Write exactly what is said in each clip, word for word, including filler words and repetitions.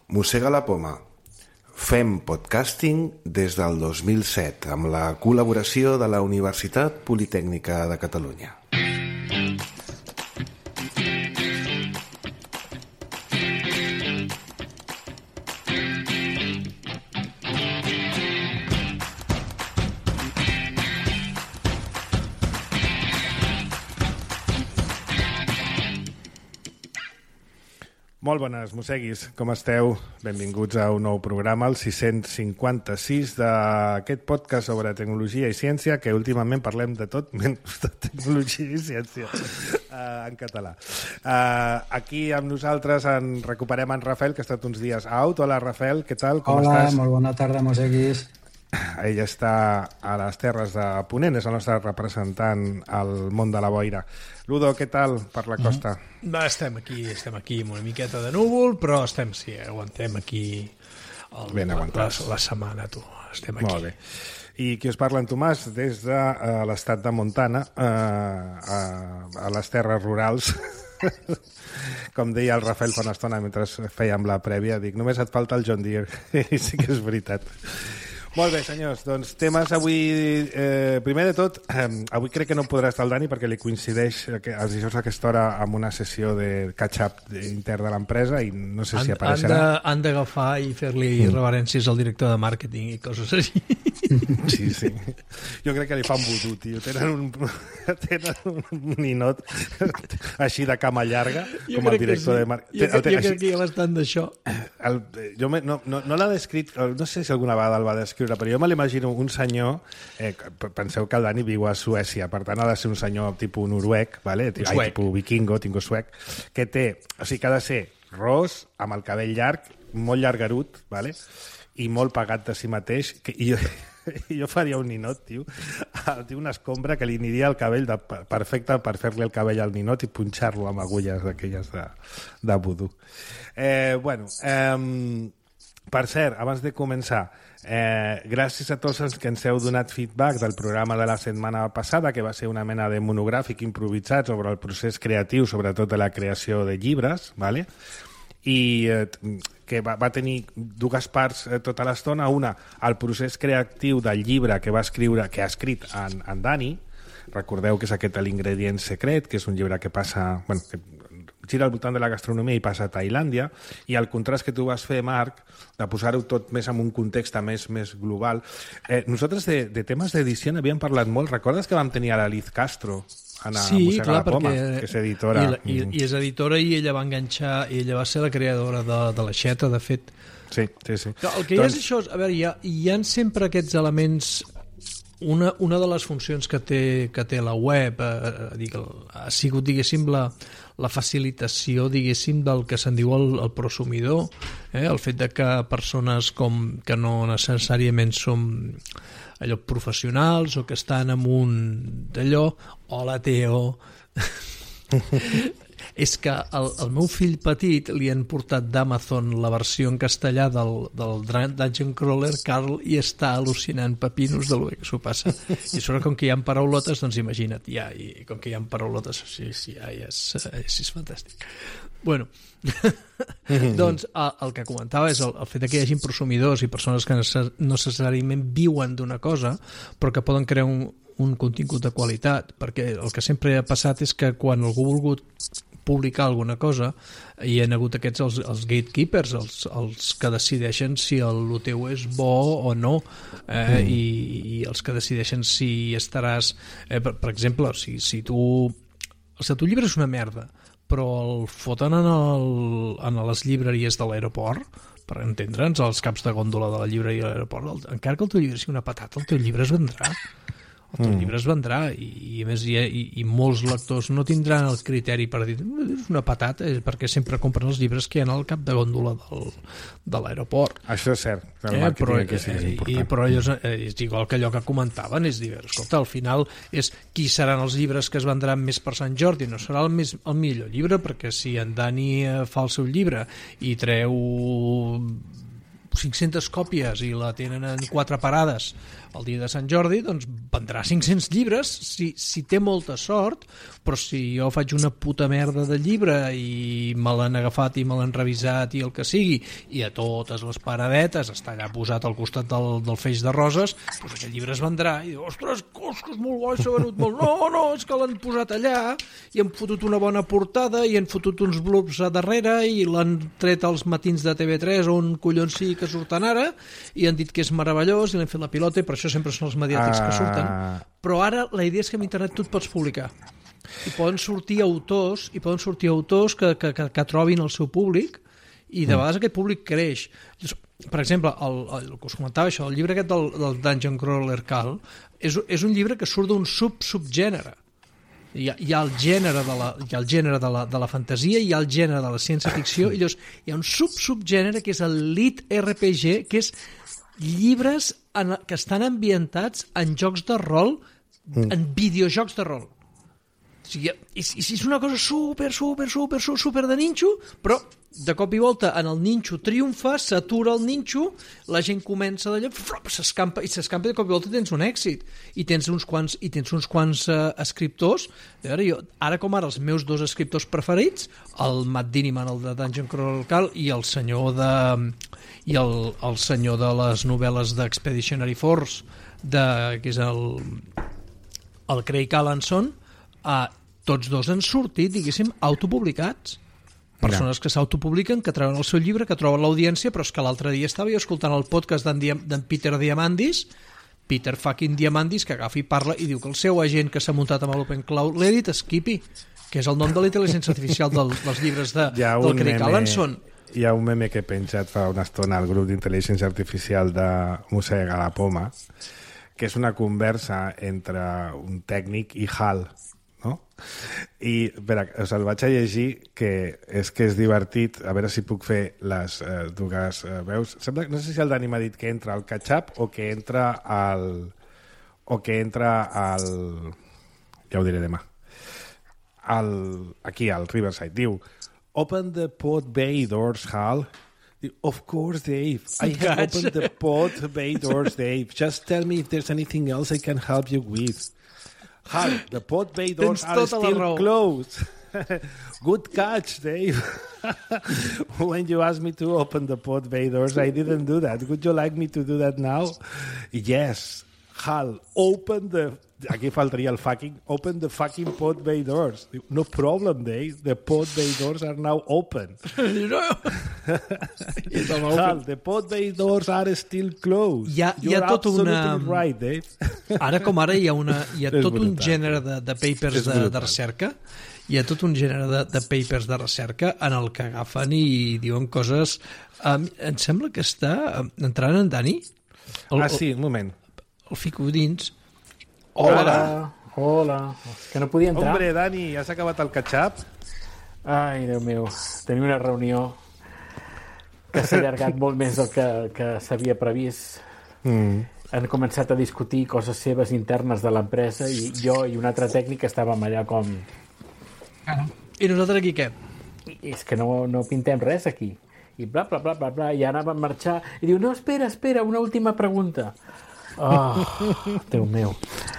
Mossega la poma. Fem podcasting des del dos mil set amb la col·laboració de la Universitat Politècnica de Catalunya. Molt bones, mosseguis, com esteu? Benvinguts a un nou programa, el sis-cents cinquanta-sis d'aquest podcast sobre tecnologia i ciència, que últimament parlem de tot menys de tecnologia i ciència uh, en català. Uh, aquí amb nosaltres en recuperem en Rafael, que ha estat uns dies out. Hola, Rafael, què tal? Com Hola, estàs? molt bona tarda, mosseguis. Ell està a les Terres de Ponent, és el nostre representant al món de la boira. Ludo, què tal per la costa? Mm. Va, estem aquí, estem aquí amb una miqueta de núvol, però estem, sí, aguantem aquí el, ben aguantats. La, la setmana, tu. Estem aquí. Molt bé. I qui us parla, en Tomàs, des de uh, l'estat de Montana, uh, a, a les terres rurals. Com deia el Rafael fa una estona mentre fèiem la prèvia, dic, només et falta el John Deere. I sí que és veritat. Molt bé, senyors, doncs temes avui... Eh, primer de tot, eh, avui crec que no podrà estar el Dani perquè li coincideix que els dijous a aquesta hora amb una sessió de catch-up intern de l'empresa i no sé si apareixerà. Han d'agafar i fer-li mm. reverències al director de màrqueting i coses així. Sí, sí. Jo crec que li fan vudú, tio. Tenen un, tenen un ninot així de cama llarga jo com el director sí. de màrqueting. Jo, jo crec que hi ha bastant d'això. El, jo me, no, no, no l'ha descrit, no sé si alguna vegada el va descriure, però jo me l'imagino un senyor, eh, penseu que el Dani viu a Suècia, per tant ha de ser un senyor tipus noruec, vale? Ai, tipus vikingo, tingo suec, que té, o sigui que ha de ser ros, amb el cabell llarg, molt llargarut, vale? I molt pagat de si mateix, que, i jo, jo faria un ninot, tio, tio, una escombra que li aniria el cabell de, perfecte per fer-li el cabell al ninot i punxar-lo amb agulles d'aquelles de, de vudú. Eh, bueno, eh, per cert, abans de començar, eh, gràcies a tots els que ens heu donat feedback del programa de la setmana passada, que va ser una mena de monogràfic improvisat sobre el procés creatiu, sobretot de la creació de llibres, ¿vale? i eh, que va, va tenir dues parts eh, tota l'estona. Una, el procés creatiu del llibre que va escriure, que ha escrit en, en Dani. Recordeu que és aquest l'ingredient secret, que és un llibre que passa... Bueno, que gira al voltant de la gastronomia i passa a Tailàndia, i el contrast que tu vas fer, Marc, de posar-ho tot més en un context més, més global. Eh, nosaltres de, de temes d'edició n'havíem parlat molt. Recordes que vam tenir a la Liz Castro a sí, Mossega clar, la Poma, perquè que és editora. I, la, i, i és editora i ella va enganxar, i ella va ser la creadora de, de l'Aixeta, de fet. Sí, sí, sí. El que doncs... hi ha és això, a veure, hi ha, hi ha sempre aquests elements. Una, una de les funcions que té, que té la web eh, dic, ha sigut, diguéssim, la, la facilitació, diguéssim, del que se'n diu el, el prosumidor, eh? El fet de que persones com que no necessàriament som allò professionals o que estan en un d'allò, hola Teo, és que el, el meu fill petit li han portat d'Amazon la versió en castellà del, del Dungeon Crawler, Carl, i està al·lucinant pepinos de lo que s'ho passa. I sobre com que hi ha paraulotes, doncs imagina't, ja, i com que hi ha paraulotes, sí, sí, ja, ja és, és, és fantàstic. Bueno, doncs el, el que comentava és el, el fet que hi hagi prosumidors i persones que no necessàriament viuen d'una cosa, però que poden crear un, un contingut de qualitat, perquè el que sempre ha passat és que quan algú ha volgut publicar alguna cosa, hi ha hagut aquests els, els gatekeepers, els, els que decideixen si el, el teu és bo o no, eh, mm. i, i els que decideixen si estaràs... Eh, per, per exemple, si, si tu... El teu llibre és una merda, però el foten en, el, en les llibreries de l'aeroport, per entendre'ns, als caps de gòndola de la llibreria de l'aeroport, el, encara que el teu llibre sigui una patata, el teu llibre es vendrà. El teu mm. llibre es vendrà i, i a més i, i, i molts lectors no tindran el criteri per dir és una patata, és perquè sempre compren els llibres que hi ha al cap de gòndola del, de l'aeroport. Això és cert, el eh, màrqueting però, aquí sí que és important. I, però és, és igual que allò que comentaven, és dir, escolta, al final és qui seran els llibres que es vendran més per Sant Jordi, no serà el, més, el millor llibre, perquè si en Dani fa el seu llibre i treu cinc-centes còpies i la tenen en quatre parades el dia de Sant Jordi, doncs vendrà cinc-cents llibres si, si té molta sort, però si jo faig una puta merda de llibre i me l'han agafat i me l'han revisat i el que sigui, i a totes les paradetes està allà posat al costat del, del feix de roses, doncs aquest llibre es vendrà i diu, ostres, cos, que és molt guai, s'ha venut molt. No, no, és que l'han posat allà i han fotut una bona portada i han fotut uns blurbs a darrere i l'han tret als matins de T V tres on collons sí que surten ara i han dit que és meravellós i l'han fet la pilota i per això sempre són els mediàtics que surten. Però ara la idea és que amb internet tu et pots publicar i poden sortir autors i poden sortir autors que, que, que, que trobin el seu públic i de vegades aquest públic creix. Per exemple, el, el, el que us comentava això, el llibre aquest del, del Dungeon Crawler Cal és, és un llibre que surt d'un sub-subgènere. Hi ha, hi ha el gènere, de la, hi ha el gènere de, la, de la fantasia, hi ha el gènere de la ciència-ficció i llavors hi ha un sub-subgènere que és el lit R P G, que és llibres en, que estan ambientats en jocs de rol, mm. en videojocs de rol. O sigui, i, i és una cosa super, super, super, super de ninxo, però de cop i volta en el ninxo triomfa, s'atura el ninxo, la gent comença d'allò, s'escampa, i s'escampa i de cop i volta tens un èxit. I tens uns quants, i tens uns quants uh, escriptors. Ara, jo, ara com ara, els meus dos escriptors preferits, el Matt Diniman, el de Dungeon Crawler Cal, i el senyor de... i el, el senyor de les novel·les d'Expeditionary Force, de, que és el, el Craig Allanson, uh, tots dos han sortit, diguéssim, autopublicats. Persones que s'autopubliquen, que treuen el seu llibre, que troben l'audiència, però és que l'altre dia estava jo escoltant el podcast d'en Peter Diamandis, Peter fucking Diamandis, que agafa i parla i diu que el seu agent que s'ha muntat amb l'Open Cloud l'ha dit Skippy, que és el nom de la intel·ligència artificial del, dels llibres de, del Craig Allanson. Hi ha un meme que he penjat fa una estona al grup d'intel·ligència artificial de Mossega la Poma, que és una conversa entre un tècnic i Hal, no? I espera, us el vaig a llegir, que és que és divertit, a veure si puc fer les eh, dues eh, veus. Sembla, no sé si el Dani m'ha dit que entra al catch-up o que entra al o que entra al ja ho diré demà al, aquí al Riverside. Diu, open the pod bay doors, Hal. Of course, Dave. I have opened the pod bay doors, Dave. Just tell me if there's anything else I can help you with. Hal, the pod bay doors are still closed. Good catch, Dave. When you asked me to open the pod bay doors, I didn't do that. Would you like me to do that now? Yes. Hal, open the... Aquí faltaria el fucking... Open the fucking pod bay doors. No problem, Dave. The pod bay doors are now open. Hal, the pod bay doors are still closed. Hi ha, hi ha tot una... right, Dave. Ara com ara hi ha, una, hi ha tot un gènere de, de papers de, de recerca. Hi ha tot un gènere de, de papers de recerca en el que agafen i diuen coses... Um, em sembla que està entrant en Dani. El, ah, sí, un moment. El fico dins. Hola, hola. Que no podia entrar. Hombre, Dani, has acabat el catch-up? Ai, Déu meu, tenia una reunió que s'ha allargat molt més del que, que s'havia previst. Mm. Han començat a discutir coses seves internes de l'empresa i jo i un altre tècnic estàvem allà com... I nosaltres aquí què? I és que no, no pintem res aquí. I bla, bla, bla, bla, bla, i ara vam marxar. I diu, no, espera, espera, una última pregunta. Oh, Déu meu.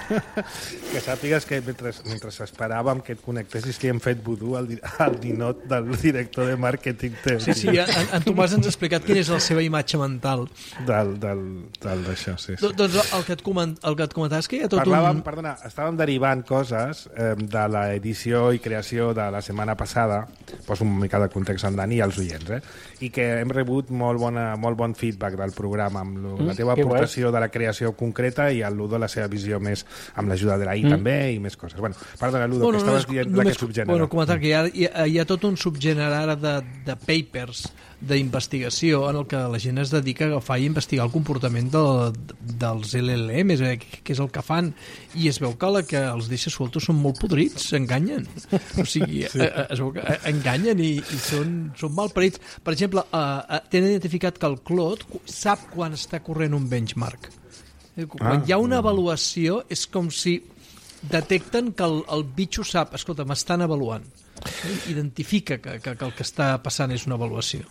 Que sàpigues que mentre, mentre esperàvem que et connectessis que hem fet vudú al, al ninot del director de màrqueting teu. Sí, sí, en, en Tomàs ens ha explicat quina és la seva imatge mental del, del, del d'això, sí, sí. Doncs el que et, coment, el que et comentaves és que hi ha tot Parlàvem, un... Perdona, estàvem derivant coses eh, de l'edició i creació de la setmana passada, poso una mica de context en Dani i als oients, eh? I que hem rebut molt, bona, molt bon feedback del programa amb lo, mm, la teva aportació de la creació concreta i el Ludo la seva visió més amb l'ajuda de la I mm. també i més coses. Bueno, perdona, Ludo, bueno, que estaves no, dient només, la que subgènere. Bueno, comentar que hi ha, hi, ha, hi ha tot un subgènere ara de, de papers d'investigació en el que la gent es dedica a agafar i investigar el comportament de, dels L L Ms, eh, que és el que fan, i es veu que la que els deixa sueltos són molt podrits, s'enganyen. O sigui, sí. eh, es veu que enganyen i, i són, són mal parits. Per exemple, eh, tenen identificat que el Claude sap quan està corrent un benchmark. Quan ah, hi ha una avaluació és com si detecten que el, el bitxo sap, escolta, m'estan avaluant. Identifica que, que, que el que està passant és una avaluació.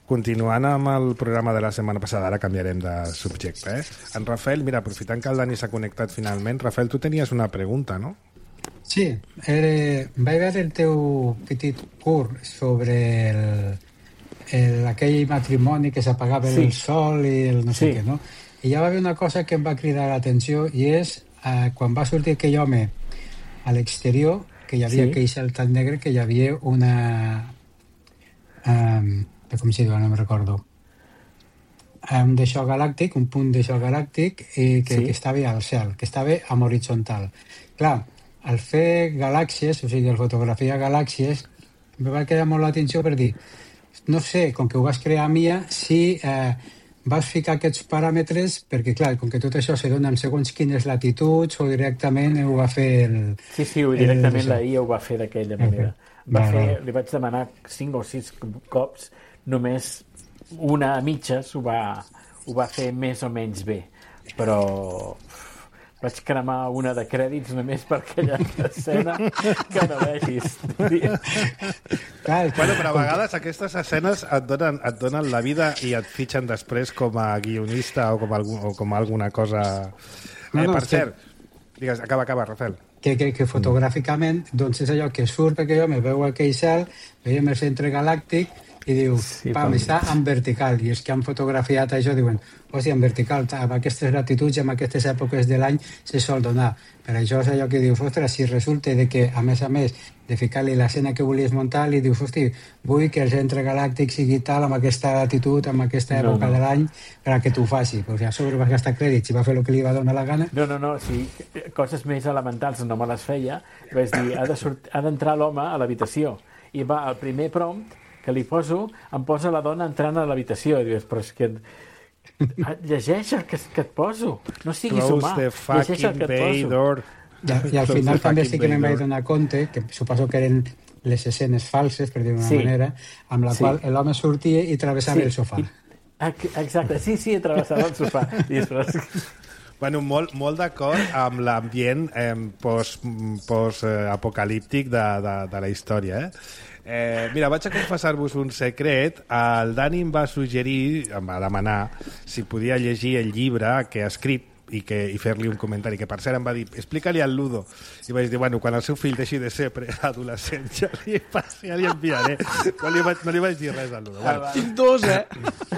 continuant amb el programa de la setmana passada, ara canviarem de subjecte, eh? En Rafael, mira, aprofitant que el Dani s'ha connectat finalment, Rafael, tu tenies una pregunta, no? Sí, eh, vaig veure el teu petit curt sobre el, el, aquell matrimoni que s'apagava sí. el sol i el no sé sí. què, no? I ja va haver una cosa que em va cridar l'atenció i és eh, quan va sortir aquell home a l'exterior, que hi havia sí. aquell cel tan negre que hi havia una... Um, com si diu, no me'n recordo. Un d'això galàctic, un punt d'això galàctic i que, sí. que estava al cel, que estava en horitzontal. Clar, al fer galàxies, o sigui, al fotografiar galàxies, em va quedar molt l'atenció per dir, no sé, com que ho vas crear Mia, si eh, vas ficar aquests paràmetres, perquè clar, com que tot això se dona en segons quines latituds o directament ho va fer el... Sí, sí, directament el... la I A ho va fer d'aquella manera. Va va, fer, va. Li vaig demanar cinc o sis cops, només una a mitges ho va, ho va fer més o menys bé, però vaig cremar una de crèdits només per aquella escena que no vegis. Bueno, però a vegades aquestes escenes et donen, et donen la vida i et fitxen després com a guionista o com, a, o com a alguna cosa... No, no, eh, per cert, que... digues, acaba, acaba, Rafael. Que, que, que fotogràficament doncs és allò que surt perquè jo me veu aquell cel, veiem el centre galàctic i diu, sí, pam, està en vertical, i els que han fotografiat això diuen, hòstia, en vertical, amb aquestes latituds i amb aquestes èpoques de l'any se sol donar. Per això és allò que dius, ostres, si resulta de que, a més a més, de ficar-li l'escena que volies muntar, li dius, hosti, vull que el centre galàctic sigui tal, amb aquesta latitud, amb aquesta època no, no. de l'any, per a que t'ho faci. Perquè a sobre vas gastar crèdits i va fer el que li va donar la gana. No, no, no, sí, coses més elementals no me les feia. Vaig dir, ha de sort... ha d'entrar l'home a l'habitació. I va, al primer prompt, que li poso, em posa la dona entrant a l'habitació. I dius, però és que... llegeix el que, que et poso. No siguis Close humà. Llegeix el que et poso. I, i al final també sí que me'n vaig donar compte, que suposo que eren les escenes falses, per dir-ho d'una sí. manera, amb la sí. qual l'home sortia i travessava sí. el sofà. I, exacte, sí, sí, travessava el sofà. I després... Bueno, molt, molt d'acord amb l'ambient eh, post-apocalíptic post, eh, de, de, de la història, eh? Eh, mira, vaig a confessar-vos un secret. El Dani em va suggerir, em va demanar si podia llegir el llibre que ha escrit i, que, i fer-li un comentari, que per cert em va dir, explica-li al Ludo. I vaig dir, bueno, quan el seu fill deixi de ser preadolescent ja li, ja li enviaré. No li, vaig, no li vaig dir res al Ludo. Bueno, tinc dos, eh?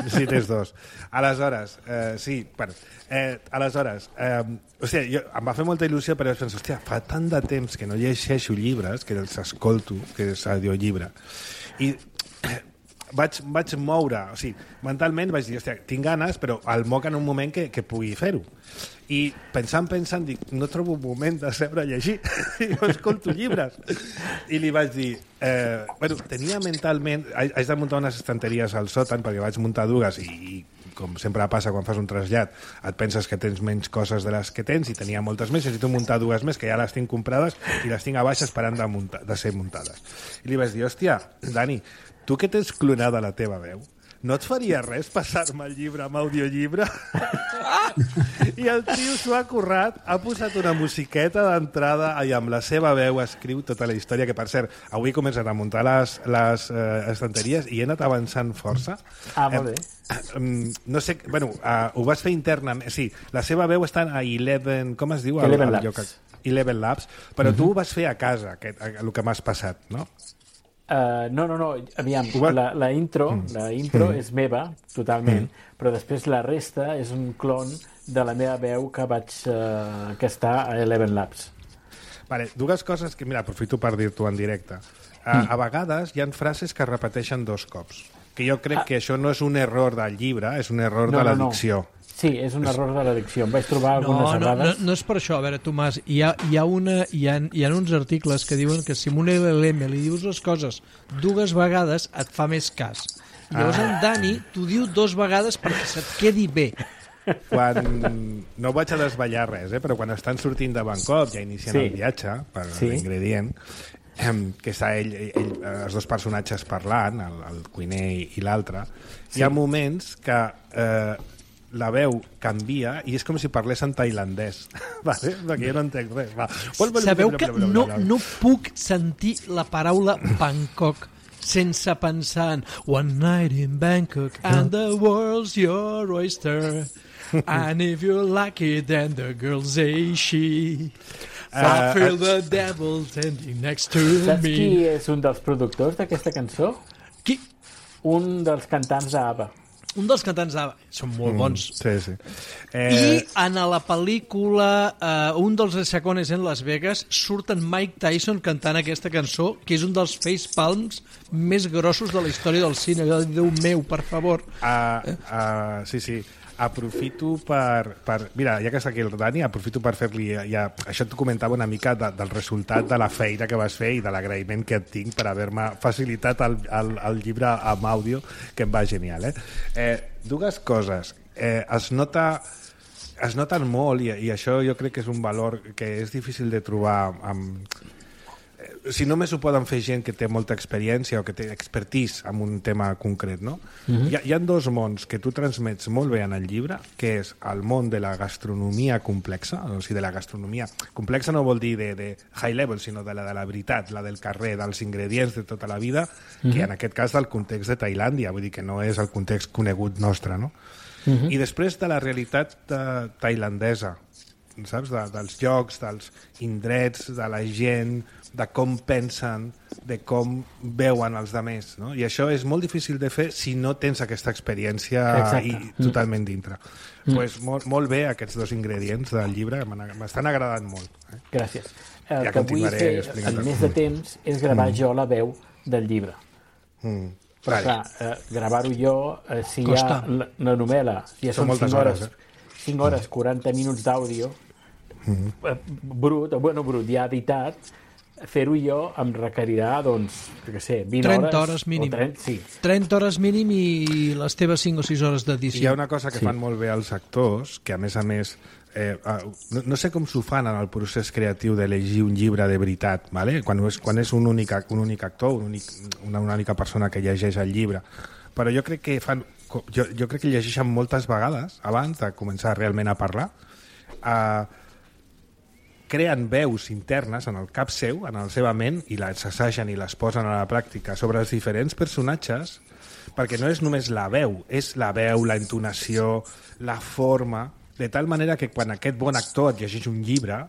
Sí, tens dos. Aleshores, eh, sí, bueno, eh, aleshores, eh, o sigui, jo, em va fer molta il·lusió, però vaig pensar, hòstia, fa tant de temps que no llegeixo llibres, que els escolto, que és audiollibre, i eh, vaig, vaig moure, o sigui, mentalment vaig dir, hòstia, tinc ganes, però el moc en un moment que, que pugui fer-ho. I pensant, pensant, dic, no trobo un moment de seure a llegir, i no escolto llibres. I li vaig dir, eh, bueno, tenia mentalment, haig de muntar unes estanteries al sòtan, perquè vaig muntar dues i, i com sempre passa quan fas un trasllat, et penses que tens menys coses de les que tens i tenia moltes més, necessito muntar dues més que ja les tinc comprades i les tinc a baix esperant de, muntar, de ser muntades. I li vaig dir, hòstia, Dani, tu que tens clonada la teva veu, no et faria res passar-me el llibre amb audiollibre? I el tio s'ho ha currat, ha posat una musiqueta d'entrada i amb la seva veu escriu tota la història, que per cert, avui he començat a muntar les, les eh, estanteries i he anat avançant força. Ah, molt bé. Eh, no sé, bueno, uh, ho vas fer internament, sí, la seva veu està a Eleven, com es diu? Eleven Labs. Eleven Labs, però uh-huh. tu ho vas fer a casa, aquest, el que m'has passat, no? Uh, no, no, no, aviam, la, la intro, mm. la intro mm. és meva, totalment, mm. però després la resta és un clon de la meva veu que vaig uh, que està a Eleven Labs. Vale, dues coses que, mira, aprofito per dir-t'ho en directe. Uh, mm. A vegades hi ha frases que es repeteixen dos cops, que jo crec ah. que això no és un error del llibre, és un error no, de la no, dicció. No. Sí, és un error de la dicció. Em vaig trobar algunes no, no, errades. No, no és per això. A veure, Tomàs, hi ha, hi ha, una, hi ha, hi ha uns articles que diuen que si amb un L L M li dius les coses dues vegades et fa més cas. I llavors ah. en Dani t'ho diu dos vegades perquè se't quedi bé. Quan... No vaig a desvetllar res, eh? Però quan estan sortint de Bangkok, ja inicien sí. el viatge, per sí. l'ingredient, que està ell, ell, els dos personatges parlant, el, el cuiner i l'altre, sí. hi ha moments que... Eh, la veu canvia i és com si parlés en tailandès. Vale? Perquè jo no entenc res. Va. Sabeu que no, no puc sentir la paraula Bangkok sense pensar en One night in Bangkok and the world's your oyster. And if you like it, then the girl's a she. So I feel the devil standing next to me. Saps qui és un dels productors d'aquesta cançó? Qui? Un dels cantants d'ABBA. Un dels cantants d'ABBA. Són molt bons. Mm, sí, sí. Eh... I en la pel·lícula eh, Un dels Chacones en Las Vegas surt en Mike Tyson cantant aquesta cançó, que és un dels facepalms més grossos de la història del cine. Déu meu, per favor. Uh, uh, sí, sí. Aprofito per, per... Mira, ja que està aquí el Dani, aprofito per fer-li... Ja, això t'ho comentava una mica de, del resultat de la feina que vas fer i de l'agraïment que et tinc per haver-me facilitat el, el, el llibre amb àudio, que em va genial. Eh? Eh, dues coses. Eh, es nota... Es noten molt, i, i això jo crec que és un valor que és difícil de trobar amb... Si només ho poden fer gent que té molta experiència o que té expertise en un tema concret, no? Uh-huh. Hi, ha, hi ha dos mons que tu transmets molt bé en el llibre, que és el món de la gastronomia complexa, o sigui, de la gastronomia complexa no vol dir de, de high level, sinó de la de la veritat, la del carrer, dels ingredients de tota la vida, uh-huh. que en aquest cas del context de Tailàndia, vull dir que no és el context conegut nostre, no? Uh-huh. I després de la realitat de, tailandesa, saps? De, dels llocs, dels indrets, de la gent, de com pensen, de com veuen els altres, no? I això és molt difícil de fer si no tens aquesta experiència i, totalment dintre. Mm. Pues molt, molt bé aquests dos ingredients del llibre, m'estan agradant molt. Eh? Gràcies. El ja que vull fer en més de temps és gravar mm. jo la veu del llibre. Mm. Però vale. clar, eh, gravar-ho jo, eh, si Costa. hi ha la, la novel·la, ja són, són cinc hores, eh? cinc hores, quaranta minuts d'àudio, mm. eh, brut, bueno, brut, ja editat, fer-ho jo em requerirà, doncs, que sé, vint trenta hores mínim. trenta, sí. trenta hores mínim i les teves cinc o sis hores d'edició. Hi ha una cosa que sí. fan molt bé els actors, que a més a més, eh, no, no sé com s'ho fan en el procés creatiu de llegir un llibre de veritat, ¿vale? quan és, quan és un, únic, un únic actor, un únic, una, una única persona que llegeix el llibre. Però jo crec que fan, jo, jo crec que llegeixen moltes vegades abans de començar realment a parlar. Eh, creen veus internes en el cap seu, en la seva ment, i les assagen i les posen a la pràctica sobre els diferents personatges, perquè no és només la veu, és la veu, la entonació, la forma, de tal manera que quan aquest bon actor et llegeix un llibre,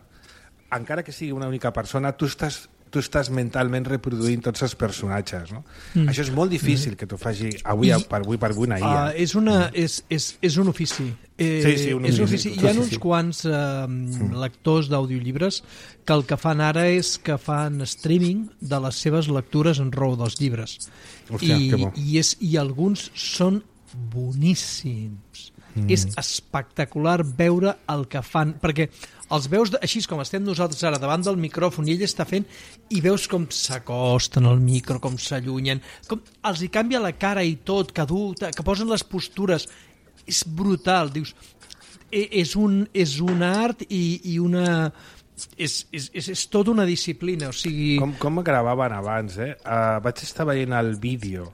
encara que sigui una única persona, tu estàs tu estàs mentalment reproduint tots els personatges, no? Mm. Això és molt difícil que t'ho faci avui I, per avui per avui una I A. Uh, és, una, és, és, és un ofici. Eh, sí, sí, un és ofici. Un ofici. Hi ha uns quants uh, mm. lectors d'audiollibres que el que fan ara és que fan streaming de les seves lectures en raó dels llibres. Hòstia, I, que bo. i, és, I alguns són boníssims. Mm. És espectacular veure el que fan, perquè els veus, de, així com estem nosaltres ara davant del micròfon i ell està fent, i veus com s'acosten al micro, com s'allunyen, com els hi canvia la cara i tot, que, du, que posen les postures. És brutal, dius. És un, és un art i, i una... És, és, és, és tota una disciplina, o sigui... Com, com gravaven abans, eh? Uh, vaig estar veient el vídeo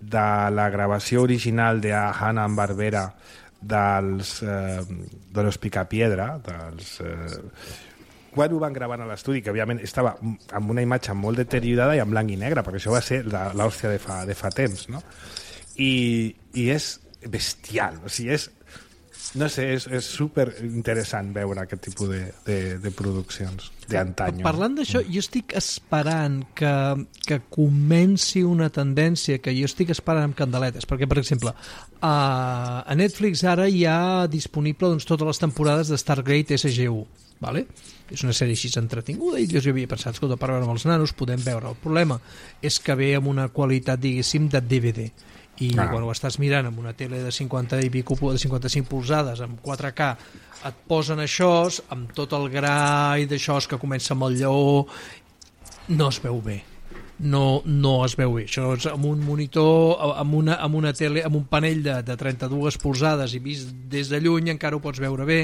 de la gravació original de Hanna-Barbera dels eh, de los Picapiedra, dels... Eh, quan ho van gravar a l'estudi, que òbviament estava amb una imatge molt deteriorada i en blanc i negre, perquè això va ser l'hòstia de fa, de fa temps, no? I, i és bestial, o sigui, és... No sé, és, és super interessant veure aquest tipus de, de, de produccions d'antanyo. Parlant d'això, jo estic esperant que, que comenci una tendència que jo estic esperant amb candeletes, perquè, per exemple, a, a Netflix ara hi ha disponible doncs, totes les temporades de Stargate S G U, ¿vale? És una sèrie així entretinguda i jo havia pensat, escolta, per veure amb els nanos podem veure. El problema és que ve amb una qualitat, diguéssim, de D V D. I ah. quan ho estàs mirant amb una tele de cinquanta i pico, de cinquanta-cinc polzades amb quatre K, et posen això amb tot el gra i d'això que comença amb el lleó, no es veu bé, no, no es veu bé. Això és amb un monitor, amb una, amb una tele, amb un panell de, de trenta-dues polzades i vist des de lluny encara ho pots veure bé,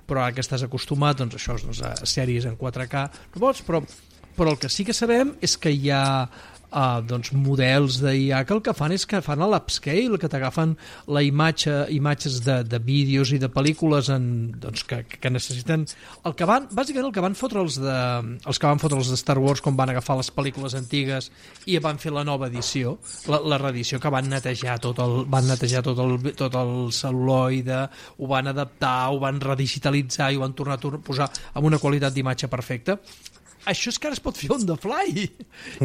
però ara que estàs acostumat, doncs això, doncs, a sèries en quatre K no pots, però, però el que sí que sabem és que hi ha uh, doncs, models d'I A que el que fan és que fan l'upscale, que t'agafen la imatge, imatges de, de vídeos i de pel·lícules en, doncs, que, que necessiten... El que van, bàsicament el que van fotre els, de, els que van fotre els de Star Wars quan van agafar les pel·lícules antigues i van fer la nova edició, la, la reedició, que van netejar tot el, van netejar tot el, tot el cel·luloide, ho van adaptar, ho van redigitalitzar i ho van tornar a posar amb una qualitat d'imatge perfecta. Això és que ara es pot fer on the fly.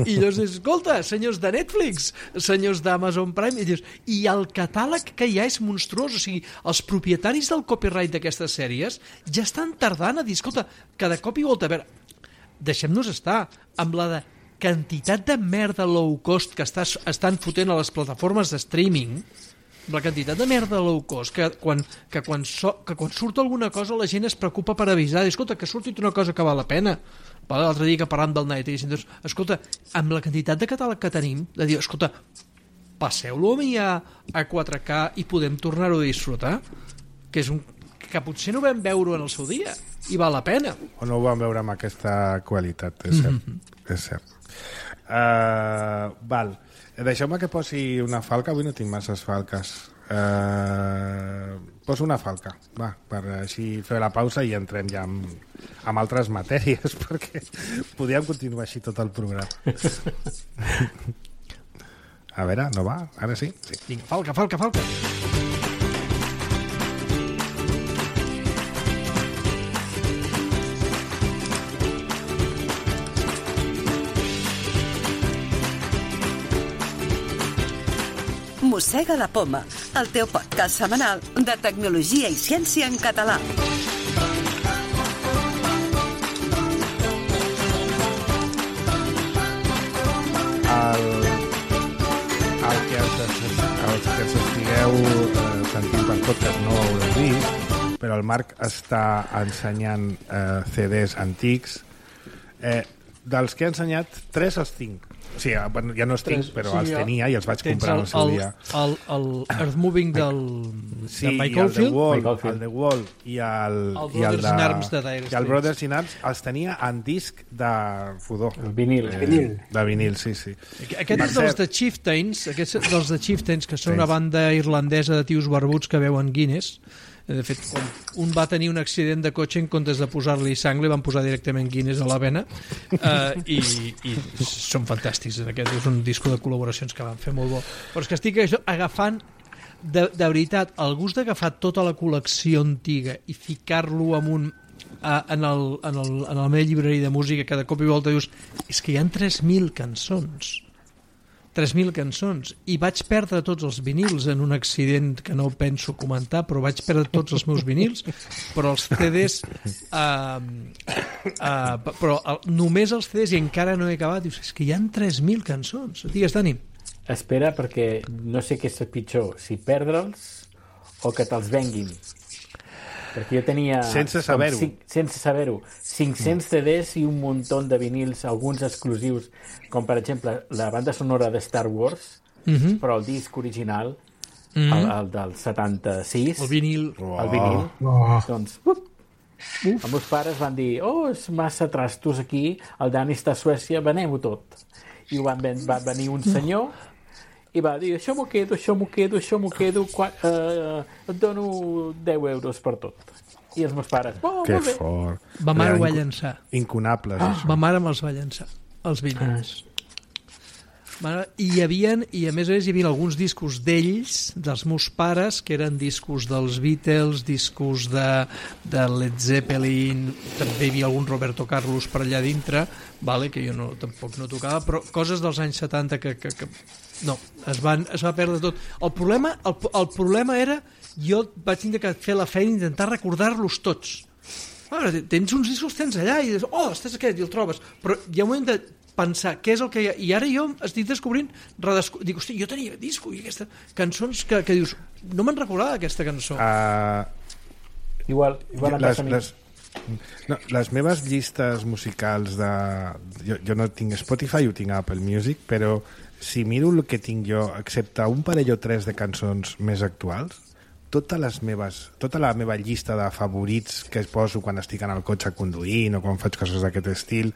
I llavors dius, escolta, senyors de Netflix, senyors d'Amazon Prime, i dius, i el catàleg que hi ha és monstruós. O sigui, els propietaris del copyright d'aquestes sèries ja estan tardant a dir, escolta, que de cop i volta, a veure, deixem-nos estar amb la de quantitat de merda low cost que estàs, estan fotent a les plataformes de streaming, la quantitat de merda low cost que quan, que, quan so, que quan surt alguna cosa la gent es preocupa per avisar, escolta, que surti una cosa que val la pena. L'altre dia que parlant del Night, doncs, escolta, amb la quantitat de catàleg que tenim, de dir, escolta, passeu-lo a mi a, a quatre K i podem tornar-ho a disfrutar, que és un que potser no vam veure en el seu dia i val la pena. O no ho vam veure amb aquesta qualitat, és cert. Mm-hmm. És cert. Uh, val. Deixeu-me que posi una falca. Avui no tinc masses falques. Uh, poso una falca, va, per així fer la pausa i entrem ja amb, amb altres matèries, perquè podríem continuar així tot el programa. A veure, no va? Ara sí? Sí. Vinga, falca, falca, falca. Mossega la Poma, el teu podcast setmanal de tecnologia i ciència en català. El, el que els, els que els estigueu eh, sentint per podcast no ho haureu vist, però el Marc està ensenyant eh, C Ds antics. Eh, dels que ha ensenyat, tres els tinc. O sigui, bueno, ja no els tinc, però els tenia i els vaig comprar en el seu dia. El, el, el Earth Moving del, sí, de Michael el Field, Wall, el The Wall i el, el i el Brothers in Arms de Dire i el Brothers in Arms els tenia en disc de Fudó. El vinil. Eh, vinil. De vinil, sí, sí. Aquest és dels de Chieftains, aquest és dels de Chieftains, que són una banda irlandesa de tios barbuts que veuen Guinness. De fet, quan un va tenir un accident de cotxe, en comptes de posar-li sang, li van posar directament Guinness a la vena, uh, i, i són fantàstics. Aquest és un disco de col·laboracions que van fer molt bo. Però és que estic agafant, de, de veritat, el gust d'agafar tota la col·lecció antiga i ficar-lo en un uh, en, el, en, el, en la meva llibreria de música, que de cop i volta dius, és que hi ha tres mil cançons. tres mil cançons, i vaig perdre tots els vinils en un accident que no penso comentar, però vaig perdre tots els meus vinils, però els C Ds uh, uh, però uh, només els C Ds, i encara no he acabat. Dius, és que hi ha tres mil cançons. Digues, Dani. Espera, perquè no sé què és pitjor, si perdre'ls o que te'ls venguin. Perquè jo tenia... Sense saber-ho. Cinc, sense saber-ho. cinc-cents C Ds i un muntó de vinils, alguns exclusius, com per exemple la banda sonora de Star Wars, uh-huh. però el disc original, uh-huh. el, el del setanta-sis... El vinil. Oh. El vinil. Oh. Doncs, uh, els meus pares van dir, oh, és massa trastos aquí, el Dani està a Suècia, venem-ho tot. I van, va venir un senyor i va dir, això m'ho quedo, això m'ho quedo, això m'ho quedo, uh, et dono deu euros per tot. I els meus pares, oh, que molt bé. fort. Ma mare ho va llançar. Incunables, ah. això. Ma mare me'ls va llançar, els vinils. Ah. I hi havia, i a més a més hi havia alguns discos d'ells, dels meus pares, que eren discos dels Beatles, discos de, de Led Zeppelin, també hi havia algun Roberto Carlos per allà dintre, vale, que jo no, tampoc no tocava, però coses dels anys setanta que, que, que no, es, van, es va perdre tot. El problema, el, el problema era, jo vaig tenir que fer la feina i intentar recordar-los tots. Ara, tens uns discos, tens allà, i dius, oh, estàs aquest, i el trobes. Però hi ha un moment de pensar què és el que hi ha, i ara jo estic descobrint, redesco... dic, hosti, jo tenia disco i aquesta... cançons que, que dius, no me'n recordava aquesta cançó. Uh, igual, igual les, les, no, les meves llistes musicals de... Jo, jo no tinc Spotify, ho tinc a Apple Music, però si miro el que tinc jo, excepte un parell o tres de cançons més actuals, totes les meves, tota la meva llista de favorits que es poso quan estic en el cotxe conduint o quan faig coses d'aquest estil,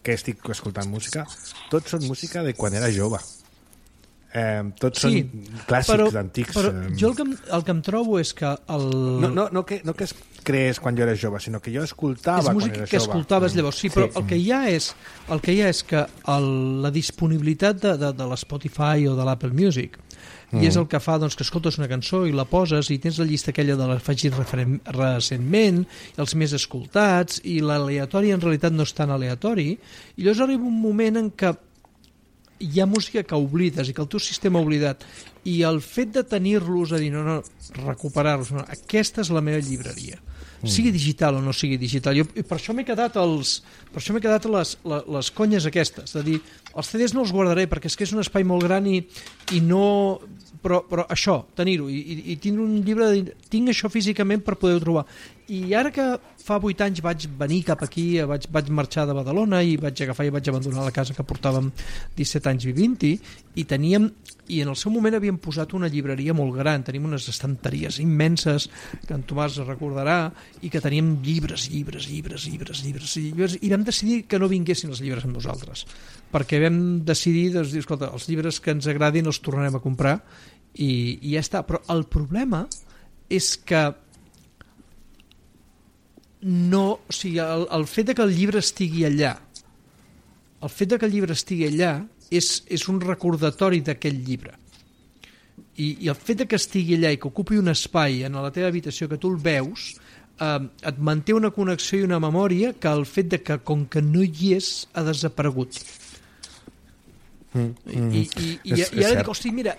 que estic escoltant música, tots són música de quan era jove. Eh, tots sí, són clàssics antics. Però jo el que, em, el que em trobo és que... El... No, no, no, que, no que es creés quan jo era jove, sinó que jo escoltava quan era jove. És música que escoltaves llavors, sí, però sí. El, que hi ha és, el que hi ha és que el, la disponibilitat de, de, de l'Spotify o de l'Apple Music mm. i és el que fa doncs, que escoltes una cançó i la poses i tens la llista aquella de l'afegit recentment, els més escoltats, i l'aleatori en realitat no és tan aleatori, i llavors arriba un moment en què hi ha música que oblides i que el teu sistema ha oblidat, i el fet de tenir-los a dir, no, no, recuperar-los, no, aquesta és la meva llibreria, mm. sigui digital o no sigui digital. Jo, per això m'he quedat els, per això m'he quedat les, les, les conyes aquestes, de dir, els C Ds no els guardaré perquè és que és un espai molt gran i, i no... Però, però això, tenir-ho, i, i, i tindre un llibre, de, tinc això físicament per poder-ho trobar. I ara que fa vuit anys vaig venir cap aquí, vaig, vaig marxar de Badalona i vaig agafar i vaig abandonar la casa que portàvem disset anys vivint-hi, i teníem, i en el seu moment havíem posat una llibreria molt gran, tenim unes estanteries immenses, que en Tomàs recordarà, i que teníem llibres, llibres, llibres, llibres, llibres, llibres, i vam decidir que no vinguessin els llibres amb nosaltres, perquè vam decidir, doncs, dir, escolta, els llibres que ens agradin els tornarem a comprar, i, i ja està. Però el problema és que no, o sigui, el, el fet de que el llibre estigui allà, el fet de que el llibre estigui allà és, és un recordatori d'aquell llibre. I, I el fet de que estigui allà i que ocupi un espai en la teva habitació, que tu el veus, eh, et manté una connexió i una memòria que el fet de que, com que no hi és, ha desaparegut. Mm, mm. I, i, i, és, i ara dic, hosti, mira,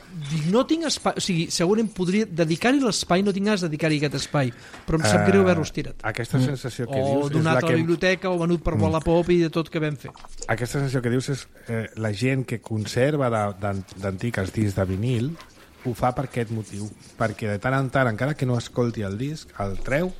no tinc espai, o sigui, segurament podria dedicar-hi l'espai, no tinc ganes de dedicar-hi aquest espai, però em sap uh, greu haver-los tirat. Aquesta sensació que o dius... O donat a la que... biblioteca, o venut per mm. Wallapop i de tot que vam fer. Aquesta sensació que dius és eh, la gent que conserva d'antic els discs de vinil ho fa per aquest motiu, perquè de tant en tant, encara que no escolti el disc, el treu,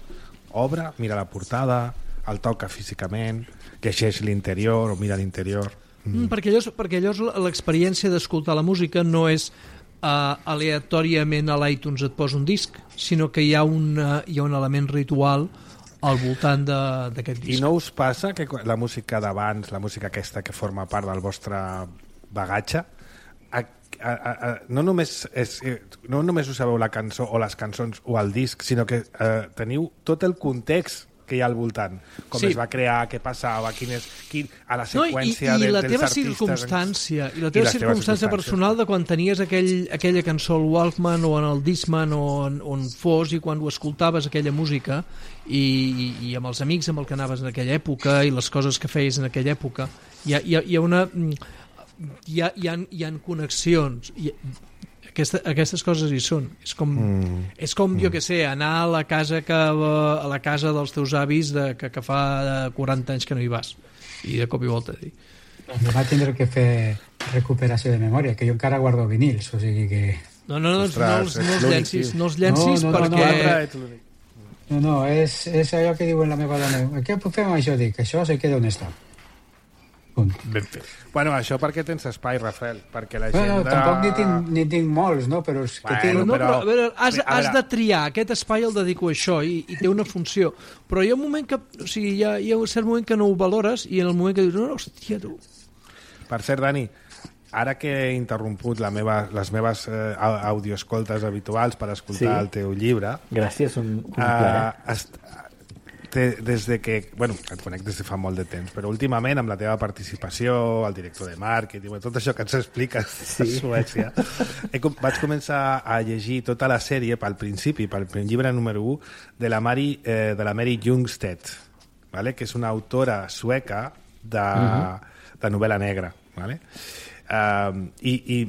obre, mira la portada, el toca físicament, llegeix l'interior o mira l'interior... Mm, perquè llavors, perquè llavors l'experiència d'escoltar la música no és uh, aleatòriament a l'iTunes et posa un disc, sinó que hi ha, una, hi ha un element ritual al voltant d'aquest disc. I no us passa que la música d'abans, la música aquesta que forma part del vostre bagatge, a, a, a, no, només és, no només us sabeu la cançó o les cançons o el disc, sinó que eh, teniu tot el context que hi ha al voltant, com sí. es va crear, què passava, quin és, quin, a la seqüència no, i, i de, la dels teva artistes... Circumstància, I la teva I circumstància personal de quan tenies aquell, aquella cançó al Walkman o en el Discman o on, on fos, i quan ho escoltaves aquella música i, i, i amb els amics amb el que anaves en aquella època i les coses que feies en aquella època, hi ha, hi ha, hi ha una... Hi ha, hi ha, hi ha connexions... Hi ha, Aquesta, aquestes coses hi són. És com, mm. és com mm. jo què sé, anar a la casa que, a la casa dels teus avis de, que, que fa quaranta anys que no hi vas. I de cop i volta dir. Doncs va tindre que fer recuperació de memòria, que jo encara guardo vinils, o sigui que... No, no, no, Ostres, no, els, no els llencis, no els llencis no, no, perquè... No, no, no, no és, és allò que diuen la meva dona. Què fem això? Dic, això se queda on està. Ben fet. Bueno, això perquè tens espai, Rafael, perquè la gent... Bueno, de... tampoc ni tinc, ni tinc molts, no? Però és que bueno, tinc... No, però, a veure, has, a veure... has de triar, aquest espai el dedico a això i, i té una funció, però hi ha un moment que, o sigui, hi ha, hi ha un cert moment que no ho valores i en el moment que dius, no, no, hòstia, tu... Per cert, Dani, ara que he interromput la meva, les meves eh, audioescoltes habituals per escoltar sí. el teu llibre... Gràcies, un, un uh, plaer. Est... des de que, bueno, et conec des de fa molt de temps, però últimament amb la teva participació, el director de màrqueting, tot això que ens expliques sí. a Suècia, he, vaig començar a llegir tota la sèrie pel principi, pel llibre número u de la Mary, eh, de la Mary Ljungstedt, ¿vale? Que és una autora sueca de, uh-huh. de novel·la negra, ¿vale? Uh, i i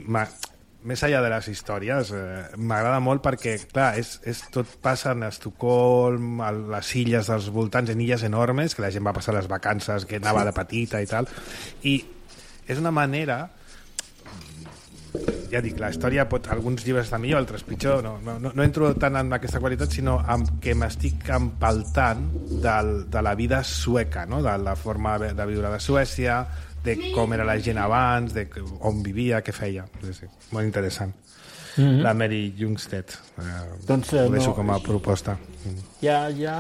més enllà de les històries, eh, m'agrada molt perquè, clar, és, és, tot passa a Estocolm, a les illes dels voltants, en illes enormes, que la gent va passar les vacances, que anava de petita i tal, i és una manera, ja dic, la història pot, alguns llibres estan millor, altres pitjor, no, no, no entro tant en aquesta qualitat, sinó amb que m'estic empaltant del, de la vida sueca, no? De la forma de viure de Suècia, de com era la gent abans, de on vivia, què feia. Sí, sí. Molt interessant. Mm-hmm. La Mary Ljungstedt. Eh, doncs, ho deixo no, com a proposta. Hi ha, hi ha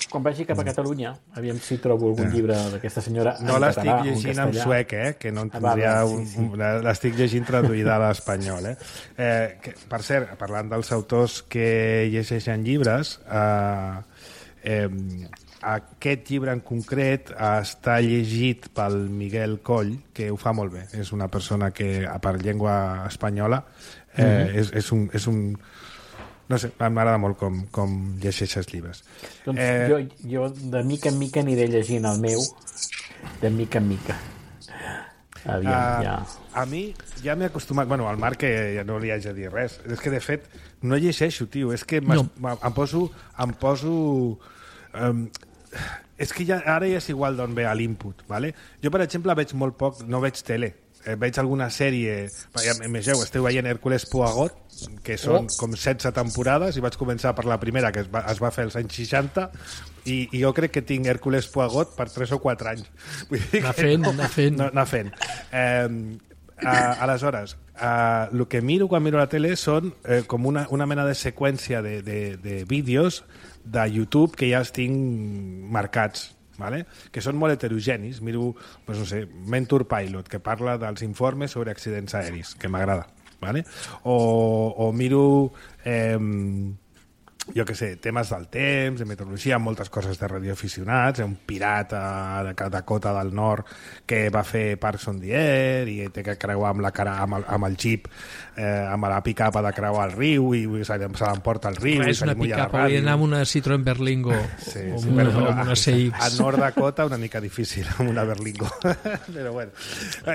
quan vagi cap a Catalunya, aviam si trobo algun llibre d'aquesta senyora en No l'estic català o en llegint en castellà. suec, eh? Que no en Ah, va, tindria... va, un, sí, sí. un, l'estic llegint traduïda a l'espanyol, eh? eh que, per cert, parlant dels autors que llegeixen llibres, eh, eh, aquest llibre en concret està llegit pel Miguel Coll, que ho fa molt bé. És una persona que, a part llengua espanyola, eh, mm-hmm. és, és un... És un no sé, m'agrada molt com, com llegeixes llibres. Doncs eh... jo, jo de mica en mica aniré llegint el meu, de mica en mica. Aviam, uh, ja. A mi ja m'he acostumat... Bueno, al Marc que ja no li haig de dir res. És que, de fet, no llegeixo, tio. És que no. em poso... Em poso um, és que ja, ara ja és igual d'on ve l'input, ¿vale? Jo, per exemple, veig molt poc... No veig tele. Eh, veig alguna sèrie... Imageu, esteu veient Hércules Poirot, que són oh. com setze temporades, i vaig començar per la primera, que es va, es va fer als anys seixanta, i, i jo crec que tinc Hércules Poirot per tres o quatre anys. Vull dir anar fent, no, anar fent. No, anar fent. Eh, a, aleshores, eh, el que miro quan miro la tele són eh, com una, una mena de seqüència de, de, de vídeos de YouTube que ja els tinc marcats, ¿vale? Que són molt heterogenis. Miro, pues no sé, Mentor Pilot, que parla dels informes sobre accidents aeris, que m'agrada, ¿vale? O, o miro eh, jo que sé, temes del temps, de meteorologia, moltes coses de radioaficionats, un pirata de Dakota del Nord que va fer Parks on the Air i té que creuar amb la cara, amb el, amb el jeep, eh, amb la pick-up de creuar el riu i se l'emporta el riu. Res, i se una li mulla la pick-up, ràdio. hauria d'anar amb una Citroën Berlingo sí, o sí, amb una, però, amb una C X. A Nord Dakota una mica difícil amb una Berlingo. Però bueno,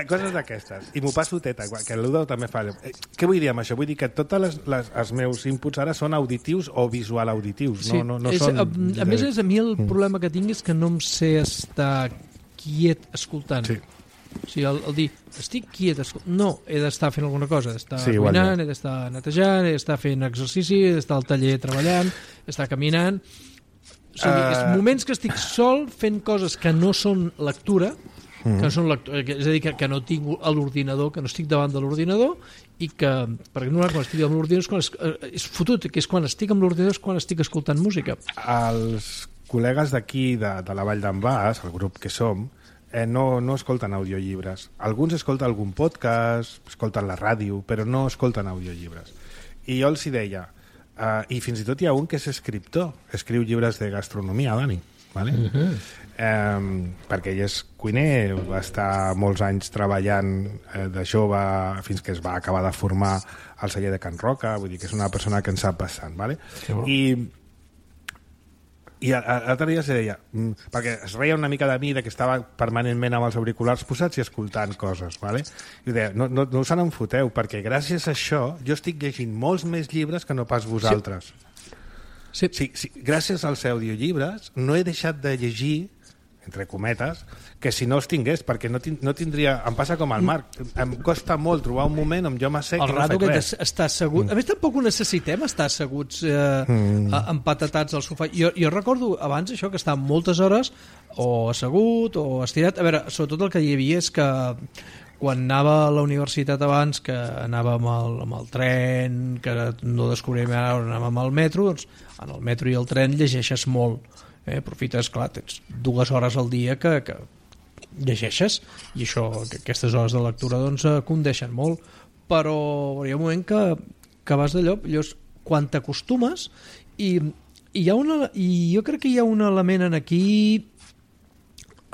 coses d'aquestes. I m'ho passo teta, que l'Udo també fa. Eh, què vull dir amb això? Vull dir que tots els meus inputs ara són auditius o visual auditius. Sí, no, no, no és, són... a, a més, és, a mi el problema que tinc és que no em sé estar quiet escoltant. Sí. O sigui, el, el dir, estic quiet escoltant... No, he d'estar fent alguna cosa. He d'estar sí, cuinant, he d'estar netejant, he d'estar fent exercici, he d'estar al taller treballant, he d'estar caminant... O sigui, uh... és moments que estic sol fent coses que no són lectura, mm. que no són lectura, és a dir, que, que no tinc a l'ordinador, que no estic davant de l'ordinador, i que, perquè no, quan estic amb l'ordinador és, quan es, és fotut, que és quan estic amb l'ordinador és quan estic escoltant música. Els col·legues d'aquí, de, de la Vall d'en Bas, el grup que som, eh, no, no escolten audiollibres. Alguns escolten algun podcast, escolten la ràdio, però no escolten audiollibres. I jo els hi deia, eh, i fins i tot hi ha un que és escriptor, escriu llibres de gastronomia, Dani, ¿vale? Uh-huh. Eh, perquè ell és cuiner, va estar molts anys treballant eh, de jove fins que es va acabar de formar al celler de Can Roca, vull dir que és una persona que en sap bastant, ¿vale? Bon. I i l'altre dia es deia, perquè es reia una mica de mi de que estava permanentment amb els auriculars posats i escoltant coses, ¿vale? I deia, no, no, no us en foteu, perquè gràcies a això jo estic llegint molts més llibres que no pas vosaltres. Sí. Sí, sí, gràcies als audiollibres no he deixat de llegir, entre cometes, que si no els tingués, perquè no, tin no tindria... Em passa com al Marc, em costa molt trobar un moment on jo m'assec i no faig res. Està assegut. A més, tampoc ho necessitem estar asseguts eh, mm. empatatats al sofà. Jo, jo recordo abans això, que estava moltes hores o assegut o estirat. A veure, sobretot el que hi havia és que quan anava a la universitat abans, que anava amb el, amb el tren, que no descobríem ara on anàvem amb el metro, doncs en el metro i el tren llegeixes molt. Eh, aprofites, clar, tens dues hores al dia que, que llegeixes i això, que aquestes hores de lectura doncs condeixen molt, però hi ha un moment que, que vas d'allò, llavors quan t'acostumes i, i, hi ha una, i jo crec que hi ha un element en aquí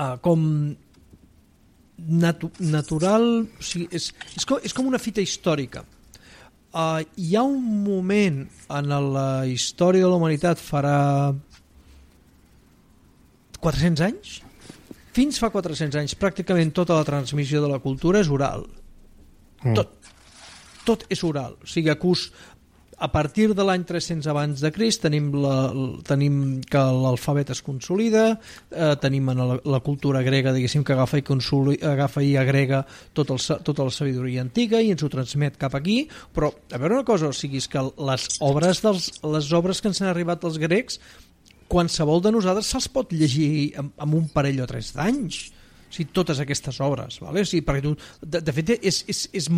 uh, com natu natural, o sigui, és, és, com, és com una fita històrica. Uh, hi ha un moment en la història de la humanitat farà quatre-cents anys? Fins fa quatre-cents anys pràcticament tota la transmissió de la cultura és oral. Mm. Tot. Tot és oral. O sigui, acus, a partir de l'any tres-cents abans de Crist tenim, la, tenim que l'alfabet es consolida, eh, tenim en la, la cultura grega, diguéssim, que agafa i, agafa i agrega tot el, tota la sabidoria antiga i ens ho transmet cap aquí, però a veure una cosa, o sigui, és que les obres, dels, les obres que ens han arribat dels grecs qualsevol de nosaltres se'ls pot llegir amb, amb un parell o tres d'anys, o sigui, totes aquestes obres, vale? O sigui, perquè tu, de, de fet és, és, és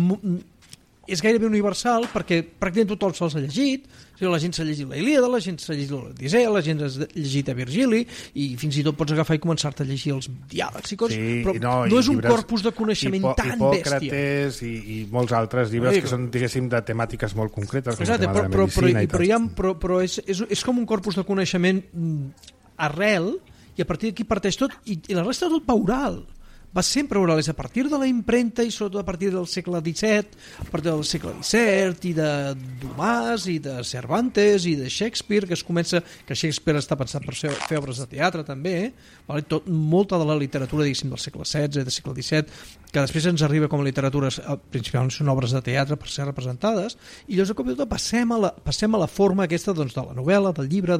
és gairebé universal perquè pràcticament tothom se'ls ha llegit. O sigui, la gent s'ha llegit la Ilíada, la gent s'ha llegit l'Odissea, la gent s'ha llegit a Virgili, i fins i tot pots agafar i començar-te a llegir els diàlegs i coses, sí, però no, no és un llibres, corpus de coneixement Hipo, tan bèstia. Hipòcrates i, i molts altres llibres que són, diguéssim, de temàtiques molt concretes, com Exacte, el tema però, de la medicina però, i però, tal. ha, però, però és, és, és com un corpus de coneixement arrel, i a partir d'aquí parteix tot, i, i la resta tot va oral. Va sempre oral, és a partir de la impremta i sobretot a partir del segle disset, a partir del segle disset i de Dumas i de Cervantes i de Shakespeare, que es comença, que Shakespeare està pensat per fer, fer obres de teatre també, eh? Vale? Tot, molta de la literatura, diguéssim, del segle setze i del segle disset, que després ens arriba com a literatura, principalment són obres de teatre per ser representades, i llavors de cop i tot passem a la, passem a la forma aquesta, doncs, de la novel·la, del llibre,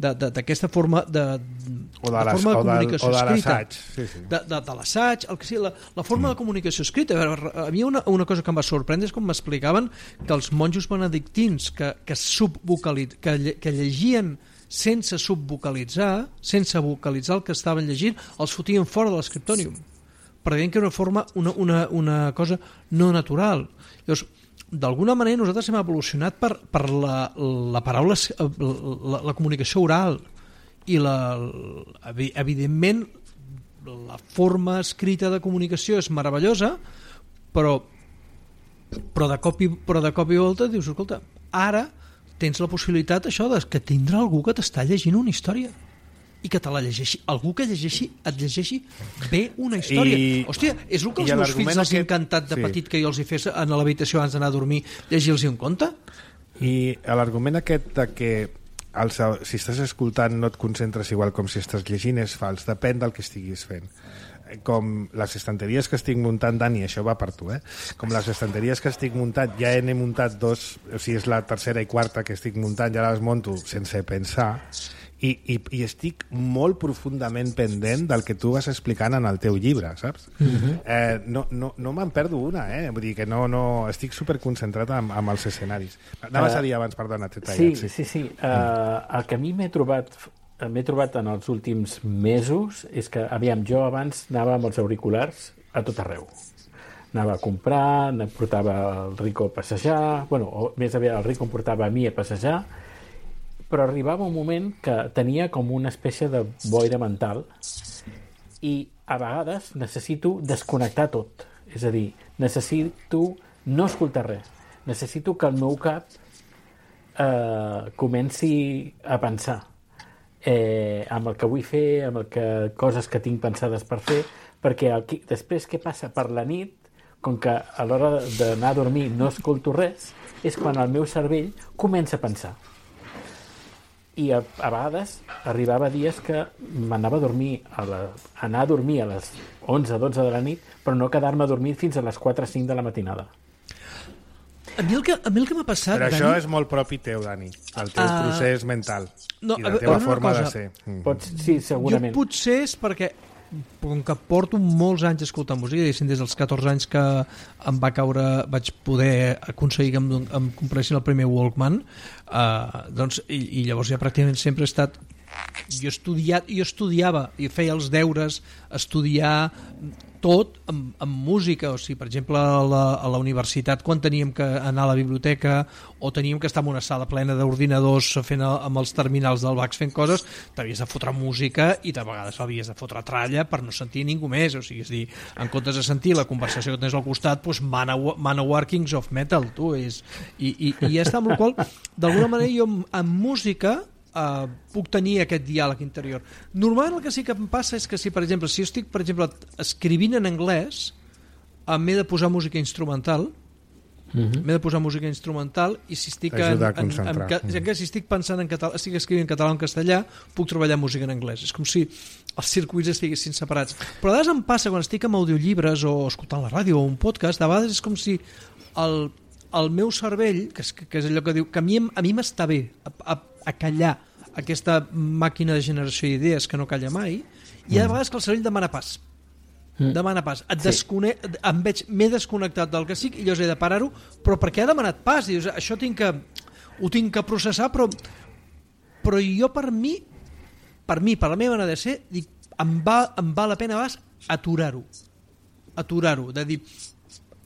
d'aquesta forma de, o de, de, les, forma de o comunicació de, o de escrita, sí, sí. de, de, de l'assaig, el que sigui, la, la forma mm. de comunicació escrita. A, veure, a mi una, una cosa que em va sorprendre és com m'explicaven que els monjos benedictins que, que, subvocaliz, que, lle, que llegien sense subvocalitzar, sense vocalitzar el que estaven llegint, els fotien fora de l'escriptònium, perquè deien que era una forma, una, una, una cosa no natural. Llavors, d'alguna manera nosaltres hem evolucionat per, per la, la paraula, la, la comunicació oral, i la, evidentment la forma escrita de comunicació és meravellosa, però però de cop i, però de cop i volta dius, escolta, ara tens la possibilitat això de que tindrà algú que t'està llegint una història i que te la llegeixi, algú que llegeixi et llegeixi bé una història. I, hòstia, és el que els meus fills els ha encantat de sí. petit que jo els hi fes a l'habitació abans d'anar a dormir, llegir-los un conte. I l'argument aquest de que el, si estàs escoltant no et concentres igual com si estàs llegint és fals, depèn del que estiguis fent. Com les estanteries que estic muntant, Dani, això va per tu, eh? Com les estanteries que estic muntant, ja n'he muntat dos, o sigui, és la tercera i quarta que estic muntant, ja les monto sense pensar, i, i, i estic molt profundament pendent del que tu vas explicant en el teu llibre, saps? Uh-huh. eh, no no, no me'n perdo una, eh? Vull dir que no, no, estic superconcentrat amb, amb els escenaris. Anaves uh, a dir abans, perdona, t'he tallat. Sí, sí, sí. sí. Uh, el que a mi m'he trobat m'he trobat en els últims mesos és que, aviam, jo abans anava amb els auriculars a tot arreu. Anava a comprar, em portava el Rico a passejar, bueno, o més aviat el Rico em portava a mi a passejar, però arribava un moment que tenia com una espècie de boira mental i a vegades necessito desconnectar tot. És a dir, necessito no escoltar res. Necessito que el meu cap eh, comenci a pensar eh, amb el que vull fer, amb el que, coses que tinc pensades per fer, perquè el, després què passa per la nit, com que a l'hora d'anar a dormir no escolto res, és quan el meu cervell comença a pensar. I a, a vegades arribava dies que m'anava a dormir a la, anar a dormir a les onze dotze de la nit, però no quedar-me dormit fins a les quatre cinc de la matinada. A mi el que, a mi el que m'ha passat, però Dani... això és molt propi teu, Dani, el teu uh, procés mental no, i la teva forma cosa, de ser. Pots, sí, segurament. Jo potser és perquè, com que porto molts anys escoltant música, des dels catorze anys que em va caure, vaig poder aconseguir que em, em compressin el primer Walkman, uh, doncs, i, i llavors ja pràcticament sempre he estat... Jo, estudiat, jo estudiava i feia els deures, estudiar tot amb, amb música, o sigui, per exemple a la, a la universitat quan teníem que anar a la biblioteca o teníem que estar en una sala plena d'ordinadors fent el, amb els terminals del Vax fent coses, t'havies de fotre música i de vegades l'havies de fotre tralla per no sentir ningú més, o sigui, és dir, en comptes de sentir la conversació que tens al costat, doncs Manowar, Manowar Kings of Metal, tu, és, i, i, i ja està, amb la qual d'alguna manera jo amb, amb música Uh, puc tenir aquest diàleg interior. Normalment el que sí que em passa és que si, per exemple, si jo estic, per exemple, escrivint en anglès, m'he de posar música instrumental, uh-huh. m'he de posar música instrumental i si estic, en, en, en, en, en, si estic pensant en català, estic escrivint en català o en castellà, puc treballar música en anglès. És com si els circuits estiguessin separats. Però a vegades em passa quan estic amb audiollibres o escoltant la ràdio o un podcast, a vegades és com si el, el meu cervell, que és, que és allò que diu, que a mi, a mi m'està bé a, a, a callar aquesta màquina de generació d'idees que no calla mai, i hi ha vegades que el cervell demana pas. Mm. Demana pas. Et descone... em veig, m'he desconnectat del que estic i llavors he de parar-ho, però perquè ha demanat pas. Dius, això tinc que... ho tinc que processar, però, però jo per mi, per mi, per la meva manera de ser, dic, em, va, em val la pena vas aturar-ho. Aturar-ho. De dir,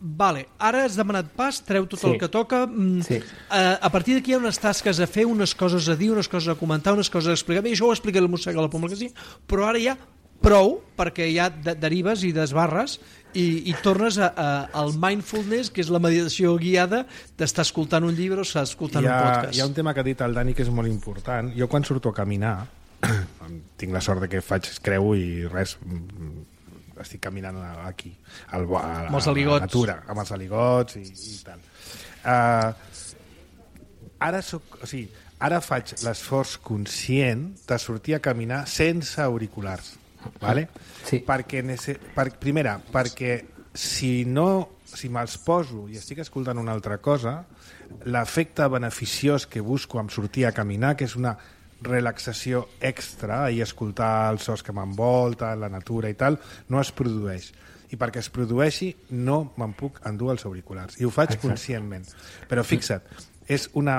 vale, ara has demanat pas, treu tot sí. el que toca, sí. a, a partir d'aquí hi ha unes tasques a fer, unes coses a dir, unes coses a comentar, unes coses a explicar, bé, això ho explica el mossega a la Poma, que sí, però ara ja prou, perquè ja de derives i desbarres i, i tornes a, a, al mindfulness, que és la meditació guiada d'estar escoltant un llibre o estar escoltant ha, un podcast. Hi ha un tema que ha dit el Dani que és molt important. Jo quan surto a caminar tinc la sort de que faig creu i res, estic caminant aquí al, a, a, amb els aligots, a la natura, amb els aligots i, i tal. Uh, ara soc, o sigui, ara faig l'esforç conscient de sortir a caminar sense auriculars, vale? Sí. Perquè per, primera, perquè si no, si me'ls poso i estic escoltant una altra cosa, l'efecte beneficiós que busco amb sortir a caminar, que és una relaxació extra i escoltar els sons que m'envolten, la natura i tal, no es produeix. I perquè es produeixi no me'n puc endur els auriculars. I ho faig Exacte. conscientment. Però fixa't, és una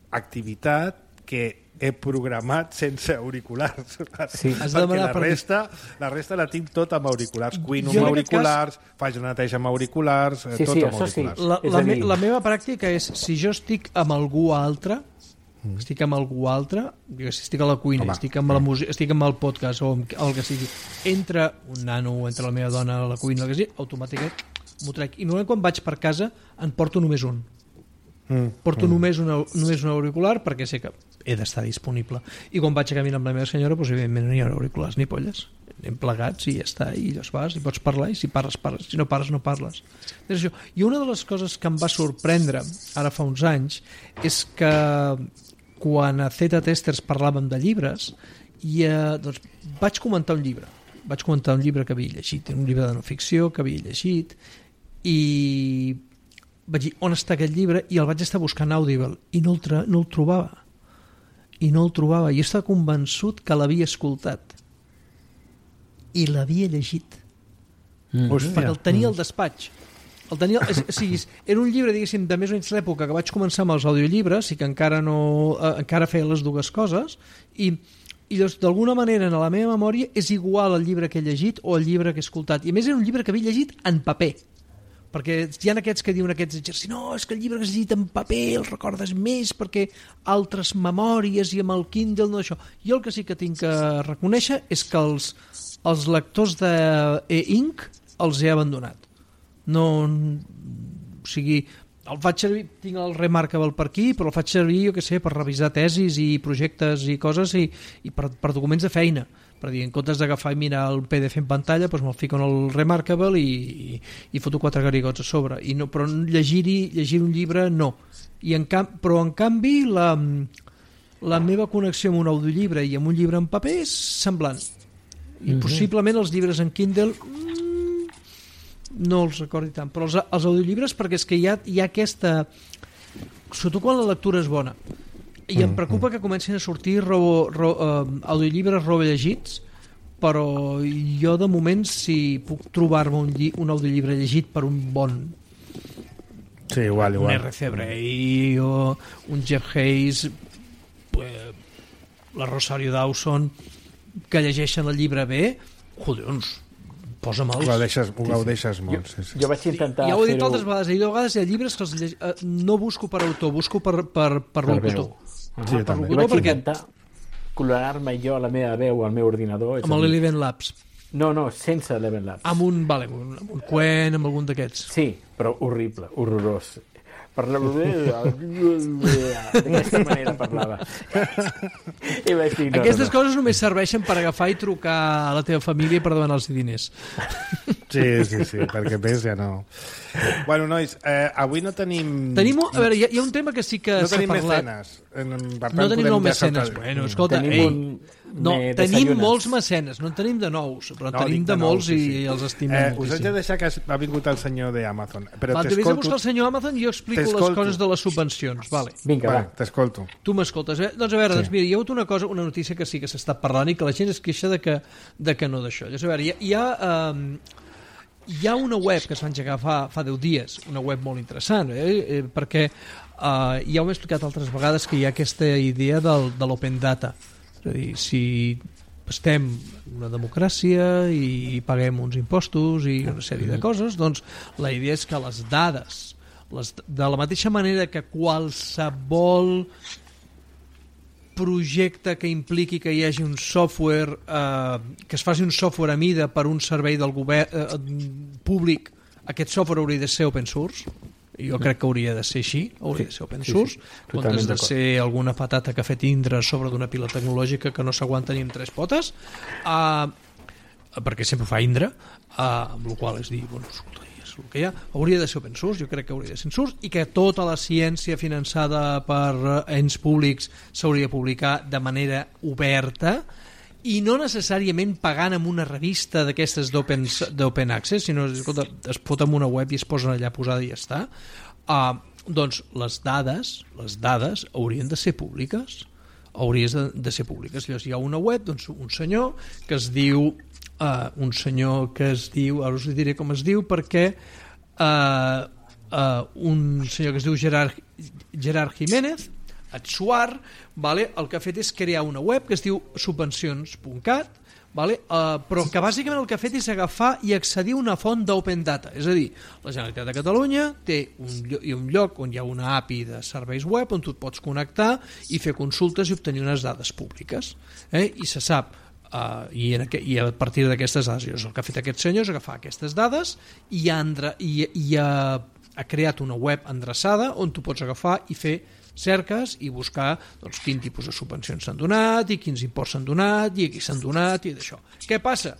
activitat que he programat sense auriculars. Sí. Perquè la resta, la resta la tinc tot amb auriculars. Cuino amb auriculars, cas... faig una neteja amb auriculars, sí, tot sí, amb auriculars. Sí. La, la, me, la meva pràctica és, si jo estic amb algú altre, Mm. estic amb algú altre, si estic a la cuina, Home. estic amb la música, estic amb el podcast o amb el que sigui, entra un nano o entra la meva dona a la cuina, el que sigui, automàticament m'ho trec. I normalment quan vaig per casa en porto només un. Mm. Porto mm. només, una, només un auricular perquè sé que he d'estar disponible. I quan vaig a caminar amb la meva senyora, doncs, evidentment no hi ha auriculars ni polles. Anem plegats i ja està, i llavors vas i pots parlar, i si parles, parles, si no parles, no parles. I una de les coses que em va sorprendre ara fa uns anys és que quan a Zeta Testers parlàvem de llibres, i, eh, doncs, vaig comentar un llibre. Vaig comentar un llibre que havia llegit, un llibre de no ficció que havia llegit, i vaig dir, on està aquest llibre? I el vaig estar buscant Audible, i no el, no el trobava. I no el trobava. I estava convençut que l'havia escoltat. I l'havia llegit. Mm. Perquè el tenia al despatx. El tenia, és, o sigui, era un llibre, diguéssim, de més o menys l'època que vaig començar amb els audiollibres i que encara no eh, encara feia les dues coses, i, i doncs, d'alguna manera en la meva memòria és igual el llibre que he llegit o el llibre que he escoltat. I a més era un llibre que havia llegit en paper, perquè hi ha aquests que diuen aquests exercicis, no, és que el llibre que has llegit en paper el recordes més perquè altres memòries i amb el Kindle, no això. Jo el que sí que tinc que reconèixer és que els, els lectors d'e-ink els he abandonat. No, o sigui, el faig servir, tinc el Remarkable per aquí, però el faig servir, jo què sé, per revisar tesis i projectes i coses i, i per, per documents de feina, per dir, en comptes d'agafar i mirar el P D F en pantalla, doncs me'l fico en el Remarkable i, i, i foto quatre garigots a sobre, i no, però llegir-hi llegir un llibre no. I en camp, però en canvi la, la meva connexió amb un audiollibre i amb un llibre en paper és semblant, i mm-hmm. possiblement els llibres en Kindle no els recordi tant, però els, els audiollibres, perquè és que hi ha, hi ha aquesta, sobretot quan la lectura és bona, i em preocupa que comencin a sortir ro, ro, uh, audiollibres rovellegits, però jo de moment, si puc trobar-me un, lli, un audiollibre llegit per un bon sí, igual, igual. un R C Bray o un Jeff Hayes, eh, la Rosario Dawson, que llegeixen el llibre bé, collons, posa-me'ls. Ho deixes, ho sí, deixes sí. molt. Sí, sí. Jo vaig intentar ja ho he dit altres vegades, i de vegades hi ha llibres que els lleg... no busco per autor, busco per, per, per locutor. Ah, sí, per locutor, jo vaig perquè... intentar colorar-me jo la meva veu al meu ordinador. Amb l'Eleven Labs. No, no, sense l'Eleven Labs. Amb un, vale, amb un Quen, amb algun d'aquests. Sí, però horrible, horrorós. Parlava d'aquesta manera parlava. I vaig dir, no, aquestes no, no. coses només serveixen per agafar i trucar a la teva família per demanar-los diners. Sí, sí, sí, perquè més ja no. Bueno, nois, eh, avui no tenim... Tenim, a veure, hi ha, hi ha un tema que sí que no s'ha parlat. No tenim mecenes. Per tant, no tenim nou mecenes. Saltar... Bueno, escolta, tenim ei, un... no, tenim molts mecenes, no en tenim de nous, però no, tenim de, de molts nous, sí, sí. I els estimem eh, moltíssim. Us haig de deixar que ha vingut el senyor d'Amazon. Va, t'he vist a buscar el senyor Amazon i jo explico les coses de les subvencions. Vale. Vinga, va. T'escolto. Tu m'escoltes, eh? Doncs a veure, sí. doncs mira, hi ha hagut una cosa, una notícia que sí que s'està parlant i que la gent es queixa de que, de que no d'això. Llavors, a veure, hi ha... Hi ha um, hi ha una web que es va engegar fa, fa deu dies, una web molt interessant, eh? Eh, perquè uh, ja ho he explicat altres vegades que hi ha aquesta idea del, de l'open data. És a dir, si estem en una democràcia i paguem uns impostos i una sèrie de coses, doncs la idea és que les dades, les, de la mateixa manera que qualsevol projecte que impliqui que hi hagi un software, eh, que es faci un software a mida per un servei del govern eh, públic, aquest software hauria de ser open source. Jo crec que hauria de ser així, hauria de ser open source, sí, sí, comptes de ser alguna patata que ha fet Indra sobre d'una pila tecnològica que no s'aguanta ni amb tres potes, uh, perquè sempre fa Indra, uh, amb la qual és dir, bueno, escolta, és el que hi ha, hauria de ser open source, jo crec que hauria de ser open source, i que tota la ciència finançada per ens públics s'hauria de publicar de manera oberta, i no necessàriament pagant amb una revista d'aquestes d'open access, sinó escolta, es pot amb una web i es posen allà posada i ja està. Uh, doncs les dades les dades haurien de ser públiques, haurien de, de ser públiques. Llavors hi ha una web, doncs un senyor que es diu uh, un senyor que es diu, ara us diré com es diu, perquè uh, uh, un senyor que es diu Gerard, Gerard Jiménez Atsuar, vale? El que ha fet és crear una web que es diu subvencions punt cat, vale? uh, però que bàsicament el que ha fet és agafar i accedir a una font d'open data, és a dir, la Generalitat de Catalunya té un, lloc, un lloc on hi ha una A P I de serveis web on tu et pots connectar i fer consultes i obtenir unes dades públiques, eh? I se sap Uh, i, en aqu i a partir d'aquestes dades, el que ha fet aquest senyor és agafar aquestes dades i, ha, i, i ha, ha creat una web endreçada on tu pots agafar i fer cerques i buscar doncs, quin tipus de subvencions s'han donat i quins imports s'han donat i a qui s'han donat i d'això. Què passa?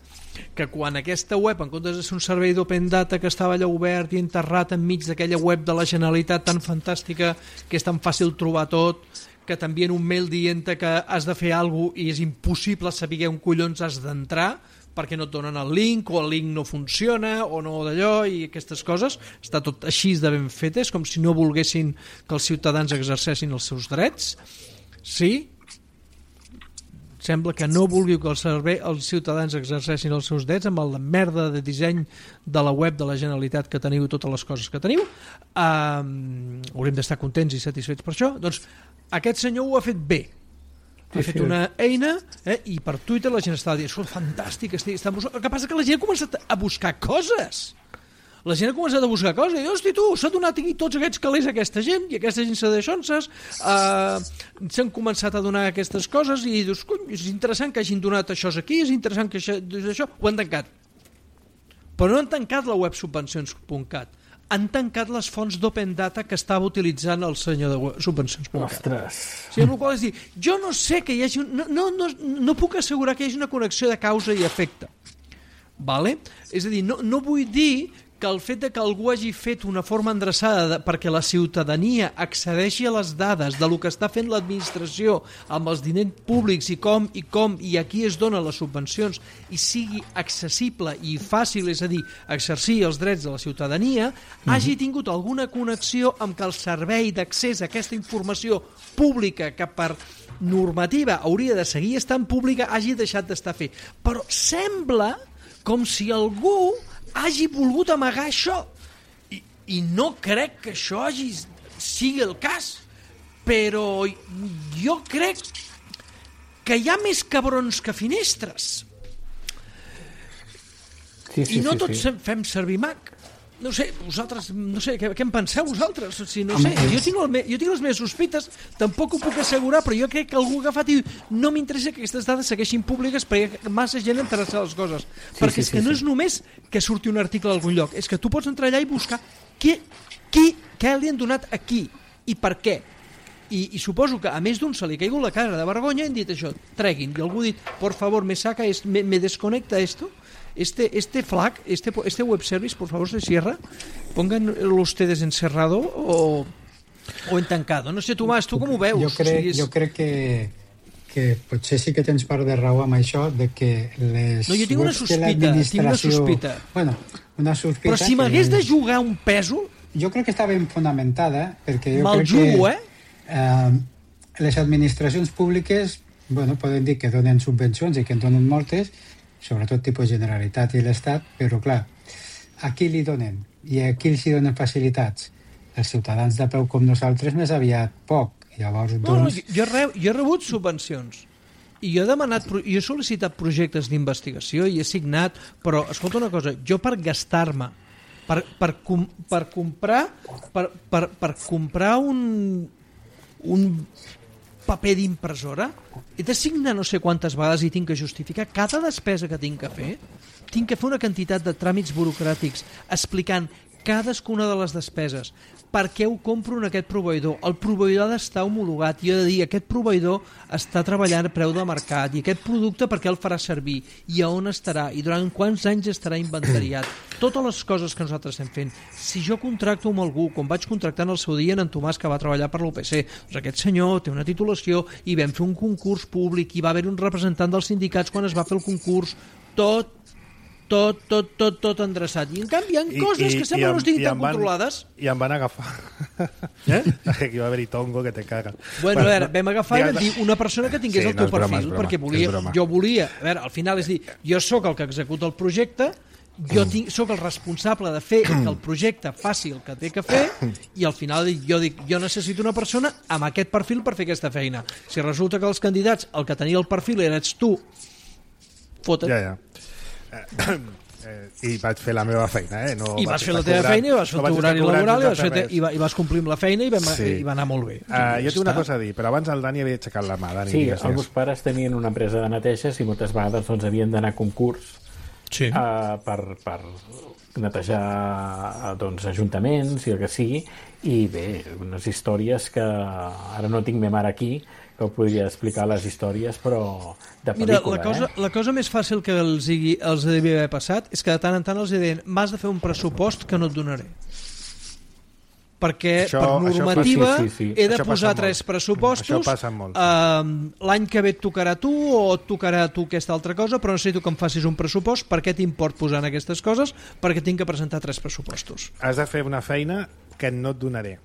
Que quan aquesta web, en comptes de ser un servei d'open data que estava allà obert i enterrat enmig d'aquella web de la Generalitat tan fantàstica que és tan fàcil trobar tot, que t'envien un mail dient que has de fer alguna cosa i és impossible saber on collons has d'entrar perquè no et donen el link o el link no funciona o no d'allò i aquestes coses, està tot així de ben fetes, com si no volguessin que els ciutadans exercessin els seus drets. Sí, sembla que no vulgueu que el servei, els ciutadans exercessin els seus drets amb la merda de disseny de la web de la Generalitat que teniu, totes les coses que teniu. Um, haurem d'estar contents i satisfets per això. Doncs aquest senyor ho ha fet bé. Ha sí, fet sí. una eina eh, i per Twitter la gent estava dient, fantàstic, estic, està buscant... El que passa que la gent ha començat a buscar coses. La gent ha començat a buscar coses i, hosti, tu, s'ha donat aquí tots aquests calés a aquesta gent i aquesta gent s'ha deixonses, uh, s'han començat a donar aquestes coses i dius, cony, és interessant que hagin donat això aquí, és interessant que això, això... Ho han tancat. Però no han tancat la web subvencions punt cat. Han tancat les fonts d'open data que estava utilitzant el senyor de subvencions punt cat. Ostres! Sí, amb la qual és dir, jo no sé que hi hagi... Un, no, no, no, no puc assegurar que hi hagi una connexió de causa i efecte. Vale? És a dir, no, no vull dir que el fet de que algú hagi fet una forma endreçada de, perquè la ciutadania accedeixi a les dades de lo que està fent l'administració amb els diners públics i com i com i a qui es donen les subvencions i sigui accessible i fàcil, és a dir, exercir els drets de la ciutadania, mm-hmm. hagi tingut alguna connexió amb que el servei d'accés a aquesta informació pública que per normativa hauria de seguir estant pública hagi deixat d'estar fet. Però sembla com si algú hagi volgut amagar això I, i no crec que això hagi sigui el cas, però jo crec que hi ha més cabrons que finestres sí, sí, i no sí, tots sí. fem servir Mac. No sé, vosaltres, no sé, què, què en penseu vosaltres? O sigui, no sé, jo tinc, el me, jo tinc les meves sospites, tampoc ho puc assegurar, però jo crec que algú ha agafat i no m'interessa que aquestes dades segueixin públiques perquè massa gent interessa les coses. Sí, perquè sí, és que sí, no sí. és només que surti un article a algun lloc, és que tu pots entrar allà i buscar qui, qui, què li han donat aquí i per què. I, i suposo que a més d'un se li ha caigut la cara de vergonya i han dit això, treguin. I algú ha dit, por favor, me saca, es, me, me desconecta esto. Este, este FLAC, este, este web service, por favor, se cierra. Pónganlo ustedes en cerrado o, o en tancado. No sé, Tomàs, tu com ho veus? Jo crec, o sigui, és... jo crec que, que potser sí que tens part de raó amb això, de que les no, jo tinc una sospita, tinc una sospita. Bueno, una sospita... Però si m'hagués que... de jugar un pèsol... Jo crec que està ben fonamentada, perquè jo Me'l crec jugo, que... eh? Eh, les administracions públiques, bueno, poden dir que donen subvencions i que en donen moltes, sobretot tipus Generalitat i l'Estat, però clar, a qui li donen? I a qui els hi donen facilitats? Els ciutadans de peu com nosaltres més aviat poc. Llavors, no, doncs... no, jo, he re, jo he rebut subvencions. I jo he demanat, jo he sol·licitat projectes d'investigació i he signat, però, escolta una cosa, jo per gastar-me, per, per, com, per comprar per, per, per comprar un, un paper d'impressora, he de signar no sé quantes vegades i tinc que justificar cada despesa que tinc que fer, tinc que fer una quantitat de tràmits burocràtics explicant cadascuna de les despeses, per què ho compro en aquest proveïdor, el proveïdor ha d'estar homologat, i he de dir, aquest proveïdor està treballant a preu de mercat, i aquest producte per què el farà servir, i a on estarà, i durant quants anys estarà inventariat, totes les coses que nosaltres estem fent. Si jo contracto amb algú, com vaig contractar en el seu dia en en Tomàs, que va treballar per l'U P C, doncs aquest senyor té una titulació, i vam fer un concurs públic, i va haver un representant dels sindicats quan es va fer el concurs, tot tot, tot, tot, tot endreçat. I en canvi hi ha coses I, que sembla que no estiguin tan van, controlades. I em van agafar. Eh? Aquí va haver-hi tongo que te caga. Bueno, a veure, vam agafar i vam dir una persona que tingués sí, el teu no perfil, broma, perquè volia, jo volia, a veure, al final és dir, jo sóc el que executa el projecte, jo tinc, sóc el responsable de fer que el projecte faci el que té que fer, i al final jo dic, jo necessito una persona amb aquest perfil per fer aquesta feina. Si resulta que els candidats, el que tenia el perfil eres tu, fota't. Ja, ja. Eh, eh, i vaig fer la meva feina, eh? No I vas fer la teva feina, i vas fer el teu horari laboral, i vas, fer, i, va, i vas complir amb la feina, i, vam, sí. i va anar molt bé. Uh, jo tinc una cosa a dir, però abans el Dani havia aixecat la mà. Dani, sí, els meus pares tenien una empresa de neteges i moltes vegades doncs, havien d'anar a concurs sí. uh, per, per netejar doncs, ajuntaments i el que sigui, i bé, unes històries que ara no tinc ma mare aquí, que podria explicar les històries, però de pel·lícula. Mira, la cosa, eh? la cosa més fàcil que els, hi, els devia haver passat és que de tant en tant els deien m'has de fer un pressupost que no et donaré. Perquè això, per normativa sí, sí, sí. he de això posar tres molt. pressupostos. Això passa molt. Uh, l'any que ve et tocarà tu o et tocarà tu aquesta altra cosa, però necessito que em facis un pressupost. Per què t'import posant aquestes coses? Perquè tinc que presentar tres pressupostos. Has de fer una feina que no et donaré.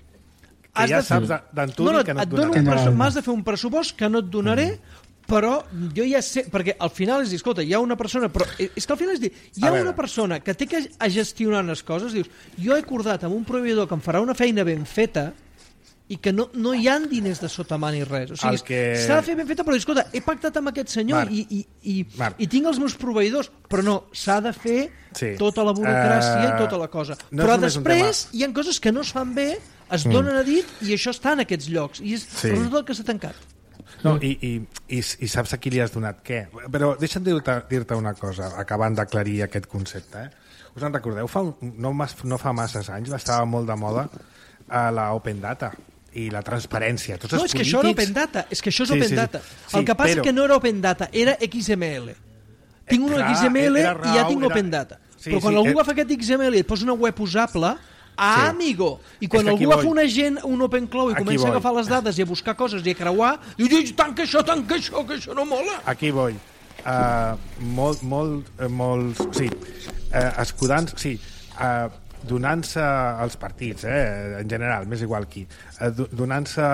Que has ja de... saps d'antuvi no, no, que no et, et donaré. Presu... M'has de fer un pressupost que no et donaré, mm. però jo ja sé... Perquè al final és dir, escolta, hi ha una persona... Però és que al final és dir, hi ha una persona que té que a gestionar les coses, dius, jo he acordat amb un proveïdor que em farà una feina ben feta i que no, no hi ha diners de sota mà ni res. O sigui, que... s'ha de fer ben feta, però escolta, he pactat amb aquest senyor Marc, i, i, i, i tinc els meus proveïdors, però no, s'ha de fer sí. tota la burocràcia uh, i tota la cosa. No però després hi ha coses que no es fan bé, es donen mm. a dit i això està en aquests llocs. I és sí. però no tot el que s'ha tancat. No, i, i, i, i saps a qui li has donat què? Però deixa'm dir-te dir-te una cosa, acabant d'aclarir aquest concepte. Eh? Us en recordeu? Fa un, no, no fa masses anys estava molt de moda a la Open Data i la transparència. Tots no, els és que polítics... això era Open Data. És que això és sí, Open sí, Data. Sí, el que passa però... és que no era Open Data, era X M L. Tinc una X M L raó, i ja tinc era... Open Data. Sí, però quan sí, algú era... agafa aquest X M L i et posa una web usable, ah, sí. amigo! I quan algú agafa un agent, un Open Cloud, i comença a agafar les dades i a buscar coses i a creuar, diu, tanca això, tanca això, que això no mola! Aquí vull. Uh, molt, molt, uh, molt... Sí, uh, escudant... Sí, uh, donant-se als partits, eh, en general, més igual qui, eh, donant-se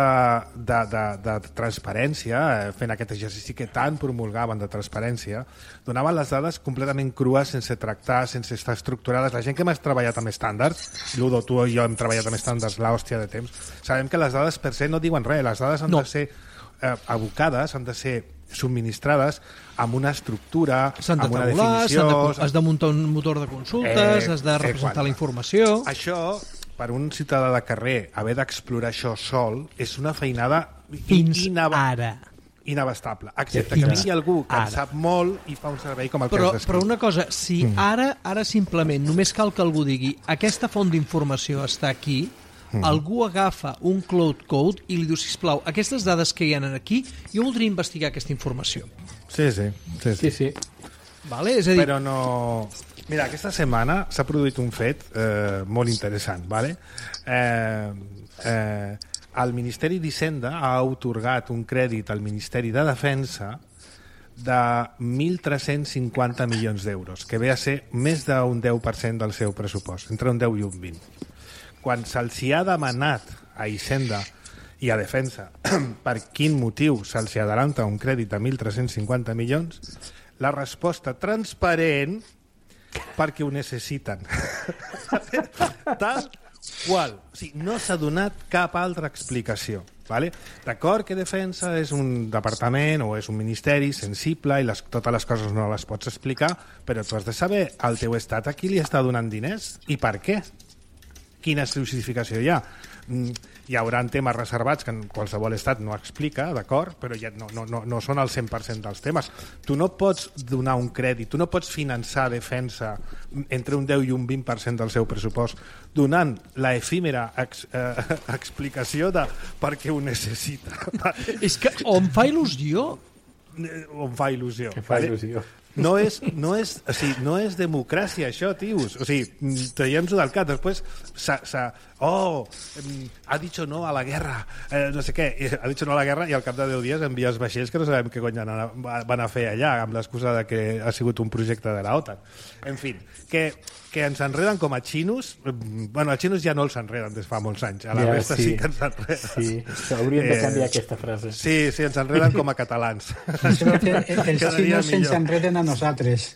de, de, de transparència, eh, fent aquest exercici que tant promulgaven de transparència, donaven les dades completament crues, sense tractar, sense estar estructurades. La gent que m'has treballat amb estàndards, Ludo, tu i jo hem treballat amb estàndards l'hòstia de temps, sabem que les dades per se no diuen res, les dades han no. de ser eh, abocades, han de ser subministrades amb una estructura, de amb una tabular, definició... De, has de muntar un motor de consultes, eh, has de representar eh, la informació... Això, per un ciutadà de carrer, haver d'explorar això sol, és una feinada fins inab... ara. Inabastable. Excepte que vingui algú que ara. en sap molt i fa un servei com el però, que has descrit. Però una cosa, si mm. ara, ara simplement només cal que algú digui aquesta font d'informació està aquí, Mm. algú agafa un cloud code i li diu, sisplau, aquestes dades que hi ha aquí, jo voldria investigar aquesta informació. Sí, sí. sí, sí. sí, sí. Vale? És a dir... Però no... Mira, aquesta setmana s'ha produït un fet eh, molt interessant. Vale? Eh, eh, el Ministeri d'Hisenda ha atorgat un crèdit al Ministeri de Defensa de mil tres-cents cinquanta milions d'euros, que ve a ser més d'un deu per cent del seu pressupost, entre un deu i un vint. Quan se'ls ha demanat a Hisenda i a Defensa per quin motiu se'ls adelanta un crèdit de mil tres-cents cinquanta milions, la resposta transparent perquè ho necessiten. Tal qual. O sigui, no s'ha donat cap altra explicació. Vale? D'acord que defensa és un departament o és un ministeri sensible i les, totes les coses no les pots explicar, però tu has de saber al teu estat a qui li està donant diners i per què. Quina justificació hi ha? Hi haurà temes reservats que en qualsevol estat no explica, d'acord? Però ja no, no, no, no són el cent per cent dels temes. Tu no pots donar un crèdit, tu no pots finançar defensa entre un deu i un vint per cent del seu pressupost donant la efímera ex, eh, explicació de per què ho necessita. Vale? És que o em fa il·lusió o em fa il·lusió. Em fa vale? il·lusió. No és, no, és, o sigui, no és democràcia, això, tios. O sigui, traiem-ho del cap. Després, s'ha, s'ha, oh, ha dit no a la guerra, eh, no sé què, ha dit no a la guerra i al cap de deu dies envia els vaixells que no sabem què cony van a fer allà, amb l'excusa de que ha sigut un projecte de la OTAN. En fi, que, que ens enreden com a xinos. Bueno, a xinos ja no els enreden des fa molts anys, a la ja, resta sí, sí que ens enreden. Sí, hauríem de canviar eh, aquesta frase. Sí, sí, ens enreden com a catalans. Creo que els xinos ens enreden a nosaltres.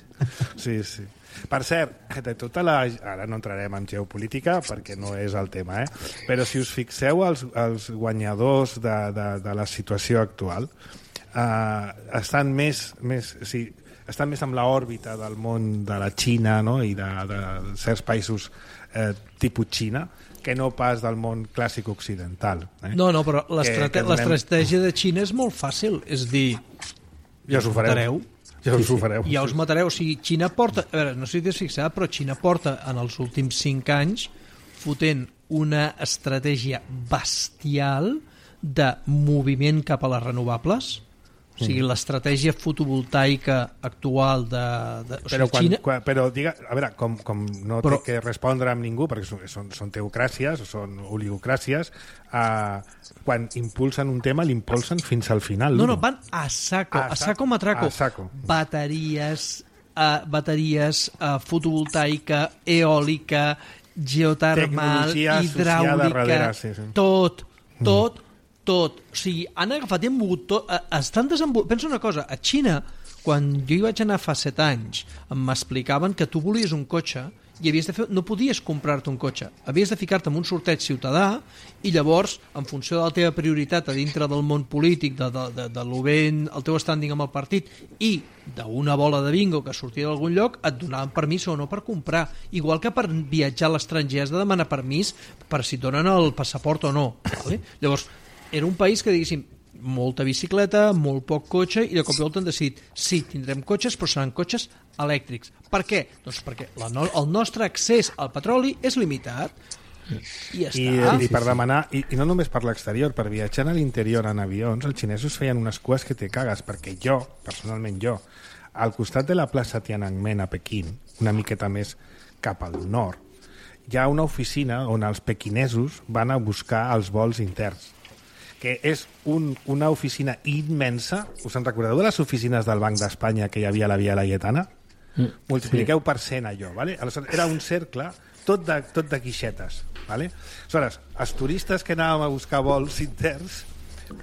Sí, sí. Per cert, de tota la... ara no entrarem en geopolítica perquè no és el tema, eh? Però si us fixeu els, els guanyadors de, de, de la situació actual eh, estan més, més sí, estan més amb l'òrbita del món de la Xina, no? I de, de certs països eh, tipus Xina que no pas del món clàssic occidental. Eh? No, no, però l'estratègia donem... de Xina és molt fàcil, és dir, ja us ho fareu. Ja us ho fareu. Ja us matareu. O sigui, Xina porta... A veure, no sé si t'has fixat, però Xina porta en els últims cinc anys fotent una estratègia bestial de moviment cap a les renovables. O sigui, mm. l'estratègia fotovoltaica actual de... de o sigui, però, quan, Xina... quan, però diga, a veure, com, com no però... té que respondre amb ningú, perquè són, són, són teocràcies, són oligocràcies, eh, quan impulsen un tema, l'impulsen fins al final. No, no, van a saco, a, a saco matraco. A saco. Bateries, uh, bateries uh, fotovoltaica, eòlica, geotermal, hidràulica, darrere, sí, sí. tot, tot, mm. tot. O sigui, han agafat i han mogut tot. Estan desenvolupant... Pensa una cosa, a Xina, quan jo hi vaig anar fa set anys, m'explicaven que tu volies un cotxe i havies de fer, no podies comprar-te un cotxe, havies de ficar-te en un sorteig ciutadà i llavors, en funció de la teva prioritat a dintre del món polític, de, de, de, de lo ben, el teu standing amb el partit i d'una bola de bingo que sortia d'algun lloc, et donaven permís o no per comprar, igual que per viatjar a l'estranger has de demanar permís per si et donen el passaport o no, vale? Llavors, era un país que, diguéssim, molta bicicleta, molt poc cotxe, i de cop i volta han decidit, sí, tindrem cotxes, però seran cotxes elèctrics. Per què? Doncs perquè la no, el nostre accés al petroli és limitat. I ja I, està. I per demanar, i, i no només per l'exterior, per viatjar a l'interior en avions, els xinesos feien unes cues que te cagues, perquè jo, personalment jo, al costat de la plaça Tiananmen a Pequín, una miqueta més cap al nord, hi ha una oficina on els pequinesos van a buscar els vols interns, que és un, una oficina immensa. Us en recordeu de les oficines del Banc d'Espanya que hi havia a la Via Laietana? Mm, multipliqueu sí. per cent allò, ¿vale? Aleshores, era un cercle tot de, tot de guixetes, ¿vale? Aleshores, els turistes que anàvem a buscar vols interns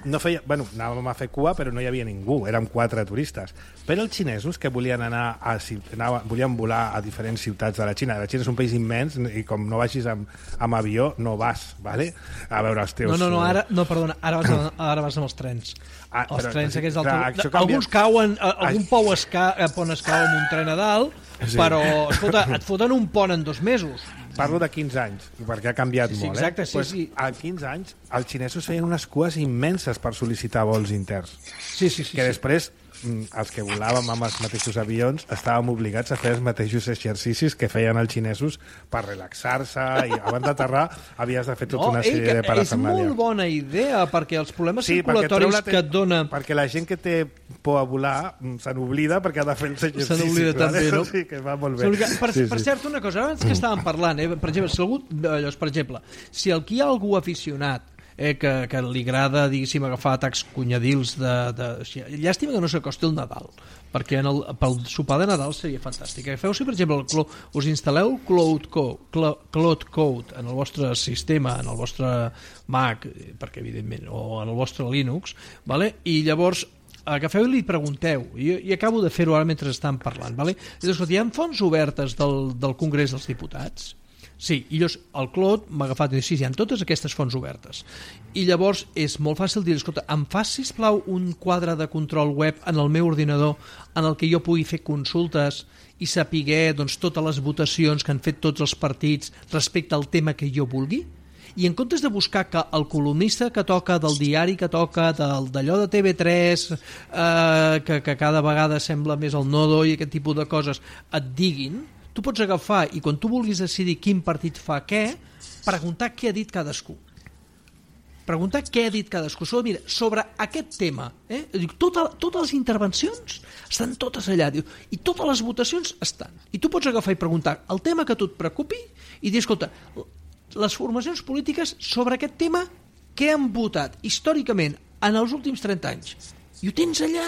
no feia, bueno, anàvem a fer cua però no hi havia ningú, érem quatre turistes, però els xinesos que volien anar a, anava, volien volar a diferents ciutats de la Xina. La Xina és un país immens i com no vagis amb, amb avió no vas, ¿vale? A veure els teus... No, no, no, ara, no perdona, ara vas, a, ara vas amb els trens. Ah, els però, trens aquests clar, del... canvia... Alguns cauen, algun pou es ca... pont es cau amb un tren a dalt, sí. Però escolta, et foten un pont en dos mesos. Parlo de quinze anys, perquè ha canviat sí, sí, molt. Exacte, eh? sí, pues, sí. A quinze anys, els xinesos feien unes cues immenses per sol·licitar vols interns. Sí, sí, sí. Que sí. després, els que volàvem amb els mateixos avions, estàvem obligats a fer els mateixos exercicis que feien els xinesos per relaxar-se, i abans d'aterrar havies de fer tota no, una sèrie ei, de parafernàlia. És molt bona idea, perquè els problemes sí, circulatoris perquè que et dona... Perquè la gent que té por a volar se n'oblida perquè ha de fer els exercicis. Se n'oblida vale? també, no? Sí, que va molt bé. Per, sí, per sí. cert, una cosa, abans que estàvem parlant, eh, per exemple, si algú, allò, per exemple, si aquí hi ha algú aficionat eh, que, que li agrada, diguéssim, agafar atacs cunyadils de... de o sigui, llàstima que no s'acosti el Nadal, perquè en el, pel sopar de Nadal seria fantàstic. Agafeu, si per exemple el, us instal·leu Cloud Code, Cloud Code en el vostre sistema, en el vostre Mac, perquè evidentment, o en el vostre Linux, vale? I llavors agafeu i li pregunteu, i, i acabo de fer-ho ara mentre estan parlant, vale? És, escolta, hi ha fonts obertes del, del Congrés dels Diputats? Sí, i llavors el Claude m'ha agafat i dit, sí, hi ha totes aquestes fonts obertes. I llavors és molt fàcil dir, escolta, em fas, sisplau, un quadre de control web en el meu ordinador en el que jo pugui fer consultes i sapiguer doncs, totes les votacions que han fet tots els partits respecte al tema que jo vulgui? I en comptes de buscar que el columnista que toca del diari que toca, del, d'allò de T V tres, eh, que, que cada vegada sembla més el nodo i aquest tipus de coses, et diguin, tu pots agafar i quan tu vulguis decidir quin partit fa què, preguntar què ha dit cadascú. Preguntar què ha dit cadascú. Sobre, mira, sobre aquest tema, eh? Dic, tota, totes les intervencions estan totes allà, diu, i totes les votacions estan. I tu pots agafar i preguntar el tema que a tu et preocupi i dir, escolta, les formacions polítiques sobre aquest tema, què han votat històricament en els últims trenta anys? I ho tens allà.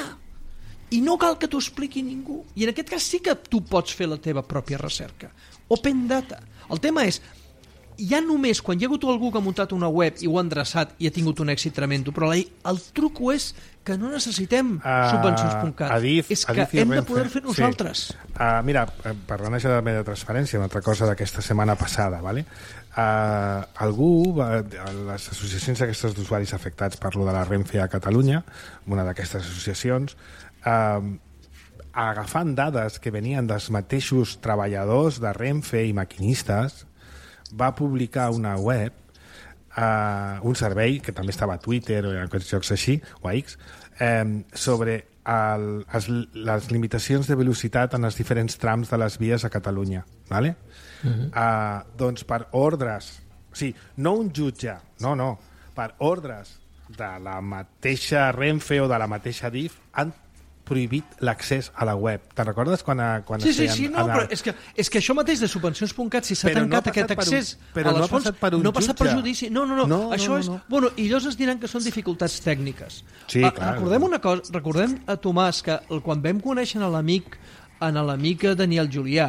I no cal que t'ho expliqui ningú. I en aquest cas sí que tu pots fer la teva pròpia recerca. Open data. El tema és, ja només quan hi ha hagut algú que ha muntat una web i ho ha endreçat i ha tingut un èxit tremendo, però la, el truco és que no necessitem uh, subvencions punt cat. Adif, és que Adif hem Renfe, de poder fer nosaltres. Sí. Uh, mira, parlant això de la meva transferència, una altra cosa d'aquesta setmana passada, ¿vale? Uh, algú, uh, les associacions aquestes d'usuaris afectats per lo de la Renfe a Catalunya, una d'aquestes associacions, Uh, agafant dades que venien dels mateixos treballadors de Renfe i maquinistes, va publicar una web, uh, un servei que també estava a Twitter o en aquests jocs així, o a X, um, sobre el, els, les limitacions de velocitat en els diferents trams de les vies a Catalunya, ¿vale? Uh-huh. uh, doncs per ordres, o sigui, no un jutge, no, no, per ordres de la mateixa Renfe o de la mateixa D I F han prohibit l'accés a la web. Te'n recordes quan, a, quan sí, sí, sí, no, anar... però és que, és que això mateix de subvencions punt cat, si s'ha tancat no aquest accés un, però a les no fonts, per un no ha passat per judici. No, no, no, no això no, no, és... no. Bueno, i llavors es diran que són dificultats tècniques. Sí, a, clar. Recordem una cosa, recordem a Tomàs que quan vam conèixer a l'amic en l'amic Daniel Julià,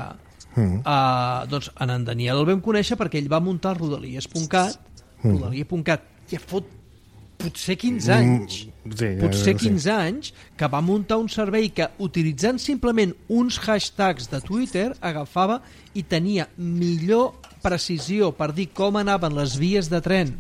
mm. uh, doncs en en Daniel el vam conèixer perquè ell va muntar rodalies punt cat, mm. rodalies punt cat, ja fot potser quinze anys, sí, potser sí. quinze anys, que va muntar un servei que, utilitzant simplement uns hashtags de Twitter, agafava i tenia millor precisió per dir com anaven les vies de tren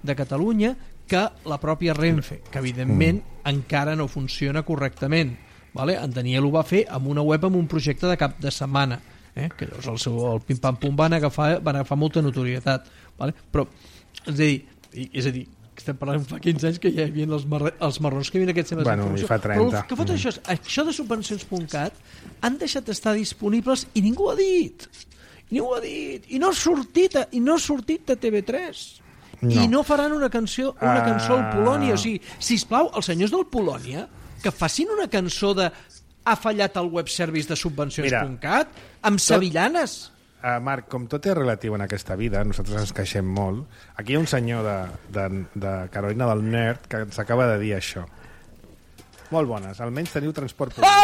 de Catalunya que la pròpia Renfe, que evidentment mm. encara no funciona correctament. Vale? En Daniel ho va fer amb una web amb un projecte de cap de setmana, eh? Que llavors el, seu, el pim-pam-pum van agafar, van agafar molta notorietat. Vale? Però, és a dir, és a dir, estem parlant fa quinze anys que ja hi havia els, mar els marrons que hi havia aquests temes bueno, d'informació. Fa trenta. Però el que fot mm. això és, això de subvencions punt cat han deixat d'estar disponibles i ningú ho ha dit. I ningú ho ha dit. I no ha sortit, a, i no ha sortit de T V tres. No. I no faran una cançó, una cançó al Polònia. O sigui, sisplau, els senyors del Polònia que facin una cançó de ha fallat el web service de subvencions punt cat amb sevillanes. Uh, Marc, com tot és relatiu en aquesta vida, nosaltres ens queixem molt. Aquí hi ha un senyor de, de, de Carolina del Nord que ens acaba de dir això. Molt bones, almenys teniu transport públic. Ah!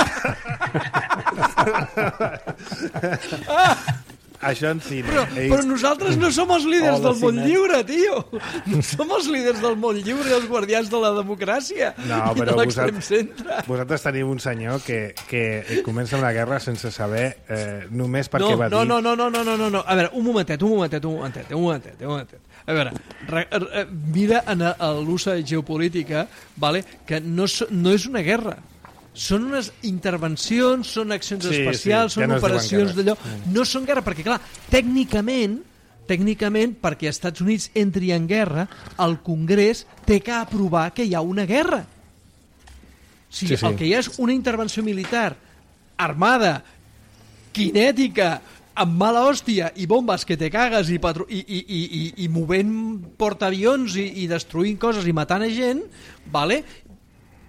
Ah! Això en cine. Però, Ells... però nosaltres no som els líders oh, del món cine. lliure, tio. No som els líders del món lliure i els guardians de la democràcia no, i de l'extrem centre. Vosaltres teniu un senyor que, que comença una guerra sense saber eh, només perquè no, va no, dir... No, no, no, no, no, no, no. A veure, un momentet, un momentet, un momentet, un momentet, un momentet. A veure, re, re, mira en l'ús geopolítica, vale, que no, no és una guerra. Són unes intervencions, són accions sí, especials, sí, són no operacions d'allò. No són guerra, perquè, clar, tècnicament, tècnicament, perquè els Estats Units entri en guerra, el Congrés té que aprovar que hi ha una guerra. O sigui, sí, sí. El que hi ha és una intervenció militar armada, kinètica, amb mala hòstia i bombes que te cagues i, patru i, i, i, i, i movent portaavions i, i destruint coses i matant a gent, vale?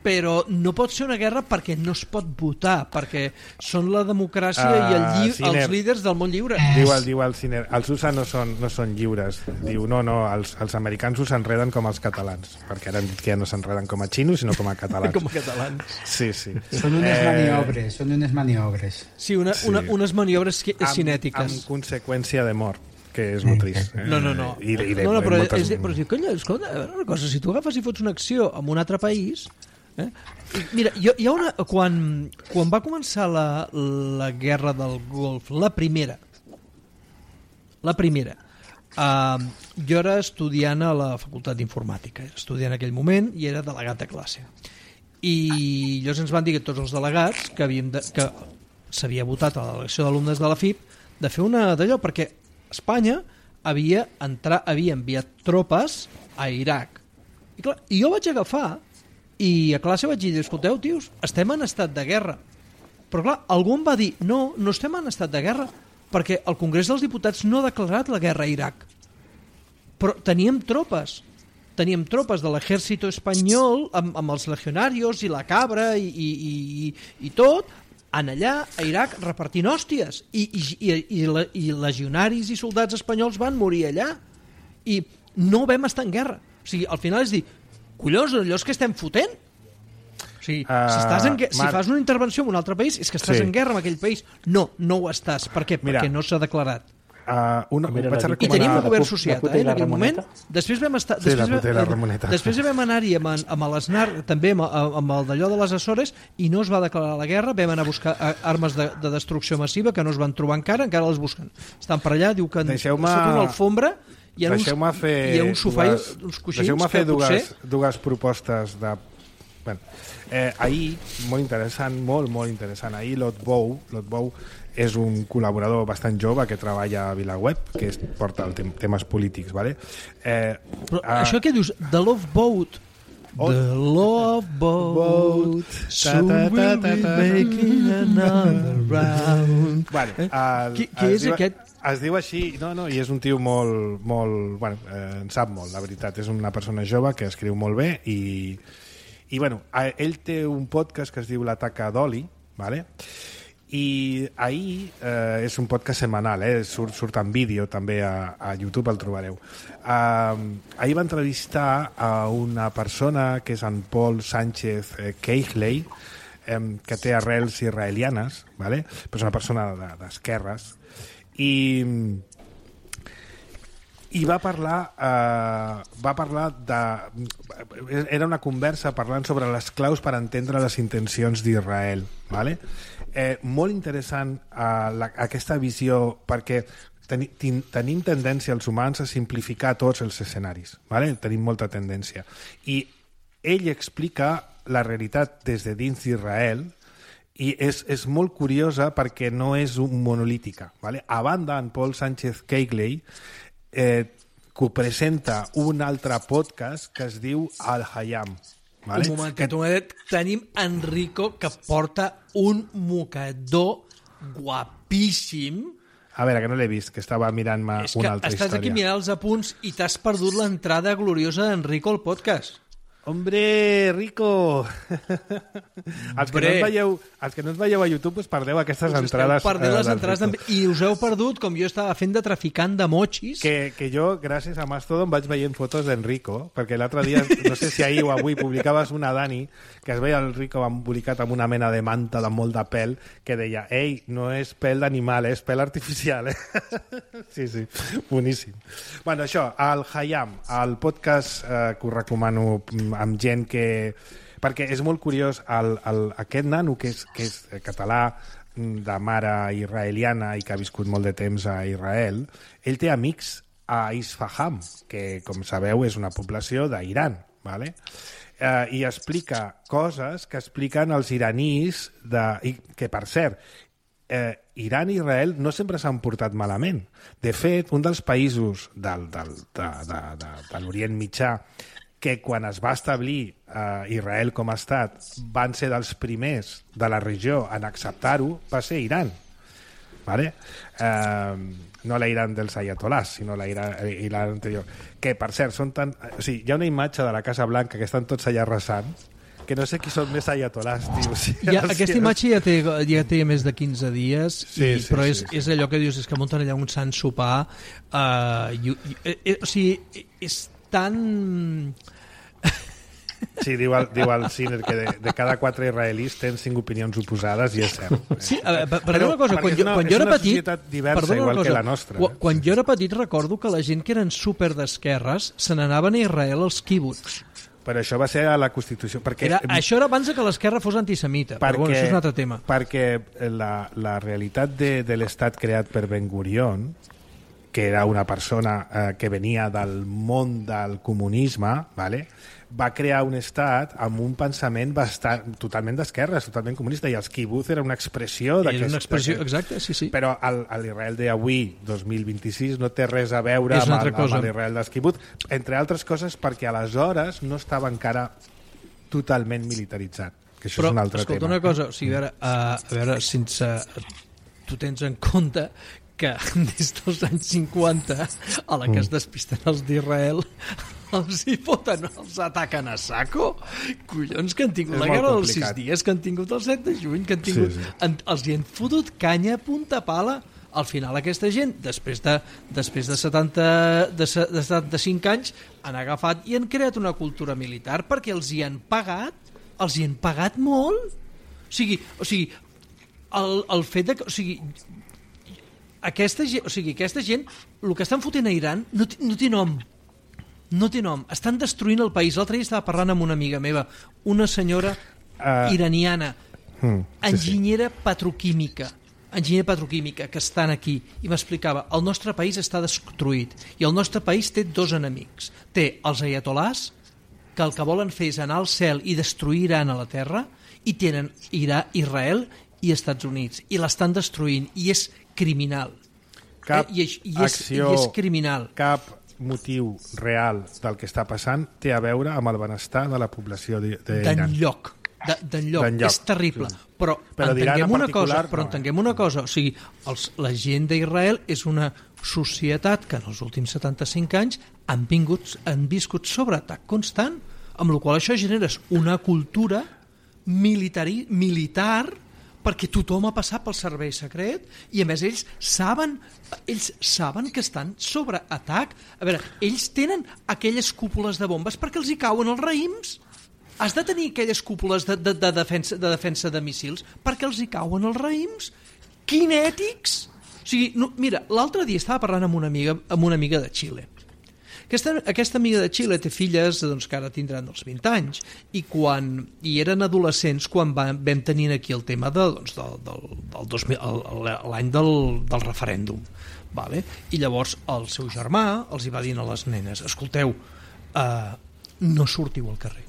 Però no pot ser una guerra perquè no es pot votar, perquè són la democràcia uh, i el lli Ciner, els líders del món lliure. Diu el, diu el Ciner, els U S A no són, no són lliures. Diu, no, no, els, els americans us enreden com els catalans, perquè ara han dit que ja no s'enreden com a xinos, sinó com a catalans. Com a catalans. Sí, sí. Són unes eh... maniobres, són unes maniobres. Sí, una, sí. Una, unes maniobres cinètiques. Amb, amb conseqüència de mort, que és molt trist. Eh? No, no, no. I, i de, no, no però, moltes... és, però, conya, escolta, a veure una cosa, si tu agafes i fots una acció en un altre país... Eh? Mira, hi ha una, quan, quan va començar la, la guerra del Golf, la primera, la primera, Uh, jo era estudiant a la Facultat d'Informàtica, era estudiant en aquell moment i era delegat de classe. I llavors ens van dir que tots els delegats que, havíem de, que s'havia votat a l'elecció d'alumnes de la F I P de fer una d'allò, perquè Espanya havia, entrar, havia enviat tropes a Iraq. I, clar, i jo vaig agafar i a classe vaig dir, escolteu, tios, estem en estat de guerra. Però clar, algú em va dir, no, no estem en estat de guerra, perquè el Congrés dels Diputats no ha declarat la guerra a Iraq. Però teníem tropes. Teníem tropes de l'exèrcit espanyol amb, amb els legionarios i la cabra i, i, i, i tot, en allà, a Iraq, repartint hòsties. I, i, i, i, la, i legionaris i soldats espanyols van morir allà. I no vam estar en guerra. O sigui, al final és dir, collons, allò és que estem fotent. O sigui, uh, si, estàs en, si fas una intervenció en un altre país és que estàs sí. en guerra amb aquell país. No, no ho estàs. Per què? Mira, perquè no s'ha declarat. Uh, una, Mira, vaig a I tenim un govern associat, eh, en aquell moment. Després vam estar... Sí, després, la vam, després vam anar-hi amb, amb l'Snar, també amb, amb el d'allò de les Açores, i no es va declarar la guerra. Vam anar a buscar armes de, de destrucció massiva que no es van trobar encara, encara les busquen. Estan per allà, diu que deixeu-me... sota una alfombra hi ha uns, fer hi ha un sofà dues, i uns coixins deixeu-me fer que dues, potser... dues propostes de... Bueno, eh, ahir, molt interessant, molt, molt interessant, ahir Lot Bou, Lot Bou és un col·laborador bastant jove que treballa a VilaWeb, que es porta el tem temes polítics, ¿vale? Eh, Però uh, això que dius, The Love Boat, oh, The Love Boat, boat soon ta, ta, ta, we'll be making another round. Bueno, el, qui, qui és diu, aquest? Es diu així, no, no, i és un tio molt, molt, bueno, eh, en sap molt, la veritat, és una persona jove que escriu molt bé i, i bueno, ell té un podcast que es diu La Taca d'Oli, ¿vale? I ahir, eh, és un podcast setmanal, eh, surt, surt en vídeo també a, a YouTube, el trobareu. Uh, ahir va entrevistar a una persona que és en Paul Sánchez eh, Keighley, eh, que té arrels israelianes, ¿vale? Però és una persona d'esquerres, i i va parlar eh, va parlar de era una conversa parlant sobre les claus per entendre les intencions d'Israel, ¿vale? Eh, molt interessant eh, la, aquesta visió, perquè teni, ten, tenim tendència els humans a simplificar tots els escenaris, ¿vale? Tenim molta tendència, i ell explica la realitat des de dins d'Israel i és, és molt curiosa perquè no és un monolítica, ¿vale? A banda, en Paul Sánchez Keighley eh, que presenta un altre podcast que es diu Al-Hayam, vale? Un momentet, un momentet. Tenim Enrico, que porta un mocador guapíssim. A veure, que no l'he vist, que estava mirant-me una altra història. Estàs aquí mirant els apunts i t'has perdut l'entrada gloriosa d'Enrico al podcast. Hombre, Rico! els, que no ens veieu, els que no ens veieu a YouTube us perdeu aquestes us entrades. Us perdeu les entrades de... I us heu perdut, com jo estava fent de traficant de mochis. Que, que jo, gràcies a Mastodon, vaig veient fotos d'Enrico, perquè l'altre dia, no sé si ahir o avui, publicaves una, Dani, que es veia el Rico embolicat amb una mena de manta de molt de pèl, que deia, ei, no és pèl d'animal, és pèl artificial. Eh? sí, sí, boníssim. Bueno, això, el Hayam, el podcast eh, que us recomano amb gent que... Perquè és molt curiós, el, el, aquest nano que és, que és català, de mare israeliana i que ha viscut molt de temps a Israel, ell té amics a Isfahan, que, com sabeu, és una població d'Iran, ¿vale? Eh, i explica coses que expliquen els iranís, de, i, que, per cert, eh, Iran i Israel no sempre s'han portat malament. De fet, un dels països del, del, de, de, de, de l'Orient Mitjà que quan es va establir eh, Israel com a estat van ser dels primers de la regió en acceptar-ho, va ser Iran, ¿vale? Eh, no la Iran dels ayatolás, sinó la Iran, Iran anterior, que per cert són tan... O sigui, hi ha una imatge de la Casa Blanca que estan tots allà resant, que no sé qui són més ayatolàs, tio. O sigui, ja, aquesta imatge ja té, ja té més de quinze dies, sí, i, sí, però sí, és, sí. és allò que dius, és que munten allà un sant sopar, uh, i, i, i, o sigui, és tan... Sí, diu el, diu el Sinner que de, de cada quatre israelis tenen cinc opinions oposades i és cert. Sí, a veure, perdona una cosa, quan jo, quan jo era petit... diversa, igual cosa, que la nostra. Quan, quan jo era petit recordo que la gent que eren super d'esquerres se n'anaven a Israel als quibuts. Però això va ser a la Constitució. Perquè, era, això era abans que l'esquerra fos antisemita, perquè, però bueno, això és un altre tema. Perquè la, la realitat de, de l'estat creat per Ben Gurion, que era una persona eh, que venia del món del comunisme, ¿vale? Va crear un estat amb un pensament bastant, totalment d'esquerres, totalment comunista, i els kibbutz era una expressió d'aquest... Era una expressió, exacte, sí, sí. Però l'Israel d'avui, dos mil vint-i-sis, no té res a veure amb, el, amb l'Israel dels kibbutz, entre altres coses perquè aleshores no estava encara totalment militaritzat, que això però, és un altre escolta, tema. Una cosa, o sigui, a veure, a, a veure sense... Tu tens en compte que des dels anys cinquanta, a la que es despisten els d'Israel, els hi foten, els ataquen a saco. Collons, que han tingut és la guerra dels complicat. sis dies, que han tingut el set de juny, que han tingut... Sí, sí. En, els hi han fotut canya a punta pala. Al final aquesta gent, després de, després de, setanta, de, de setanta-cinc anys, han agafat i han creat una cultura militar perquè els hi han pagat, els hi han pagat molt. O sigui, o sigui el, el fet de que... O sigui, aquesta gent, o sigui, aquesta gent, el que estan fotent a Iran no, no té nom. No té nom. Estan destruint el país. L'altre dia estava parlant amb una amiga meva, una senyora uh, iraniana, hmm, sí, enginyera sí. petroquímica, enginyera petroquímica, que estan aquí, i m'explicava, el nostre país està destruït, i el nostre país té dos enemics. Té els ayatolàs, que el que volen fer és anar al cel i destruir Iran a la terra, i tenen Irà, Israel i Estats Units, i l'estan destruint, i és criminal. Cap eh? I, és, i, és, acció, i és criminal. Cap motiu real del que està passant té a veure amb el benestar de la població d'Iran. D'enlloc. D'enlloc. És terrible. Sí. Però, però entenguem una cosa, però no, entenguem una cosa. O sigui, els, la gent d'Israel és una societat que en els últims setanta-cinc anys han, vingut, han viscut sobre atac constant, amb la qual això generes una cultura militari, militar perquè tothom ha passat pel servei secret i a més ells saben ells saben que estan sobre atac. A veure, ells tenen aquelles cúpules de bombes perquè els hi cauen els raïms. Has de tenir aquelles cúpules de, de, de, defensa, de defensa de míssils perquè els hi cauen els raïms kinètics. O sigui, no, mira, l'altre dia estava parlant amb una amiga, amb una amiga de Xile. Aquesta, aquesta amiga de Xile té filles doncs, que ara tindran els vint anys i, quan, i eren adolescents quan vam, vam tenir aquí el tema de, doncs, del, del, del dos mil, l'any del, del referèndum, vale? I llavors el seu germà els hi va dir a les nenes, escolteu, uh, no sortiu al carrer,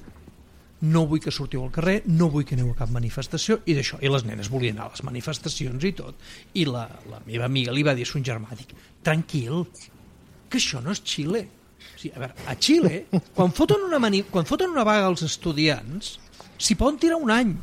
no vull que sortiu al carrer, no vull que aneu a cap manifestació, i d'això, i les nenes volien anar a les manifestacions i tot, i la, la meva amiga li va dir a son germà, dic, tranquil, que això no és Xile. O sigui, a veure, a Xile, quan foten una, mani... quan foten una vaga als estudiants, s'hi poden tirar un any.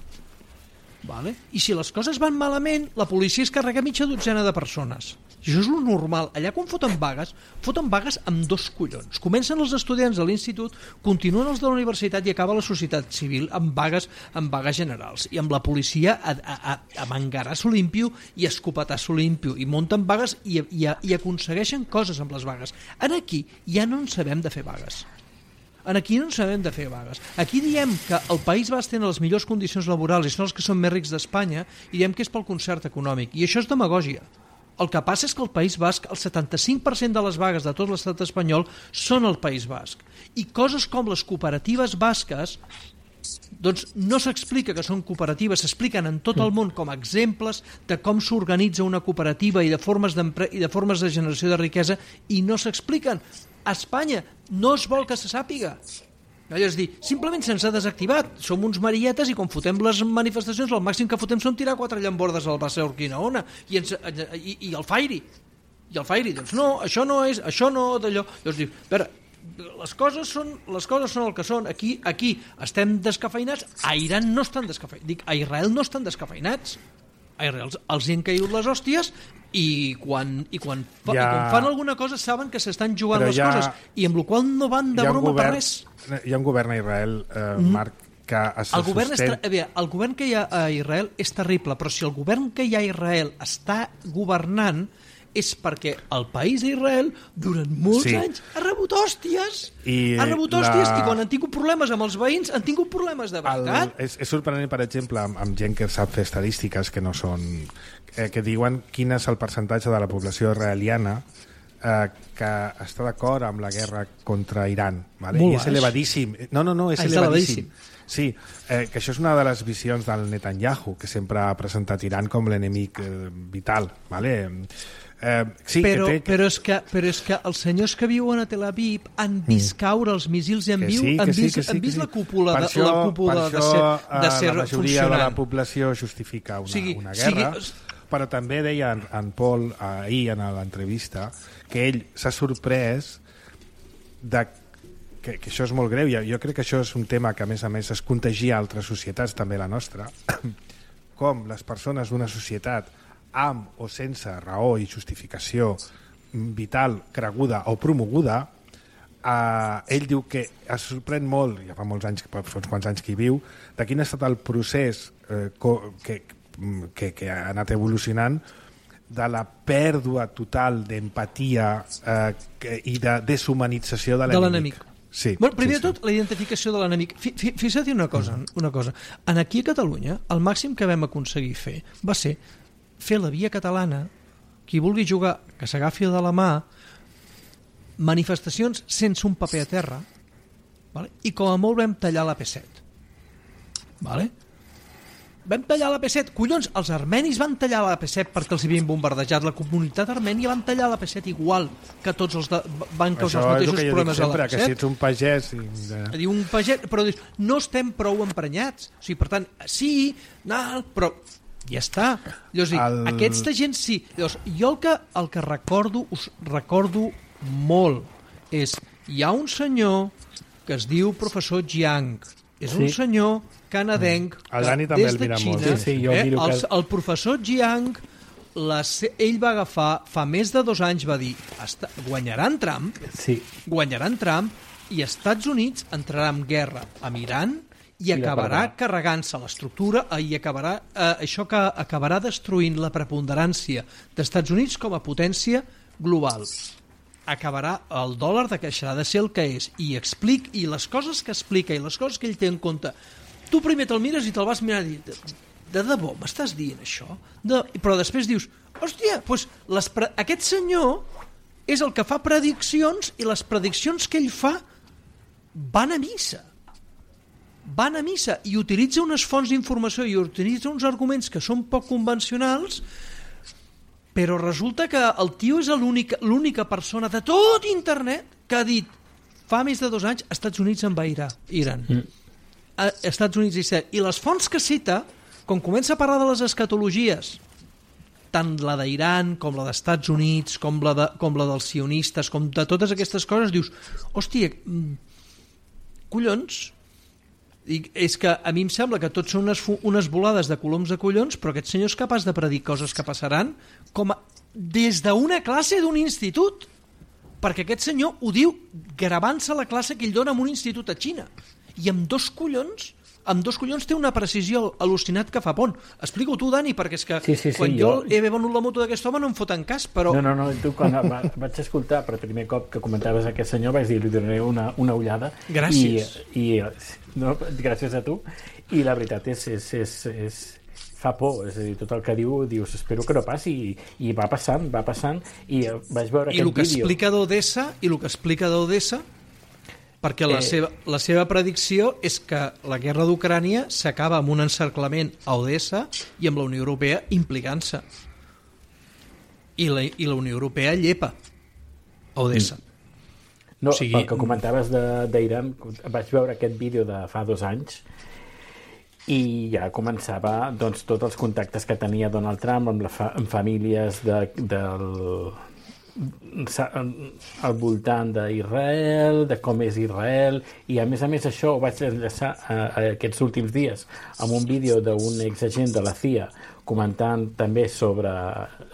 Vale? I si les coses van malament, la policia es carrega mitja dotzena de persones. I això és el normal. Allà quan foten vagues, foten vagues amb dos collons. Comencen els estudiants de l'institut, continuen els de la universitat i acaba la societat civil amb vagues, amb vagues generals. I amb la policia a, a, a, a mangaràs limpio i a escopetàs limpio. I munten vagues i, i, i aconsegueixen coses amb les vagues. En aquí ja no en sabem de fer vagues. En aquí no en sabem de fer vagues. Aquí diem que el País Basc té les millors condicions laborals i són els que són més rics d'Espanya i diem que és pel concert econòmic. I això és demagògia. El que passa és que el País Basc, el setanta-cinc per cent de les vagues de tot l'estat espanyol són al País Basc. I coses com les cooperatives basques doncs no s'explica que són cooperatives, s'expliquen en tot el món com a exemples de com s'organitza una cooperativa i de formes i de formes de generació de riquesa i no s'expliquen. A Espanya no es vol que se sàpiga. És a dir, simplement se'ns ha desactivat. Som uns marietes i quan fotem les manifestacions el màxim que fotem són tirar quatre llambordes al Passeig Urquinaona i, ens, i, i el Fairi. I el Fairi, doncs no, això no és, això no d'allò. Llavors dius, a veure, les coses són, les coses són el que són. Aquí, aquí estem descafeinats, a Iran no estan descafeinats. Dic, a Israel no estan descafeinats. A Israel els hi han caigut les hòsties i quan, i quan, fa, ja... i quan fan alguna cosa saben que s'estan jugant Però les ja... coses i amb la qual no van de broma govern, per res. Hi ha un govern a Israel, eh, mm. Marc, que es el govern, sostén... és, bé, el govern que hi ha a Israel és terrible, però si el govern que hi ha a Israel està governant és perquè el país d'Israel durant molts sí. anys ha rebut hòsties I ha rebut hòsties la... i quan han tingut problemes amb els veïns han tingut problemes de veritat. El... És, és sorprenent, per exemple, amb, amb gent que sap fer estadístiques que no són... Eh, que diuen quin és el percentatge de la població israeliana eh, que està d'acord amb la guerra contra Iran. Vale? I és elevadíssim. No, no, no, és ah, elevadíssim. Sí, eh, que això és una de les visions del Netanyahu, que sempre ha presentat Iran com l'enemic eh, vital. Vale? Eh, sí, però, que té... però, és que, però és que els senyors que viuen a Tel Aviv han vist mm. caure els míssils i han, viu, sí, han sí, vist, sí, han vist sí. la cúpula, de, això, la cúpula de ser, de ser la majoria funcionant. de la població justifica una, o sigui, una guerra, sigui... però també deia en, en Paul ahir en l'entrevista que ell s'ha sorprès de que, que això és molt greu. Jo crec que això és un tema que a més a més es contagia a altres societats, també la nostra, com les persones d'una societat amb o sense raó i justificació vital creguda o promoguda, eh, ell diu que es sorprèn molt, ja fa molts anys, fa uns quants anys que hi viu, de quin ha estat el procés eh, que, que, que ha anat evolucionant de la pèrdua total d'empatia eh, i de deshumanització de l'enemic. Sí, bueno, primer sí, de tot, sí. La identificació de l'enemic. Fixa't una cosa, una cosa. En aquí a Catalunya, el màxim que vam aconseguir fer va ser fer la via catalana, qui vulgui jugar, que s'agafi de la mà, manifestacions sense un paper a terra, vale? I com a molt vam tallar la P set. Vale? Vam tallar la P set. Collons, els armenis van tallar la P set perquè els havien bombardejat. La comunitat armènia van tallar la P set igual que tots els de, van causar els mateixos problemes a la P set. Que si ets un pagès... I... Diu un pagès, però dius, no estem prou emprenyats. O sigui, per tant, sí, no, però ja està. Llavors, el... aquesta gent sí. Llavors, jo el que, el que recordo, us recordo molt, és, hi ha un senyor que es diu professor Jiang. És sí. un senyor canadenc el Dani també des el de mira Xina. molt. Sí, sí, jo eh? miro el, que... el professor Jiang, la, ell va agafar, fa més de dos anys va dir, guanyaran Trump, sí. guanyaran Trump i Estats Units entrarà en guerra amb Iran i, I acabarà carregant-se l'estructura i acabarà, eh, això que acabarà destruint la preponderància d'Estats Units com a potència global. Acabarà, el dòlar deixarà de ser el que és i explic, i les coses que explica i les coses que ell té en compte, tu primer te'l mires i te'l vas mirar i dir, de debò, m'estàs dient això? De... Però després dius, hòstia, doncs les pre... aquest senyor és el que fa prediccions i les prediccions que ell fa van a missa. Van a missa i utilitza unes fonts d'informació i utilitza uns arguments que són poc convencionals, però resulta que el tio és l'única persona de tot internet que ha dit fa més de dos anys Estats Units envairà Iran. Mm. Estats Units i set. I les fonts que cita, quan comença a parlar de les escatologies, tant la d'Iran com la d'Estats Units, com la, de, com la dels sionistes, com de totes aquestes coses, dius, hòstia, collons, i és que a mi em sembla que tots són unes, unes volades de coloms de collons, però aquest senyor és capaç de predir coses que passaran com a, des d'una classe d'un institut, perquè aquest senyor ho diu gravant-se la classe que ell dona en un institut a Xina, i amb dos collons amb dos collons té una precisió al·lucinat que fa pont. Explica-ho tu, Dani, perquè és que sí, sí, sí, quan jo, jo he venut la moto d'aquest home no em foten cas, però... No, no, no, tu quan va, vaig escoltar per primer cop que comentaves aquest senyor vaig dir, li donaré una, una ullada. Gràcies. I, i no, gràcies a tu. I la veritat és, és, és, és fa por, és a dir, tot el que diu dius, espero que no passi, i, i va passant, va passant, i vaig veure I aquest vídeo. I el que explica d'Odessa, i el que explica d'Odessa, perquè la, eh... seva, la seva predicció és que la guerra d'Ucrània s'acaba amb un encerclament a Odessa i amb la Unió Europea implicant-se. I la, i la Unió Europea llepa a Odessa. No, o sigui... pel que comentaves d'Iran, vaig veure aquest vídeo de fa dos anys i ja començava doncs, tots els contactes que tenia Donald Trump amb, la fa amb famílies de, del... al voltant d'Israel, de com és Israel, i a més a més això ho vaig enllaçar a, a aquests últims dies amb un vídeo d'un exagent de la C I A comentant també sobre,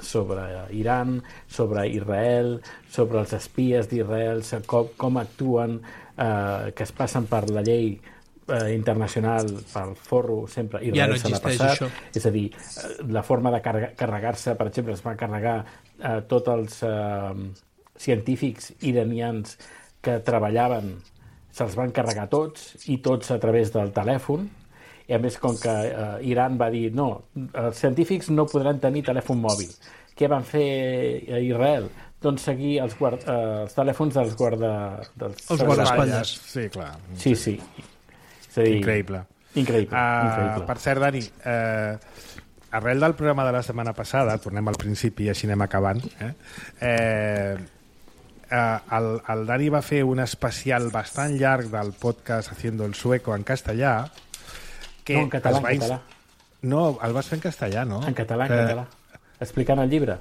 sobre Iran, sobre Israel, sobre els espies d'Israel, com, com actuen, eh, que es passen per la llei eh, internacional, pel forro, sempre Israel ja no se l'ha passat. Això. És a dir, la forma de carregar, carregar-se, per exemple, es va carregar eh, tots els eh, científics iranians que treballaven, se'ls van carregar tots, i tots a través del telèfon, i a més com que eh, Iran va dir no, els científics no podran tenir telèfon mòbil. Què van fer a Israel? Doncs seguir els, guard, eh, els telèfons dels guarda... Dels els guardaespatlles. Sí, clar. Sí, sí. És a dir, increïble. Increïble, uh, increïble. Per cert, Dani, eh, arrel del programa de la setmana passada, tornem al principi i així anem acabant, eh? Eh, el, el Dani va fer un especial bastant llarg del podcast Haciendo el Sueco en castellà. Que no, en català, va en català. No, el vas fer en castellà, no? En català, en català. Explicant el llibre.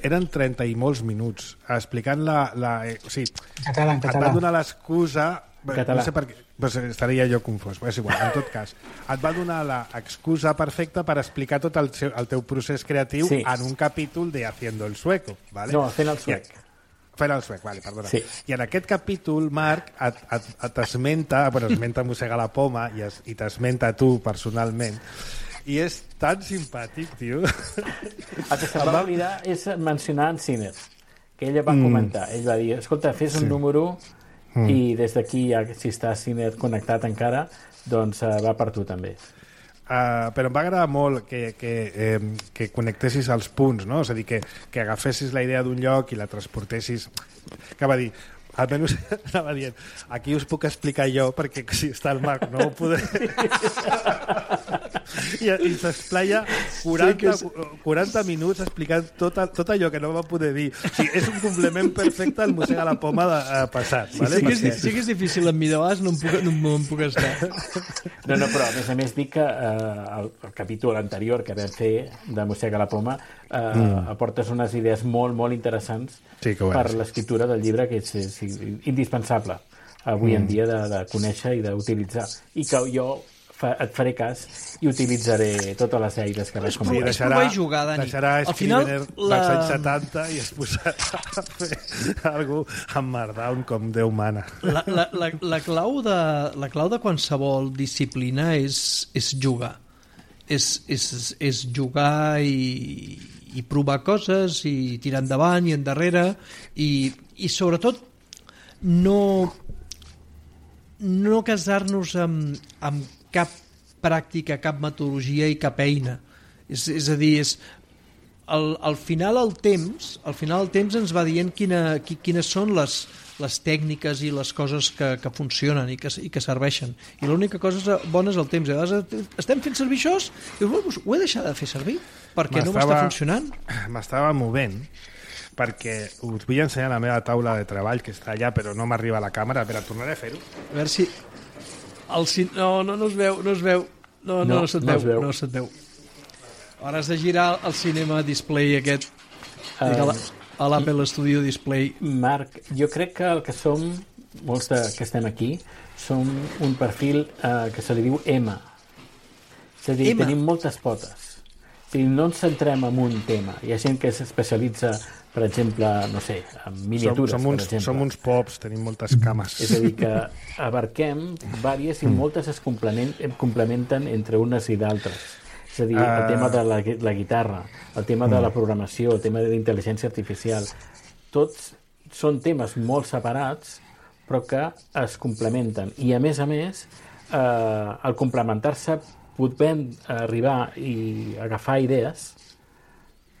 Eren trenta i molts minuts explicant la... la eh, o sigui, català, en català. Et va donar l'excusa... Català. No sé per què, pues estaria jo confós, però és igual, en tot cas. Et va donar l'excusa perfecta per explicar tot el, seu, el teu procés creatiu sí. en un capítol de Haciendo el Sueco. ¿Vale? No, fent el suec. Fent el suec, vale, perdona. Sí. I en aquest capítol, Marc, et, et, et esmenta, bueno, esmenta Mossega la Poma i, es, i t'esmenta tu personalment. I és tan simpàtic, tio. El que se'm va oblidar és mencionar en Sinner, que ella va mm. comentar. Ell va dir, escolta, fes un sí. número mm. i des d'aquí, ja, si està Sinner connectat encara, doncs uh, va per tu també. Uh, però em va agradar molt que, que, eh, que connectessis els punts, no? És a dir, que, que agafessis la idea d'un lloc i la transportessis... Que va dir... Almenys anava dient, aquí us puc explicar jo perquè si està el Marc no ho podré. I, i s'explaia quaranta, sí és... quaranta minuts explicant tot, tot allò que no va poder dir. O sigui, és un complement perfecte al Mossega la Poma de, uh, passat. Sí, vale? sí, que és, sí que és difícil amb mi de vegades, no em puc, no, no em puc estar. No, no, però a més a més dic que uh, el, el capítol anterior que vam fer de Mossega la Poma uh, mm. aportes unes idees molt, molt interessants sí, per l'escriptura del llibre, que és, és indispensable avui mm. en dia de, de conèixer i d'utilitzar, i que jo fa, et faré cas i utilitzaré totes les eines que vaig comentar. Sí, deixarà, jugar, Dani. deixarà Scrivener la... dels anys setanta i es posarà a fer algú amb Markdown com Déu mana. La, la, la, la, clau de, la clau de qualsevol disciplina és, és jugar. És, és, és jugar i, i provar coses i tirar endavant i endarrere i, i sobretot no no casar-nos amb, amb cap pràctica, cap metodologia i cap eina. És, és a dir, és, al, al final el temps al final el temps ens va dient quina, qui, quines són les, les tècniques i les coses que, que funcionen i que, i que serveixen. I l'única cosa bona és el temps. A vegades estem fent servir això i dius, ho he deixat de fer servir perquè no m'està funcionant. M'estava movent perquè us vull ensenyar la meva taula de treball que està allà però no m'arriba a la càmera. A veure, tornaré a fer-ho. A veure si... El cin... No, no, no es veu, no es veu. No, no, no, no se't no veu, veu. no se't veu. Ara has de girar el cinema display aquest uh, a l'Apple Studio Display. Marc, jo crec que el que som, molts de, que estem aquí, som un perfil uh, que se li diu M. És a dir, M. Tenim moltes potes. O sigui, no ens centrem en un tema. Hi ha gent que s'especialitza, per exemple, no sé, en miniatures, som, som uns, per exemple. Som uns pops, tenim moltes cames. És a dir, que abarquem vàries i moltes es complementen entre unes i d'altres. És a dir, el tema de la, la guitarra, el tema de la programació, el tema de la intel·ligència artificial, tots són temes molt separats, però que es complementen. I, a més a més, eh, al complementar-se podem arribar i agafar idees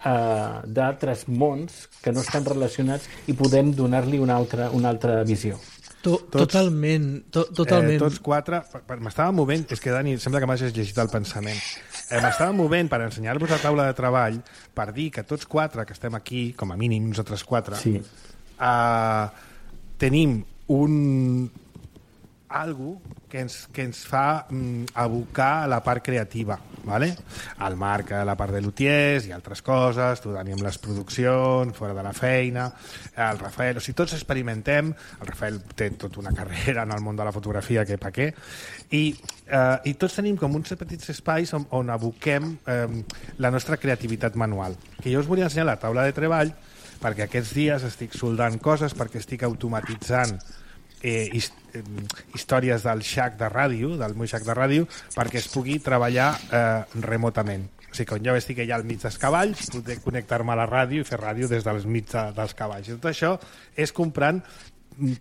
uh, d'altres mons que no estan relacionats i podem donar-li una altra, una altra visió. To, totalment, to, totalment. Eh, tots quatre, m'estava movent, és que Dani, sembla que m'hagis llegit el pensament, eh, m'estava movent per ensenyar-vos la taula de treball per dir que tots quatre que estem aquí, com a mínim nosaltres quatre, sí. eh, tenim un algo que ens, que ens fa mm, abocar a la part creativa, ¿vale? El Marc a la part de lutiers i altres coses, tu Dani amb les produccions, fora de la feina, el Rafael, o sigui, tots experimentem, el Rafael té tota una carrera en el món de la fotografia que pa què, i, eh, i tots tenim com uns petits espais on, on aboquem eh, la nostra creativitat manual. Que jo us volia ensenyar la taula de treball perquè aquests dies estic soldant coses, perquè estic automatitzant Eh, hist eh, històries del xac de ràdio, del meu xac de ràdio, perquè es pugui treballar eh, remotament. O sigui, quan jo estic allà al mig dels cavalls, poder connectar-me a la ràdio i fer ràdio des del mig de, dels cavalls. I tot això és comprant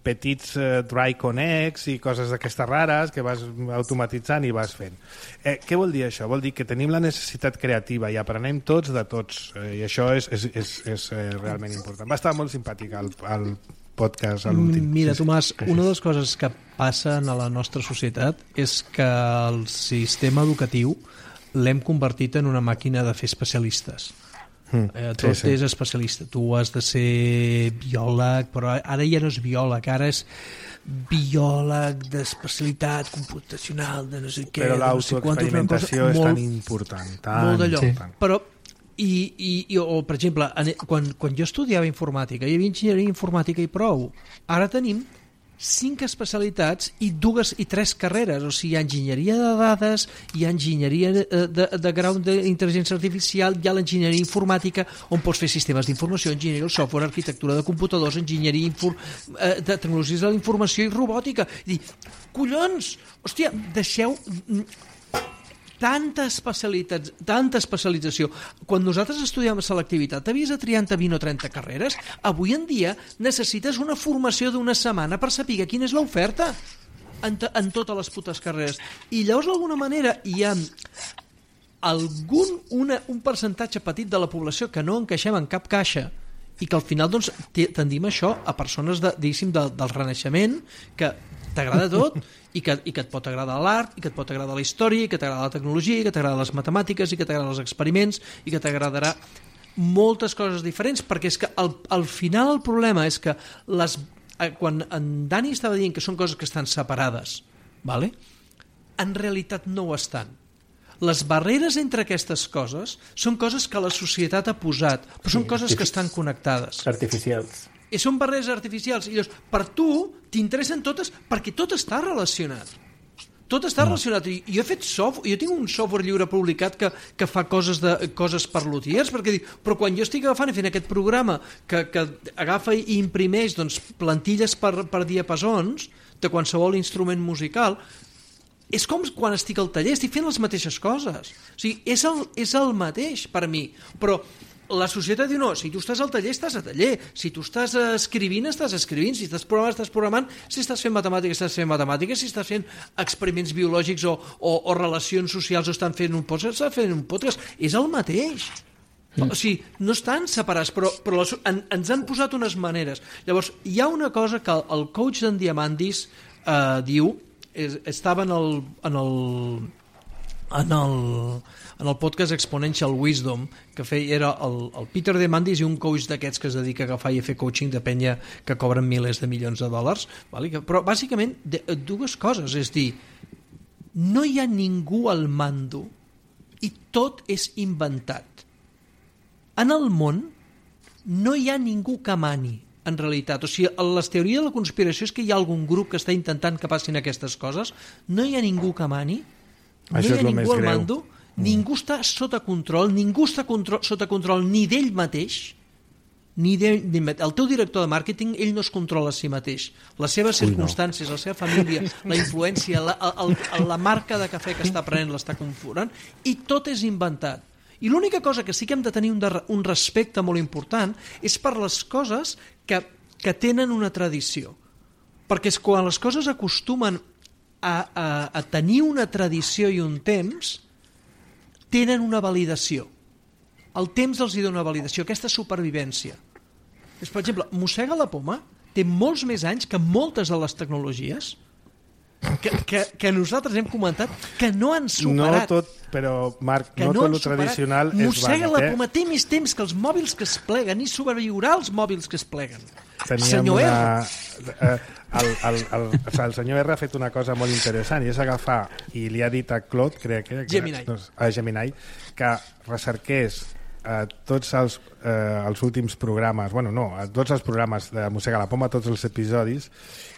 petits eh, dry connects i coses d'aquestes rares que vas automatitzant i vas fent. Eh, què vol dir això? Vol dir que tenim la necessitat creativa i aprenem tots de tots, eh, i això és, és, és, és eh, realment important. Va estar molt simpàtic el, el podcast a l'últim. Mira, Tomàs, una de les coses que passen a la nostra societat és que el sistema educatiu l'hem convertit en una màquina de fer especialistes. Mm, eh, tot sí, sí. és especialista. Tu has de ser biòleg, però ara ja no és biòleg, ara és biòleg d'especialitat computacional, de no sé què. Però l'autoexperimentació no sé és molt, tan important. Tan molt d'allò. Sí. Però, i, i, i, o, per exemple, quan, quan jo estudiava informàtica, hi havia enginyeria informàtica i prou. Ara tenim cinc especialitats i dues i tres carreres, o sigui, hi ha enginyeria de dades, hi ha enginyeria de, de, de grau d'intel·ligència artificial, hi ha l'enginyeria informàtica, on pots fer sistemes d'informació, enginyeria del software, arquitectura de computadors, enginyeria infor, eh, de tecnologies de la informació i robòtica. I dir, collons, hòstia, deixeu tanta especialitat, tanta especialització. Quan nosaltres estudiàvem selectivitat, havies de triar entre vint o trenta carreres. Avui en dia necessites una formació d'una setmana per saber quina és l'oferta en, en totes les putes carreres. I llavors, d'alguna manera, hi ha algun, una, un percentatge petit de la població que no encaixem en cap caixa i que al final doncs, tendim això a persones de, diguéssim, de, del Renaixement, que t'agrada tot i que, i que et pot agradar l'art, i que et pot agradar la història, i que t'agrada la tecnologia, i que t'agrada les matemàtiques, i que t'agraden els experiments, i que t'agradarà moltes coses diferents, perquè és que al, al final el problema és que les, quan en Dani estava dient que són coses que estan separades, vale? En realitat no ho estan. Les barreres entre aquestes coses són coses que la societat ha posat, però són coses que estan connectades. Artificials. I són barreres artificials. I llavors, per tu, t'interessen totes perquè tot està relacionat. Tot està relacionat. I jo he fet software, jo tinc un software lliure publicat que, que fa coses, de, coses per luthiers, perquè dic, però quan jo estic agafant i fent aquest programa que, que agafa i imprimeix doncs, plantilles per, per diapasons de qualsevol instrument musical, és com quan estic al taller, estic fent les mateixes coses. O sigui, és el, és el mateix per mi, però la societat diu, no, si tu estàs al taller, estàs a taller. Si tu estàs escrivint, estàs escrivint. Si estàs programant, estàs programant. Si estàs fent matemàtiques, estàs fent matemàtiques. Si estàs fent experiments biològics o, o, o relacions socials o estan fent un podcast, estàs fent un podcast. És el mateix. Mm. O sigui, no estan separats, però, però les, en, ens han posat unes maneres. Llavors, hi ha una cosa que el, el coach d'en Diamandis eh, diu, és, estava en el... En el en el, en el podcast Exponential Wisdom, que feia, era el, el Peter Diamandis i un coach d'aquests que es dedica a agafar i a fer coaching de penya que cobren milers de milions de dòlars, vale? Però bàsicament de, dues coses, és dir, no hi ha ningú al mando i tot és inventat. En el món no hi ha ningú que mani, en realitat. O sigui, les teories de la conspiració és que hi ha algun grup que està intentant que passin aquestes coses. No hi ha ningú que mani. No Això hi ha ningú al greu. mando, mm. ningú està sota control, ningú està control, sota control ni d'ell mateix, ni de, ni el teu director de màrqueting, ell no es controla a si mateix. Les seves Ui, circumstàncies, no. La seva família, la influència, la, el, el, la marca de cafè que està prenent l'està configurant, i tot és inventat. I l'única cosa que sí que hem de tenir un, de, un respecte molt important és per les coses que, que tenen una tradició. Perquè és quan les coses acostumen A, a, a tenir una tradició i un temps, tenen una validació. El temps els hi dona una validació, aquesta supervivència. És, per exemple, mossega la poma té molts més anys que moltes de les tecnologies que, que, que nosaltres hem comentat que no han superat. No tot, però, Marc, que no, no tot el tradicional és mossega vàlid. La eh? poma té més temps que els mòbils que es pleguen i sobreviurà els mòbils que es pleguen. Teníem senyor una... R. Eh, el, el, el, o sigui, el senyor R ha fet una cosa molt interessant i és agafar, i li ha dit a Claude, crec que... Gemini. No, a Gemini, que recerqués eh, tots els, eh, els últims programes, bueno, no, tots els programes de Mossega la Poma, tots els episodis,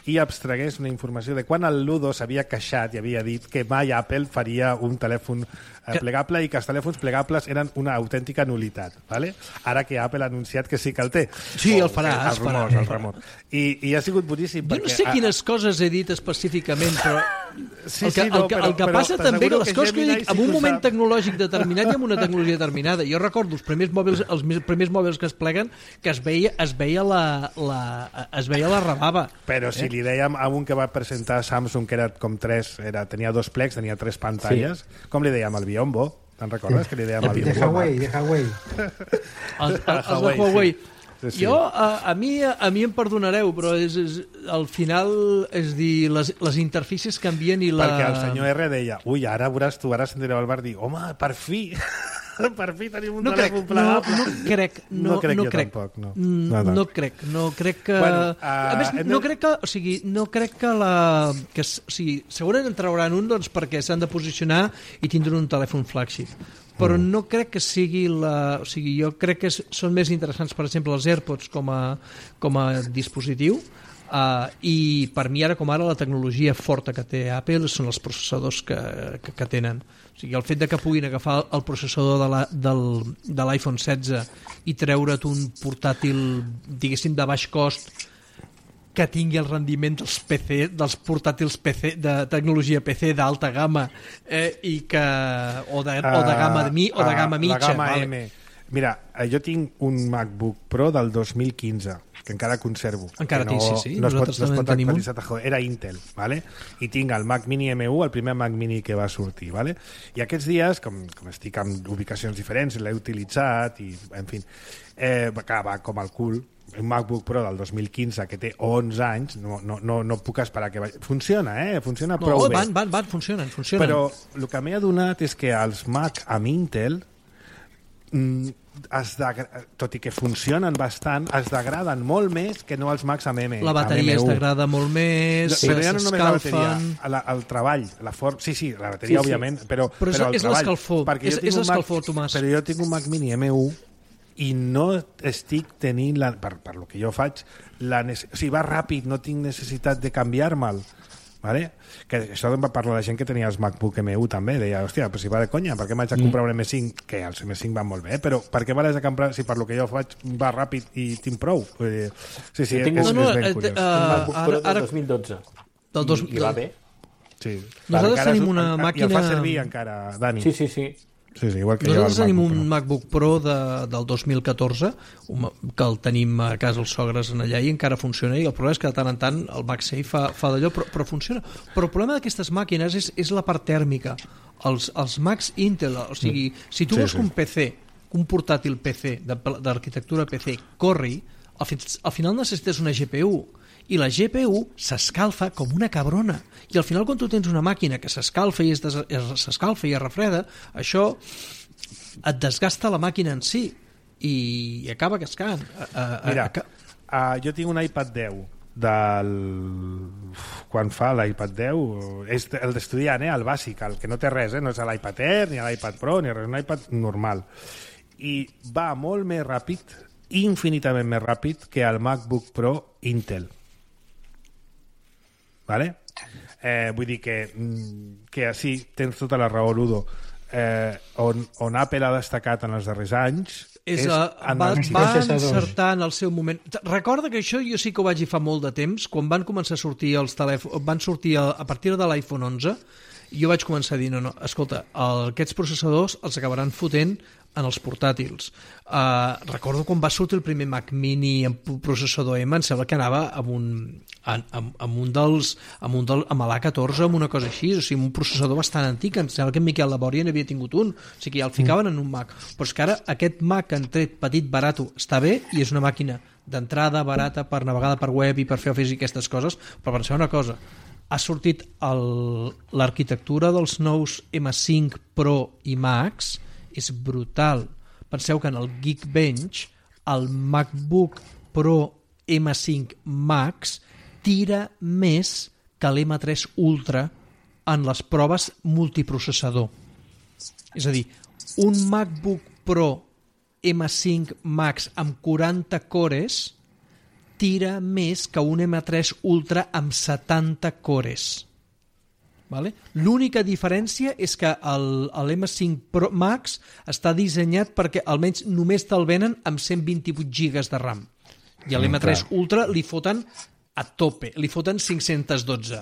i abstragués una informació de quan el Ludo s'havia queixat i havia dit que mai Apple faria un telèfon eh, plegable i que els telèfons plegables eren una autèntica nulitat. ¿Vale? Ara que Apple ha anunciat que sí que el té. Sí, el farà. El, el rumor, el rumor. I, I ha sigut boníssim. Jo perquè, no sé quines coses he dit específicament, però sí, el que, sí, no, el que, però, el que però, passa però també que les que coses que Gemini dic sí en un que moment sap. tecnològic determinat i amb una tecnologia determinada. Jo recordo els primers mòbils, els primers mòbils que es pleguen que es veia, es veia la, la, es veia la rebava. Però si eh? li dèiem a un que va presentar Samsung, que era com tres, era, tenia dos plecs, tenia tres pantalles, sí. Com li dèiem al Biombo? Te'n recordes sí. Que li dèiem al De Biombo? Huawei, de Huawei. Els, els de Huawei. Sí, sí. Jo, a, a, mi, a mi em perdonareu, però és, és, al final, és dir, les, les interfícies canvien i la... Perquè el senyor R deia, ui, ara veuràs tu, ara sentireu el bar dir, home, per fi, per fi tenim un no crec, telèfon plegable. No, no crec, no, no crec no jo crec. tampoc, no. Mm, No, no. no crec, no crec que... Bueno, uh, a més, hem de- no crec que, o sigui, no crec que la... Que, s- o sigui, segurament en trauran un, doncs, perquè s'han de posicionar i tindran un telèfon flagship. Però Mm. no crec que sigui la... O sigui, jo crec que s- són més interessants, per exemple, els AirPods com a, com a dispositiu, uh, i per mi ara com ara la tecnologia forta que té Apple són els processadors que, que, que tenen. O sigui, el fet de que puguin agafar el processador de la, del, de l'iPhone setze i treure't un portàtil, diguéssim, de baix cost que tingui el rendiment dels P C, dels portàtils P C, de tecnologia P C d'alta gamma, eh, i que, o, de, uh, o de gamma de mi o de gamma uh, mitja. La gamma vale. M. Mira, eh, jo tinc un MacBook Pro del dos mil quinze, que encara conservo. Encara que no, tinc, sí, sí. No es pot, Nosaltres no es també pot en tenim un. actualitzar, tajo. Era Intel, ¿vale? I tinc el Mac Mini M u, el primer Mac Mini que va sortir, ¿vale? I aquests dies, com, com estic en ubicacions diferents, l'he utilitzat i, en fi, eh, va, va com el cul. Un MacBook Pro del dos mil quinze que té onze anys, no, no, no, no puc esperar que vagi. Funciona, eh? Funciona No, prou bé. van, van, van, funcionen, funcionen. Però el que m'he adonat és que els Mac amb Intel, mm, es degra... tot i que funcionen bastant, es degraden molt més que no els Macs amb M. la bateria es degrada molt més, Sí, però ja no només la bateria, s'escalfen... la, el treball, la for... sí, sí, la bateria, Sí, sí. òbviament, però, Però és- però el és treball, l'escalfor, perquè és- jo tinc és un Mac- l'escalfor, Tomàs. Però jo tinc un Mac Mini M u i no estic tenint, la, per, per lo que jo faig, la nece... o sigui, va ràpid, no tinc necessitat de canviar-me'l. Vale? Que això em va parlar la gent que tenia els MacBook M u també, deia, hòstia, però si va de conya, per què m'haig de comprar un M cinc? Que els M cinc van molt bé, però per què m'haig de comprar si per lo que jo faig va ràpid i tinc prou? Vull dir, sí, sí, Jo és, tinc un- és, No, no, és ben eh, curiós. eh, Un MacBook Pro ara- del ara- dos mil dotze. Del dos- I, I va bé. Sí. Nosaltres Encara tenim és- una en- I el màquina- fa servir encara, Dani. Sí, sí, sí. Sí, sí, igual que Nosaltres jo el tenim MacBook un Pro. MacBook Pro de, del dos mil catorze, un ma- que el tenim a casa els sogres en allà i encara funciona, i el problema és que de tant en tant el MagSafe fa, fa d'allò, però, però funciona. Però el problema d'aquestes màquines és, és la part tèrmica. Els, els Macs Intel, o sigui, si tu Sí, vols sí. que un P C, que un portàtil P C de- d'arquitectura P C corri, al, fi, al final necessites una G P U, i la G P U s'escalfa com una cabrona, i al final quan tu tens una màquina que s'escalfa i es des- es- s'escalfa i es refreda, això et desgasta la màquina en si i acaba cascant. A, a, a, Mira, a, uh, jo tinc un iPad deu del... quan fa l'iPad deu és el d'estudiant, eh? El bàsic, el que no té res, eh? No és l'iPad Air, ni l'iPad Pro, ni res, un iPad normal. I va molt més ràpid, infinitament més ràpid que el MacBook Pro Intel. Vale? Eh, vull dir que, mm, que sí, tens tota la raó, Ludo. Eh, on, on Apple ha destacat en els darrers anys és, és a, en va, els va processadors. encertar en el seu moment. Recorda que això jo sí que ho vaig dir fa molt de temps, quan van començar a sortir els telèfons, van sortir a, a partir de l'iPhone onze, jo vaig començar a dir, no, no, escolta, el, aquests processadors els acabaran fotent en els portàtils. Uh, recordo quan va sortir el primer Mac Mini amb processador M, em sembla que anava amb un, amb, amb un dels amb, un del, amb l'A catorze, amb una cosa així, o sigui, un processador bastant antic, em sembla que en Miquel Labòria n'havia tingut un, o sigui, ja el ficaven en un Mac. Però és que ara aquest Mac que han tret petit, barato, està bé i és una màquina d'entrada, barata, per navegar per web i per fer Office i aquestes coses, però penseu una cosa, ha sortit l'arquitectura dels nous M cinc Pro i Max, és brutal. Penseu que en el Geekbench el MacBook Pro M cinc Max tira més que l'M tres Ultra en les proves multiprocessador. És a dir, un MacBook Pro M cinc Max amb quaranta cores tira més que un M tres Ultra amb setanta cores. Vale? L'única diferència és que el, el M cinc Pro Max està dissenyat perquè almenys només te'l venen amb cent vint-i-vuit gigas de RAM i a l'M tres Ultra li foten a tope, li foten cinc-cents dotze.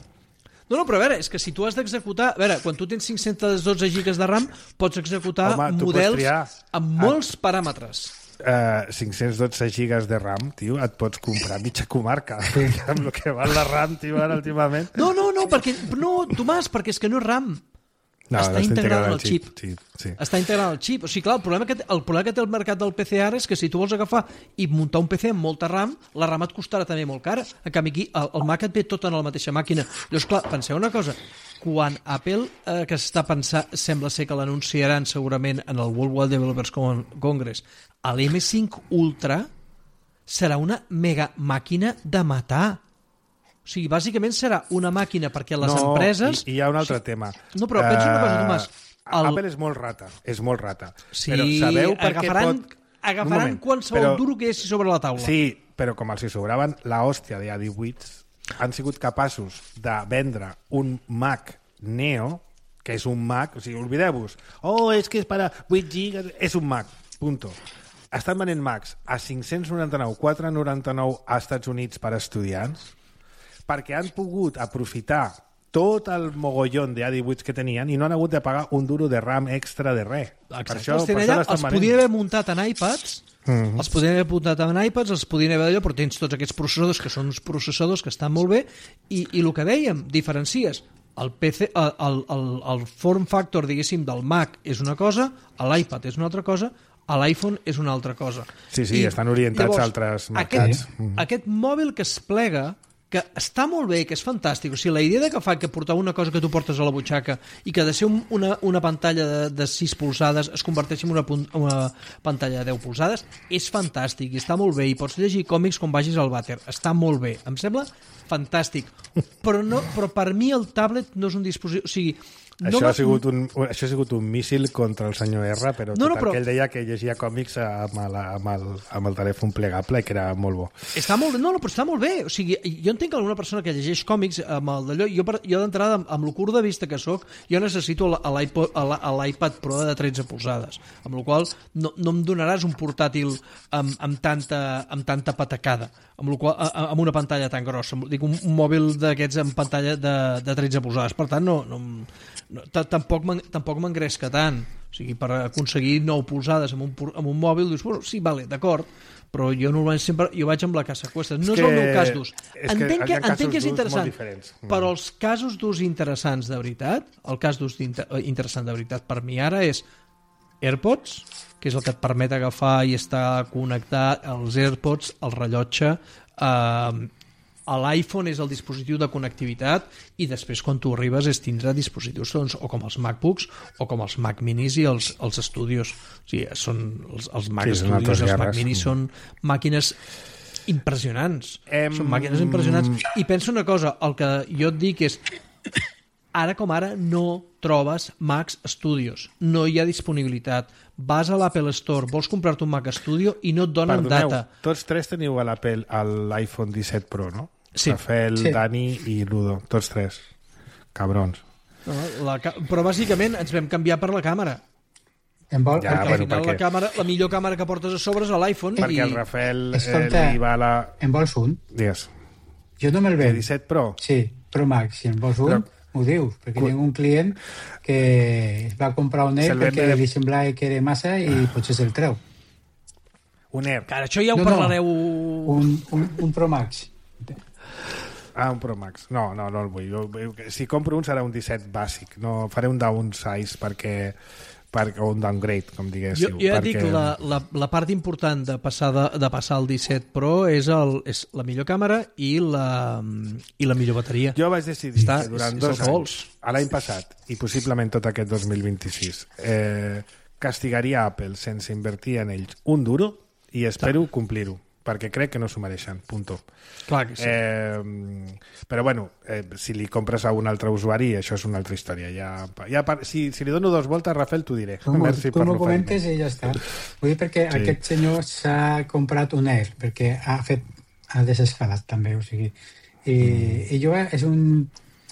No, no, però a veure, és que si tu has d'executar... A veure, quan tu tens cinc-cents dotze gigas de RAM pots executar Home, tu pots models triar. amb molts paràmetres. Uh, cinc-cents dotze gigas de RAM, tio, et pots comprar mitja comarca amb el que val la RAM, tio, ara últimament. No, no, no, perquè, no, Tomàs, perquè és que no és RAM. No, està integrat en el xip. Sí, sí. Està integrat en el xip. O sigui, clar, el problema, que, el problema que té el mercat del P C ara és que si tu vols agafar i muntar un P C amb molta RAM, la RAM et costarà també molt cara. En canvi, aquí el, el Mac et ve tot en la mateixa màquina. Llavors, clar, penseu una cosa. Quan Apple, eh, que s'està pensant, sembla ser que l'anunciaran segurament en el World Wide Developers Congress, a l'M cinc Ultra serà una mega màquina de matar. O sigui, bàsicament serà una màquina perquè les no, empreses... I, i hi ha un altre tema. No, però pensa una cosa, Tomàs. El... Apple és molt rata, és molt rata. Sí, però sabeu per agafaran, què pot... agafaran moment, qualsevol però... duro que hi hagi sobre la taula. Sí, però com els hi sobraven la hòstia de A divuit, han sigut capaços de vendre un Mac Neo, que és un Mac, o sigui, oblideu-vos. Oh, és que és per a vuit gigas... És un Mac, punto. Estan venent Macs a cinc-cents noranta-nou, quatre cents noranta-nou a Estats Units per a estudiants, perquè han pogut aprofitar tot el mogollón de A divuit que tenien i no han hagut de pagar un duro de RAM extra de res. Exacte. Per això, els, per allà, els podien haver muntat en iPads, mm-hmm. els podien haver muntat en iPads, els podien haver d'allò, però tens tots aquests processadors que són uns processadors que estan molt bé i, i el que dèiem, diferencies. El, P C, el, el, el, el form factor, diguéssim, del Mac és una cosa, l'iPad és una altra cosa, a l'iPhone és una altra cosa. Sí, sí, I, estan orientats llavors, a altres mercats. Aquest, mm-hmm. aquest mòbil que es plega, que està molt bé, que és fantàstic. O sigui, la idea de que fa que portar una cosa que tu portes a la butxaca i que de ser un, una, una pantalla de, de sis polzades es converteixi en una, una pantalla de deu polzades és fantàstic i està molt bé i pots llegir còmics quan vagis al vàter. Està molt bé. Em sembla fantàstic. Però, no, però per mi el tablet no és un dispositiu... O sigui, no això, va... ha sigut un, això ha sigut un míssil contra el senyor R, però no, no, tot però... el que ell deia que llegia còmics amb, la, amb, el, amb el telèfon plegable, que era molt bo. Està molt bé, no, no, però està molt bé. O sigui, jo entenc que alguna persona que llegeix còmics amb el d'allò, jo, jo d'entrada, amb, amb el curt de vista que sóc, jo necessito l'iPad Pro de tretze polzades, amb la qual no, no em donaràs un portàtil amb, amb, tanta, amb tanta patacada, amb, qual, amb una pantalla tan grossa. Dic, un, un mòbil d'aquests amb pantalla de, de tretze polzades. Per tant, no... no No, tampoc m'engresca tant. O sigui, per aconseguir nou polzades amb un, amb un mòbil, dius, bueno, sí, vale, d'acord, però jo normalment sempre jo vaig amb la casa cuesta. No és, és el meu cas d'ús. Entenc que, entenc que és interessant, però els casos d'ús interessants de veritat, el cas d'ús interessant de veritat per mi ara és AirPods, que és el que et permet agafar i estar connectat, els AirPods, el rellotge, eh, l'iPhone és el dispositiu de connectivitat i després quan tu arribes és tindre dispositius doncs, o com els MacBooks o com els Mac Minis i els, els Studios. O sigui, són els, els Mac sí, Studios, els Mac Minis són màquines impressionants. Em... Són màquines impressionants. I penso una cosa, el que jo et dic és ara com ara no trobes Mac Studios, no hi ha disponibilitat. Vas a l'Apple Store, vols comprar-te un Mac Studio i no et donen Perdoneu, data. Tots tres teniu a l'Apple l'iPhone disset Pro, no? Sí. Rafael, sí. Dani i Ludo, tots tres. Cabrons. No, la, però bàsicament ens vam canviar per la càmera. En vol, ja, perquè bueno, al final perquè... la, càmera, la millor càmera que portes a sobre és a l'iPhone. Perquè i... el Rafael Escolta, eh, li va a la... En vols un? Digues. Jo no me'l ven. El disset Pro? Sí, Pro Max. Si en vols un, però... m'ho dius, perquè tinc un client que es va comprar un Air perquè de... li semblava que era massa i potser se'l treu. Un Air? Que això ja ho no, parlareu... No, un, un, un Pro Max. Ah, un Pro Max. No, no, no el vull. Jo, si compro un serà un disset bàsic. No, faré un downsize perquè... Per, o un downgrade, com diguéssiu. Jo, jo ja perquè... dic, la, la, la part important de passar, de, de passar al disset Pro és, el, és la millor càmera i la, i la millor bateria. Jo vaig decidir Està, que durant és, dos anys, l'any passat, i possiblement tot aquest dos mil vint-i-sis, eh, castigaria Apple sense invertir en ells un duro i espero Està. complir-ho, perquè crec que no s'ho mereixen, punto. Clar que sí. Eh, però bueno, eh, si li compres a un altre usuari, això és una altra història. Ja, ja, si, si li dono dos voltes, Rafael, t'ho diré. Tu, Merci tu m'ho comentes i ja està. Vull dir perquè sí. Aquest senyor s'ha comprat un Air, perquè ha fet ha desescalat també, o sigui, i, mm. i jo és un,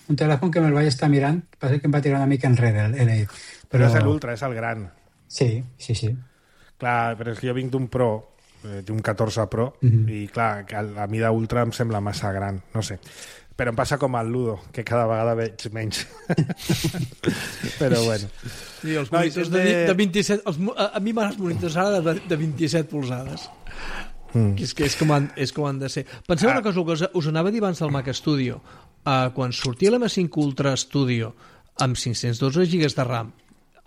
un telèfon que me'l vaig estar mirant, passa que em va tirar una mica enrere el Air. Però, però és l'Ultra, és el gran. Sí, sí, sí. Clar, però és que jo vinc d'un Pro, d'un catorze Pro, mm-hmm. i clar, a mi d'Ultra em sembla massa gran, no sé. Però em passa com al Ludo, que cada vegada veig menys. Però bueno. Sí, els monitors no, de, de vint-i-set... Els, a, a mi m'han monitors ara de, de vint-i-set polzades. Mm. Que és, que és, com han, és com han de ser. Penseu ah. una cosa, us, us anava a dir abans del Mac Studio. Uh, quan sortia l'M cinc Ultra Studio, amb cinc-cents dotze gigas de RAM.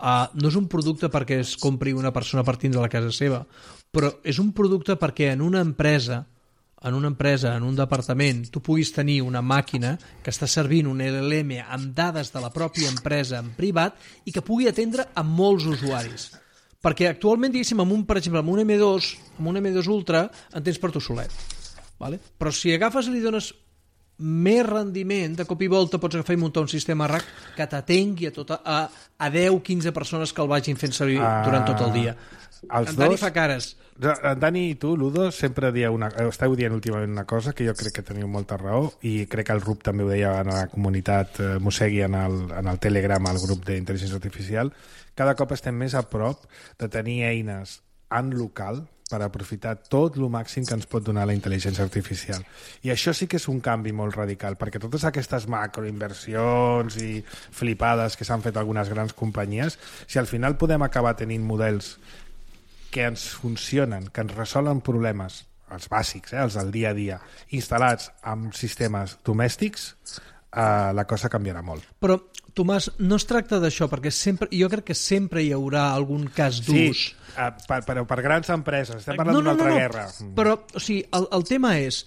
Uh, no és un producte perquè es compri una persona partint de la casa seva, però és un producte perquè en una empresa, en una empresa, en un departament, tu puguis tenir una màquina que està servint un L L M amb dades de la pròpia empresa en privat i que pugui atendre a molts usuaris. Perquè actualment, diguéssim, amb un, per exemple, amb un M dos, amb un M dos Ultra, en tens per tu solet. Vale? Però si agafes i li dones més rendiment, de cop i volta pots agafar i muntar un sistema R A C que t'atengui a, tota, a, a deu a quinze persones que el vagin fent servir uh, durant tot el dia. Els en Dani dos, fa cares. En Dani i tu, Ludo, sempre dieu una, esteu dient últimament una cosa que jo crec que teniu molta raó i crec que el Rup també ho deia en la comunitat eh, Mossegui en el, en el Telegram, al grup d'intel·ligència artificial. Cada cop estem més a prop de tenir eines en local per aprofitar tot el màxim que ens pot donar la intel·ligència artificial. I això sí que és un canvi molt radical, perquè totes aquestes macroinversions i flipades que s'han fet algunes grans companyies, si al final podem acabar tenint models que ens funcionen, que ens resolen problemes, els bàsics, eh, els del dia a dia, instal·lats en sistemes domèstics, Uh, la cosa canviarà molt. Però, Tomàs, no es tracta d'això, perquè sempre, jo crec que sempre hi haurà algun cas d'ús. Sí, uh, per, per, per grans empreses, estem parlant no, no, d'una altra no, no. guerra. Però, o sigui, el, el tema és,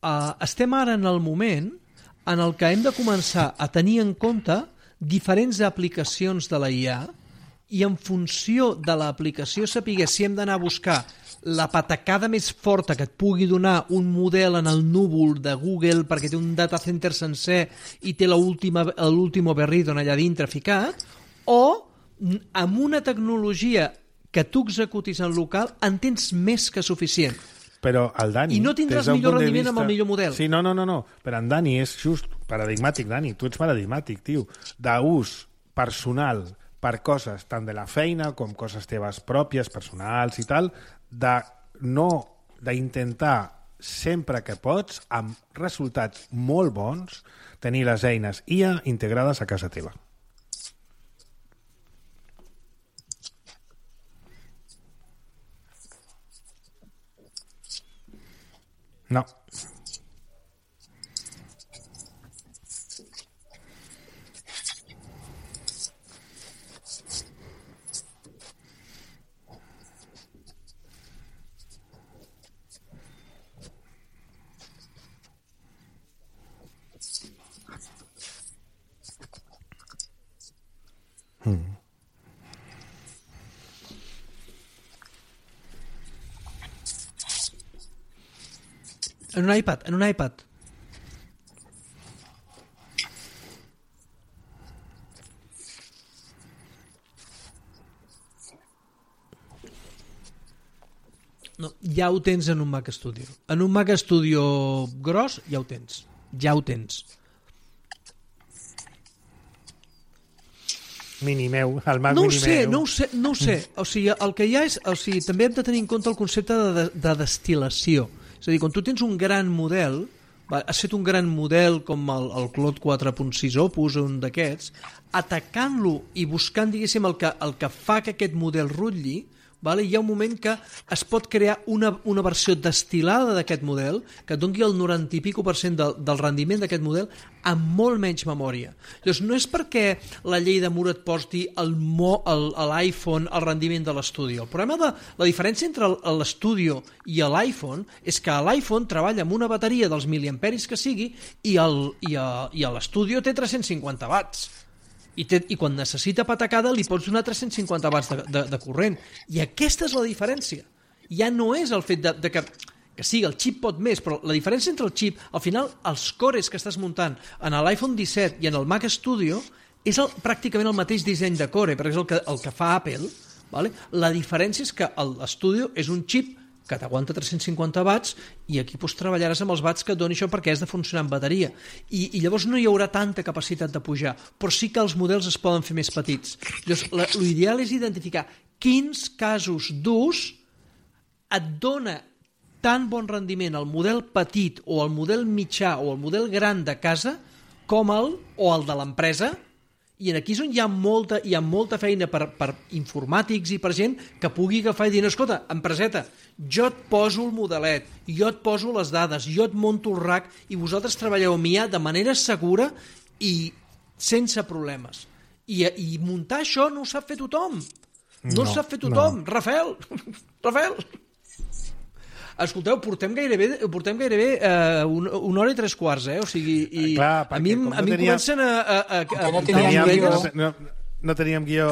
uh, estem ara en el moment en el que hem de començar a tenir en compte diferents aplicacions de la I A i en funció de l'aplicació saber si hem d'anar a buscar la patacada més forta que et pugui donar un model en el núvol de Google perquè té un data center sencer i té l'últim berridon allà dintre ficat, o amb una tecnologia que tu executis en local en tens més que suficient. Però el Dani... I no tindràs millor rendiment vista... amb el millor model. Sí, no, no, no, no. Però en Dani és just paradigmàtic, Dani. Tu ets paradigmàtic, tio. D'ús personal per coses tant de la feina com coses teves pròpies, personals i tal, de no d'intentar sempre que pots, amb resultats molt bons, tenir les eines I A integrades a casa teva. No. Hmm. En un iPad, en un iPad. No, ja ho tens en un Mac Studio. En un Mac Studio gros ja ho tens. Ja ho tens. Mini meu, el Mac no mini ho sé, meu. no ho sé, no ho sé. O sigui, el que hi ha és... O sigui, també hem de tenir en compte el concepte de, de, de destil·lació. És a dir, quan tu tens un gran model, va, has fet un gran model com el, el Claude quatre punt sis Opus o un d'aquests, atacant-lo i buscant, diguéssim, el que, el que fa que aquest model rutlli, vale? Hi ha un moment que es pot crear una, una versió destil·lada d'aquest model que et doni el noranta i pico per cent del, del rendiment d'aquest model amb molt menys memòria. Llavors, no és perquè la llei de Moore et posti l'iPhone al rendiment de l'Studio. El problema de la diferència entre l'Studio i l'iPhone és que l'iPhone treballa amb una bateria dels miliamperis que sigui i l'Studio té tres-cents cinquanta watts. I, té, i quan necessita patacada li pots donar tres-cents cinquanta watts de, de, de corrent. I aquesta és la diferència. Ja no és el fet de, de que, que sí, el xip pot més, però la diferència entre el xip, al final, els cores que estàs muntant en l'iPhone disset i en el Mac Studio és el, pràcticament el mateix disseny de core, perquè és el que, el que fa Apple. Vale? La diferència és que l'Studio és un xip que t'aguanta tres-cents cinquanta watts i aquí pues, treballaràs amb els watts que et doni això perquè has de funcionar amb bateria. I, i llavors no hi haurà tanta capacitat de pujar, però sí que els models es poden fer més petits. Llavors, l'ideal és identificar quins casos d'ús et dona tan bon rendiment el model petit o el model mitjà o el model gran de casa com el o el de l'empresa. I aquí és on hi ha molta, hi ha molta feina per, per informàtics i per gent que pugui agafar i dir, no, escolta, empreseta, jo et poso el modelet, jo et poso les dades, jo et monto el rack i vosaltres treballeu amb I A de manera segura i sense problemes. I, i muntar això no ho sap fer tothom. No, no ho sap fer tothom. No. Rafael, Rafael... Escolteu, portem gairebé, portem gairebé uh, una, una hora i tres quarts, eh? O sigui, i clar, a mi, no a mi tenia... em comencen a... a, a, a, no a teníem, orelles... no, no teníem guió.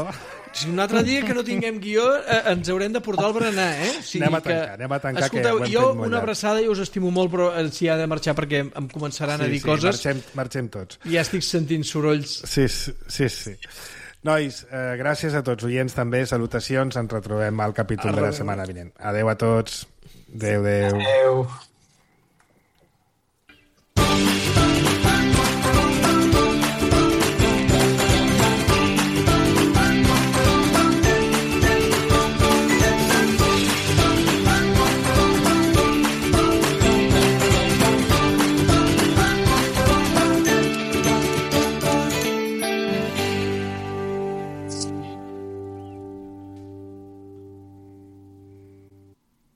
Si un altre dia que no tinguem guió eh, ens haurem de portar al berenar, eh? O sigui anem a tancar, que... anem a tancar. Escolteu, que jo una abraçada i us estimo molt, però si ha de marxar perquè em començaran sí, a dir sí, coses. Marxem, marxem tots. Ja estic sentint sorolls. Sí, sí, sí. Nois, eh, gràcies a tots, oients també, salutacions, ens retrobem al capítol de la setmana vinent. Adeu a tots. Adeu, adeu. Adeu.